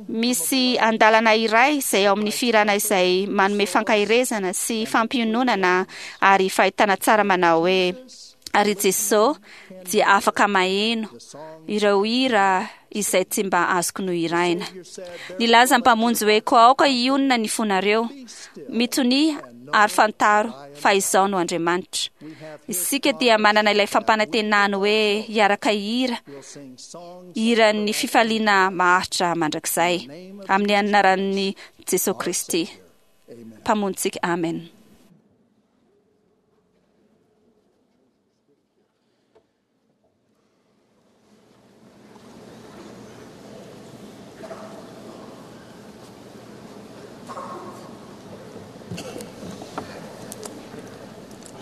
Misy andalana iray izay ao amin'ny fihirana izay manome fankaherezana sy fampiononana ary fahitana tsara manao hoe ary Jesosy dia afaka maheno ireo hira izay tsy mba azoko nohiraina. Nilaza ny Mpamonjy hoe koa aoka hionona ny fonareo, mitonia ary fantaro fa izao no Andriamanitra. Isika dia manana ilay fampanantenany hoe hiaraka hira, hiran'ny fifaliana maharitra mandrakizay, amin'ny anaran'i Jesosy Kristy, Mpamonjintsika. Amen.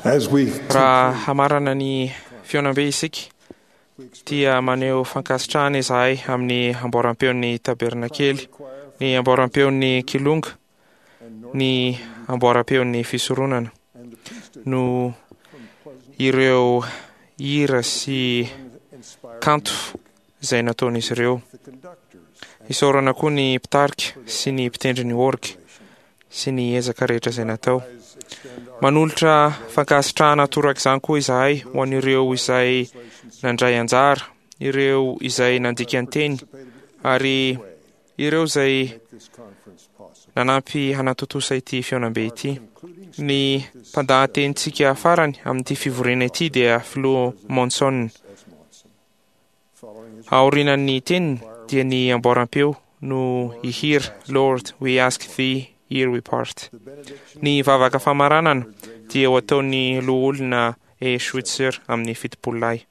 Raha hamarana ny fihaonambe isika dia maneho fankasitrahana izahay amin'ny amboaram-peon'ny tabernakely, ny amboaram-peon'ny kilonga, ny amboaram-peon'ny fisoronana no ireo hira sy kanto izay nataon'izy ireo. Isaorana koa ny mpitarika sy ny mpitendry ny orga sy ny ezaka rehetra izay natao. Manolotra fankasitrahana torak'izany koa izahay ho an'ireo izay nandray anjara, ireo izay nandika ny teny ary ireo izay nanampy hanatontosa ity fihaonambe ity. Ny mpandahatenintsika farany amin'ity fivoriana ity dia Filoha Monson. Aorianan'ny teniny dia ny amboaram-peo no hihira Lord, we ask thee, ere we part. Ny vavaka famaranana dia ho ataon'ny loholona E. Schweitzer amin'ny fitopolo lahy.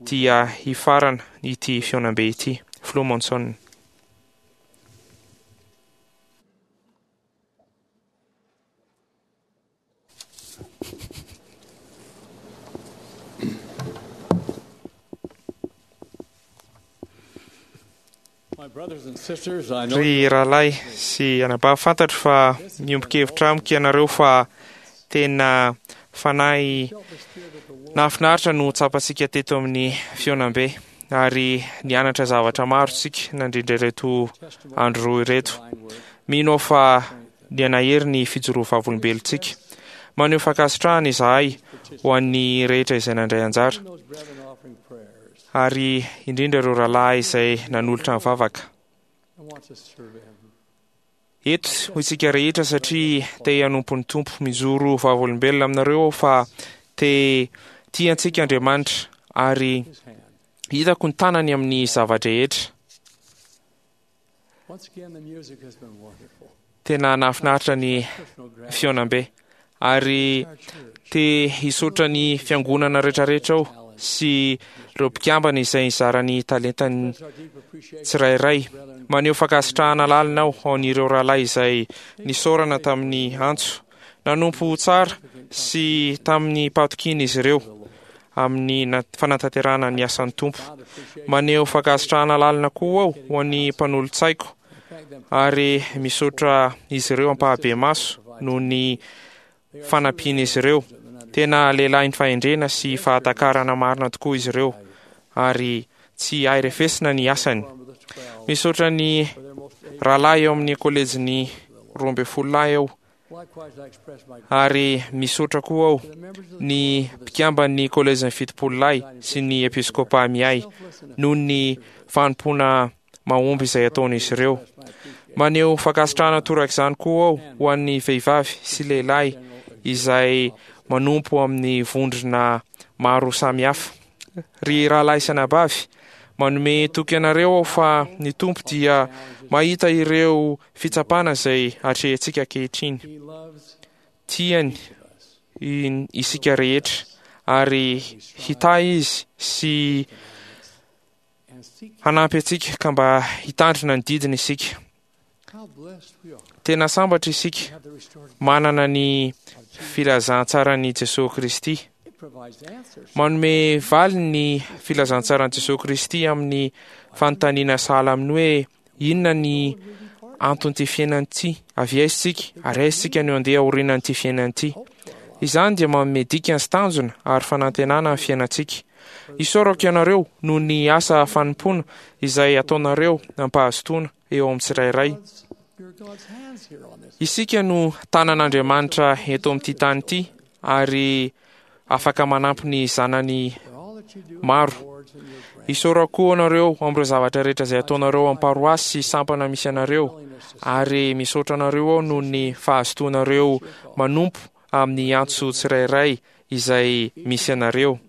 Dia hifarana ity fihaonambe ity. Filoha Monson. Ry rahalahy sy anabavy, fantatro fa miombon-kevitra amiko ianareo fa tena fanahy nahafinaritra no tsapantsika teto amin'ny fihaonambe ary nianatra zavatra maro isika nandrindra ireto andro roa ireto. Mino aho fa nianahery ny fijoroa vavolombelontsika. Maneho fankasitrahana izahay ho an'ny rehetra izay nandray anjara, ary indrindra ireo rahalahy izay nanolotra ny vavaka. Eto ho isika rehetra satria te hanompo ny Tompo. Mijoro vavolombelona aminareo aho fa te tia antsika Andriamanitra ary hitako ny tanany amin'ny zava-drehetra. Tena nahafinaritra ny fihaonambe ary te hisaotra ny fiangonana rehetrarehetra aho sy ireo mpikambana izay nizara ny talentany tsirairay. Maneho fankasitrahana lalina aho ho an'ireo rahalahy izay nisaorana tamin'ny antso Nanompo tsara sy tamin'ny patokiana izy ireo amin'ny fanatanterahana ny asan'ny Tompo. Maneho fankasitrahana lalina koa aho ho an'ny mpanolotsaiko ary misaotra izy ireo ampahabemaso noho ny fanampian'izy ireo. Tena lehilahin'ny fahendrena sy fahatakarana marina tokoa izy ireo ary tsy hay refesina ny asany. Misaotra ny rahalahy eo amin'ny kolejin'ny roa ambin'ny folo lahy aho ary misaotra koa aho ny mpikamban'ny kolejin'ny fitopolo lahy sy ny episkopa miahy noho ny fanompoana mahomby izay ataon'izy ireo. Maneho fankasitrahana torak'izany koa aho ho an'ny vehivavy sy lehilahy izay manompo amin'ny vondrona maro samihafa. Ry rahalahy sy anabavy, manome toky anareo aho fa ny Tompo dia mahita ireo fitsapana izay atrehintsika ankehitriny. Tiany isika rehetra ary hitahy izy sy hanampy antsika ka mba hitandrina ny didiny isika. Tena sambatra isika manana ny filazantsaran'i Jesosy Kristy. Manome valiny ny filazantsaran'i Jesosy Kristy amin'ny fanontaniana sahala amin'ny hoe inona ny anton'ity fiainana ity, avy aiza isika ary aiza isika no handeha aorianan'ity fiainana ity. Izany dia manome dikany sy tanjona ary fanantenana ny fiainantsika. Isaorako ianareo noho ny asa fanompoana izay ataonareo am-pahazotoana eo amin'ny tsirairay. Isika no tanan'Andriamanitra eto amin'ity tany ity ary afaka manampy ny zanany maro. Isaorako koa anareo amin'ireo zavatra rehetra izay ataonareo amin'ny paroasy sy sampana misy anareo ary misaotra anareo aho noho ny fahazotoanareo manompo amin'ny antso tsirairay izay misy anareo.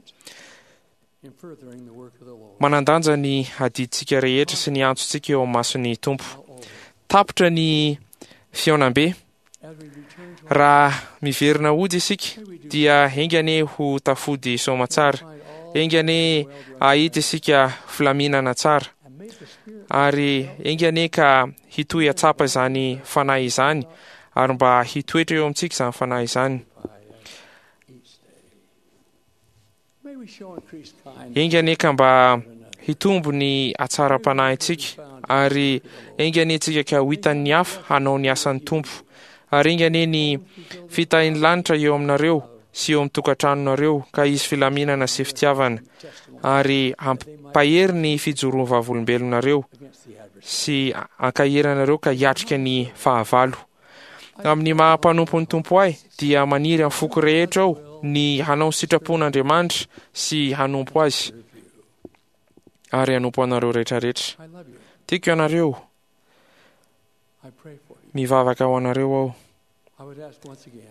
Manan-danja ny adidintsika rehetra sy ny antsontsika eo amin'ny mason'ny Tompo. Tapitra ny fihaonambe. Raha miverina hody isika dia enga anie ho tafody soamatsara. Enga anie hahita isika filaminana tsara. Ary enga anie ka hitohy hatsapa izany fanahy izany ary mba hitoetra eo amintsika izany fanahy izany. Enga anie ka mba hitombo ny hatsaram-panahintsika ary enga anie tsika ka ho hitan'ny hafa hanao ny asan'ny Tompo. Ary enga anie ny fitahian'ny lanitra eo aminareo sy eo amin'ny tokantranonareo ka hisy filaminana sy fitiavana ary hampahery ny fijoroan'ny vavolombelonareo sy ankahery anareo ka hiatrika ny fahavalo. Amin'ny maha mpanompon'ny Tompo ahy dia maniry amin'ny foko rehetra aho ny hanao ny sitrapon'Andriamanitra sy hanompo azy ary hanompo anareo rehetrarehetra. Tiako ianareo. Mivavaka ho anareo aho.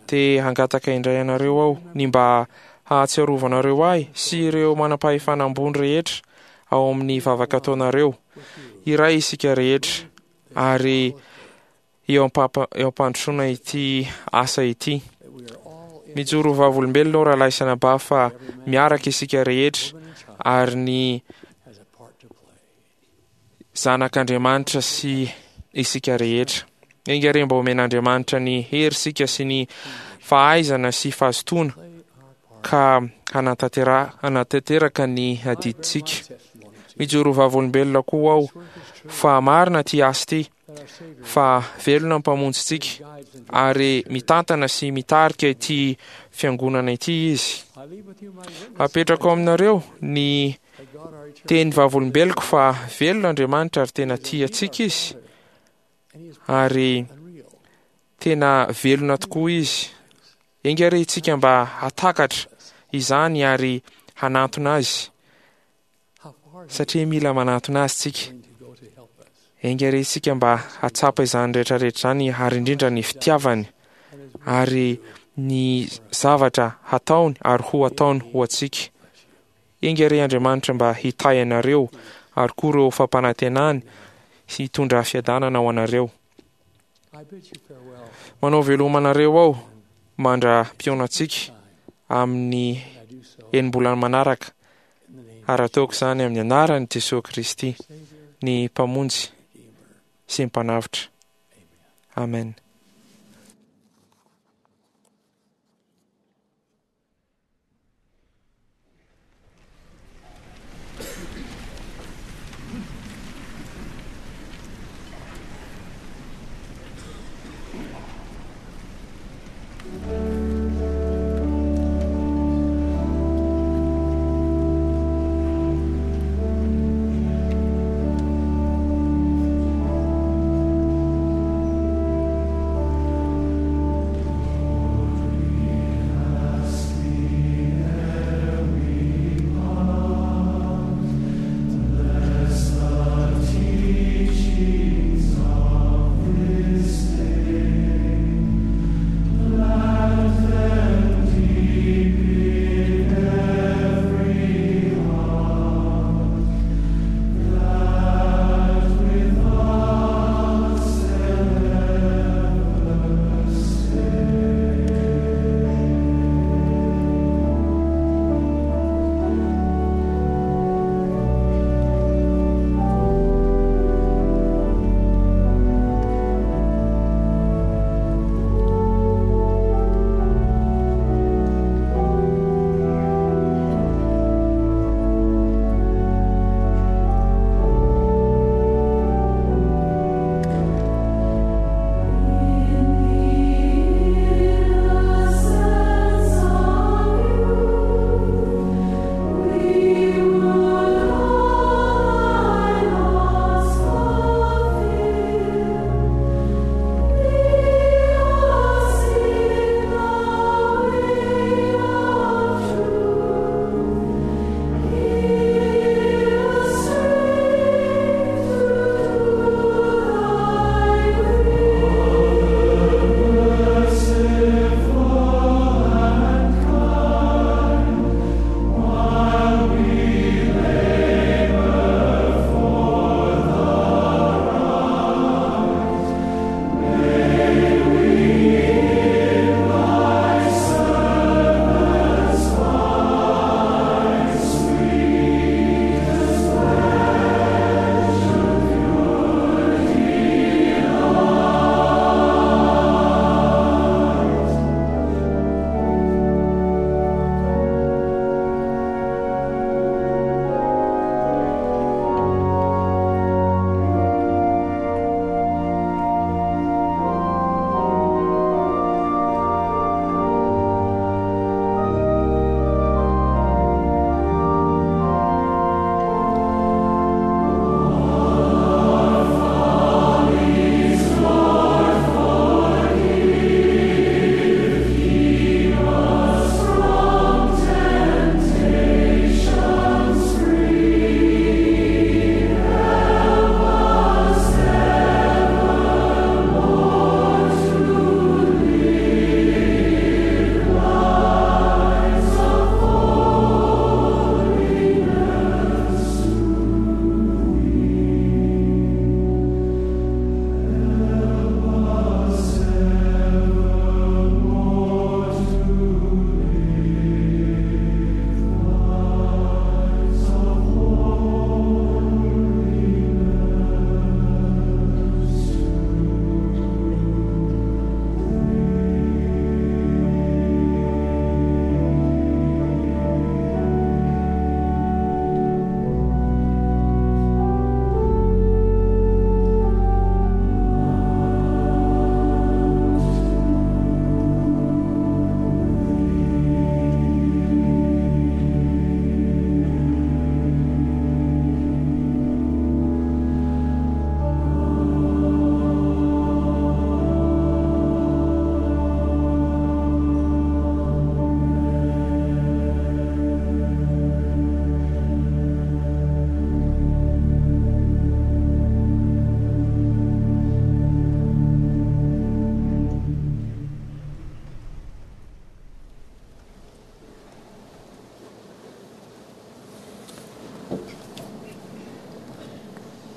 Te hangataka indray anareo aho ny mba hahatsiarovanareo ahy sy ireo manam-pahefana ambony rehetra ao amin'ny vavaka ataonareo. Iray isika rehetra ary eo am-pampandrosoana ity asa ity. Mijoro ho vavolombelona aho rahalahy sy anabavy fa miaraka isika rehetra ary ny zanak'Andriamanitra sy isika rehetra. Enga re mba omen'Andriamanitra ny hery isika sy ny fahaizana sy fahazotoana ka hanatantera hanatanteraka ny adidintsika. Mijoro ho vavolombelona koa aho fa marina ity asa ity fa velona ny Mpamonjintsika ary mitantana sy mitarika ity fiangonana ity izy. Apetrako aminareo ny teny vavolombeloko fa velona Andriamanitra ary tena tia antsika izy ary tena velona tokoa izy. Enga re isika mba hatakatra izany ary hanantona azy satria mila manantona azy tsika. Enga re isika mba hatsapa izany rehetrarehetra izany ary indrindra ny fitiavany ary ny zavatra hataony ary ho ataony ho antsika. Enga re Andriamanitra mba hitahy anareo ary koa ireo fampanantenany sy hitondra fiadanana ho anareo. Manao veloma anareo aho mandra-pihaonantsika amin'ny enim-bolana manaraka ary ataoko izany amin'ny anaran'i Jesoa Kristy, ny Mpamonjy sy ny Mpanavotra. Amen.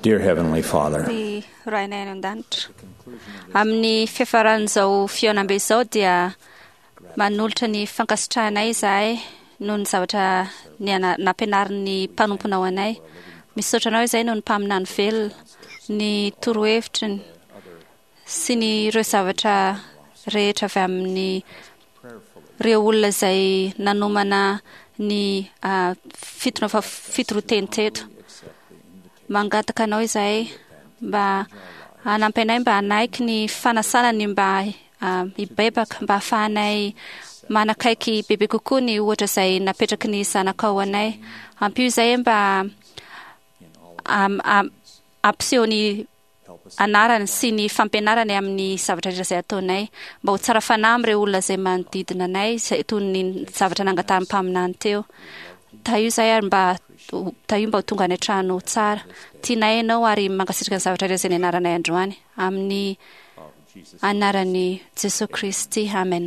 Dear Heavenly Father, Ry Rainay any an-danitra, amin'ny fiafaran'izao fihaonambe izao dia manolotra ny fankasitrahanay izahay noho ny zavatra niana- nampianarin'ny mpanomponao anay. Misaotra anao izahay noho ny mpaminany velona, ny torohevitriny sy ny ireo zavatra rehetra avy amin'ny ireo olona izay nanomana ny ah, fitona fa fitoroa-teny teto. Mangataka anao izahay mba hanampy anay mba hanaiky ny fanasana ny mba ah, hibebaka mba hahafahanay manakaiky bebe kokoa ny ohatra izay napetraky ny zanakao anay. Ampio izahay mba am- am- hampiseho ny anarany sy ny fampianarany amin'ny zavatra rehetra izay ataonay mba ho tsara fanahy amin'ireo olona izay manodidina anay izay toy ny zavatra nangatahan'ny mpaminany teo. Tahio izahay ary mba ho- tahio mba ho tonga any an-trano tsara. Tianay ianao ary mankasitraka ny zavatra rehetra izay nianaranay androany amin'ny anaran'i Jesoa Kristy. Amen.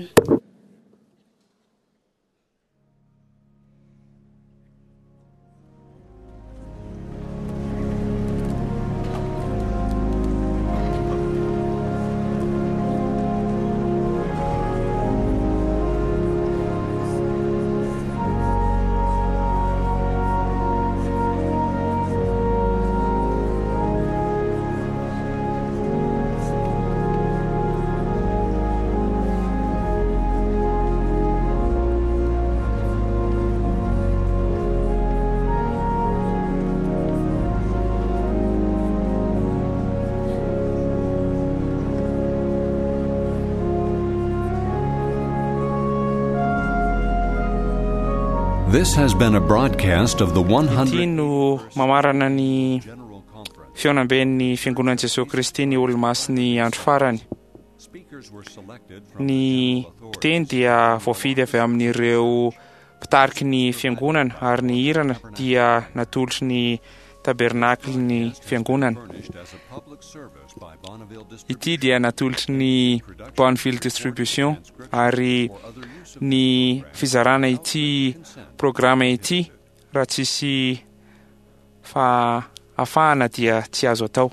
This has been a broadcast of the Ity no mamarana ny fihaonamben'ny Fiangonan'i Jesoa Kristy ny Olomasin'ny andro farany. Ny mpiteny dia voafidy avy amin'ireo mpitariky ny fiangonana ary ny hirana dia natolotry ny tabernaklin'ny fiangonana. Ity dia natolotry ny Bonneville Distribution ary ny fizarana ity programa ity raha tsisy fahafahana dia tsy azo atao.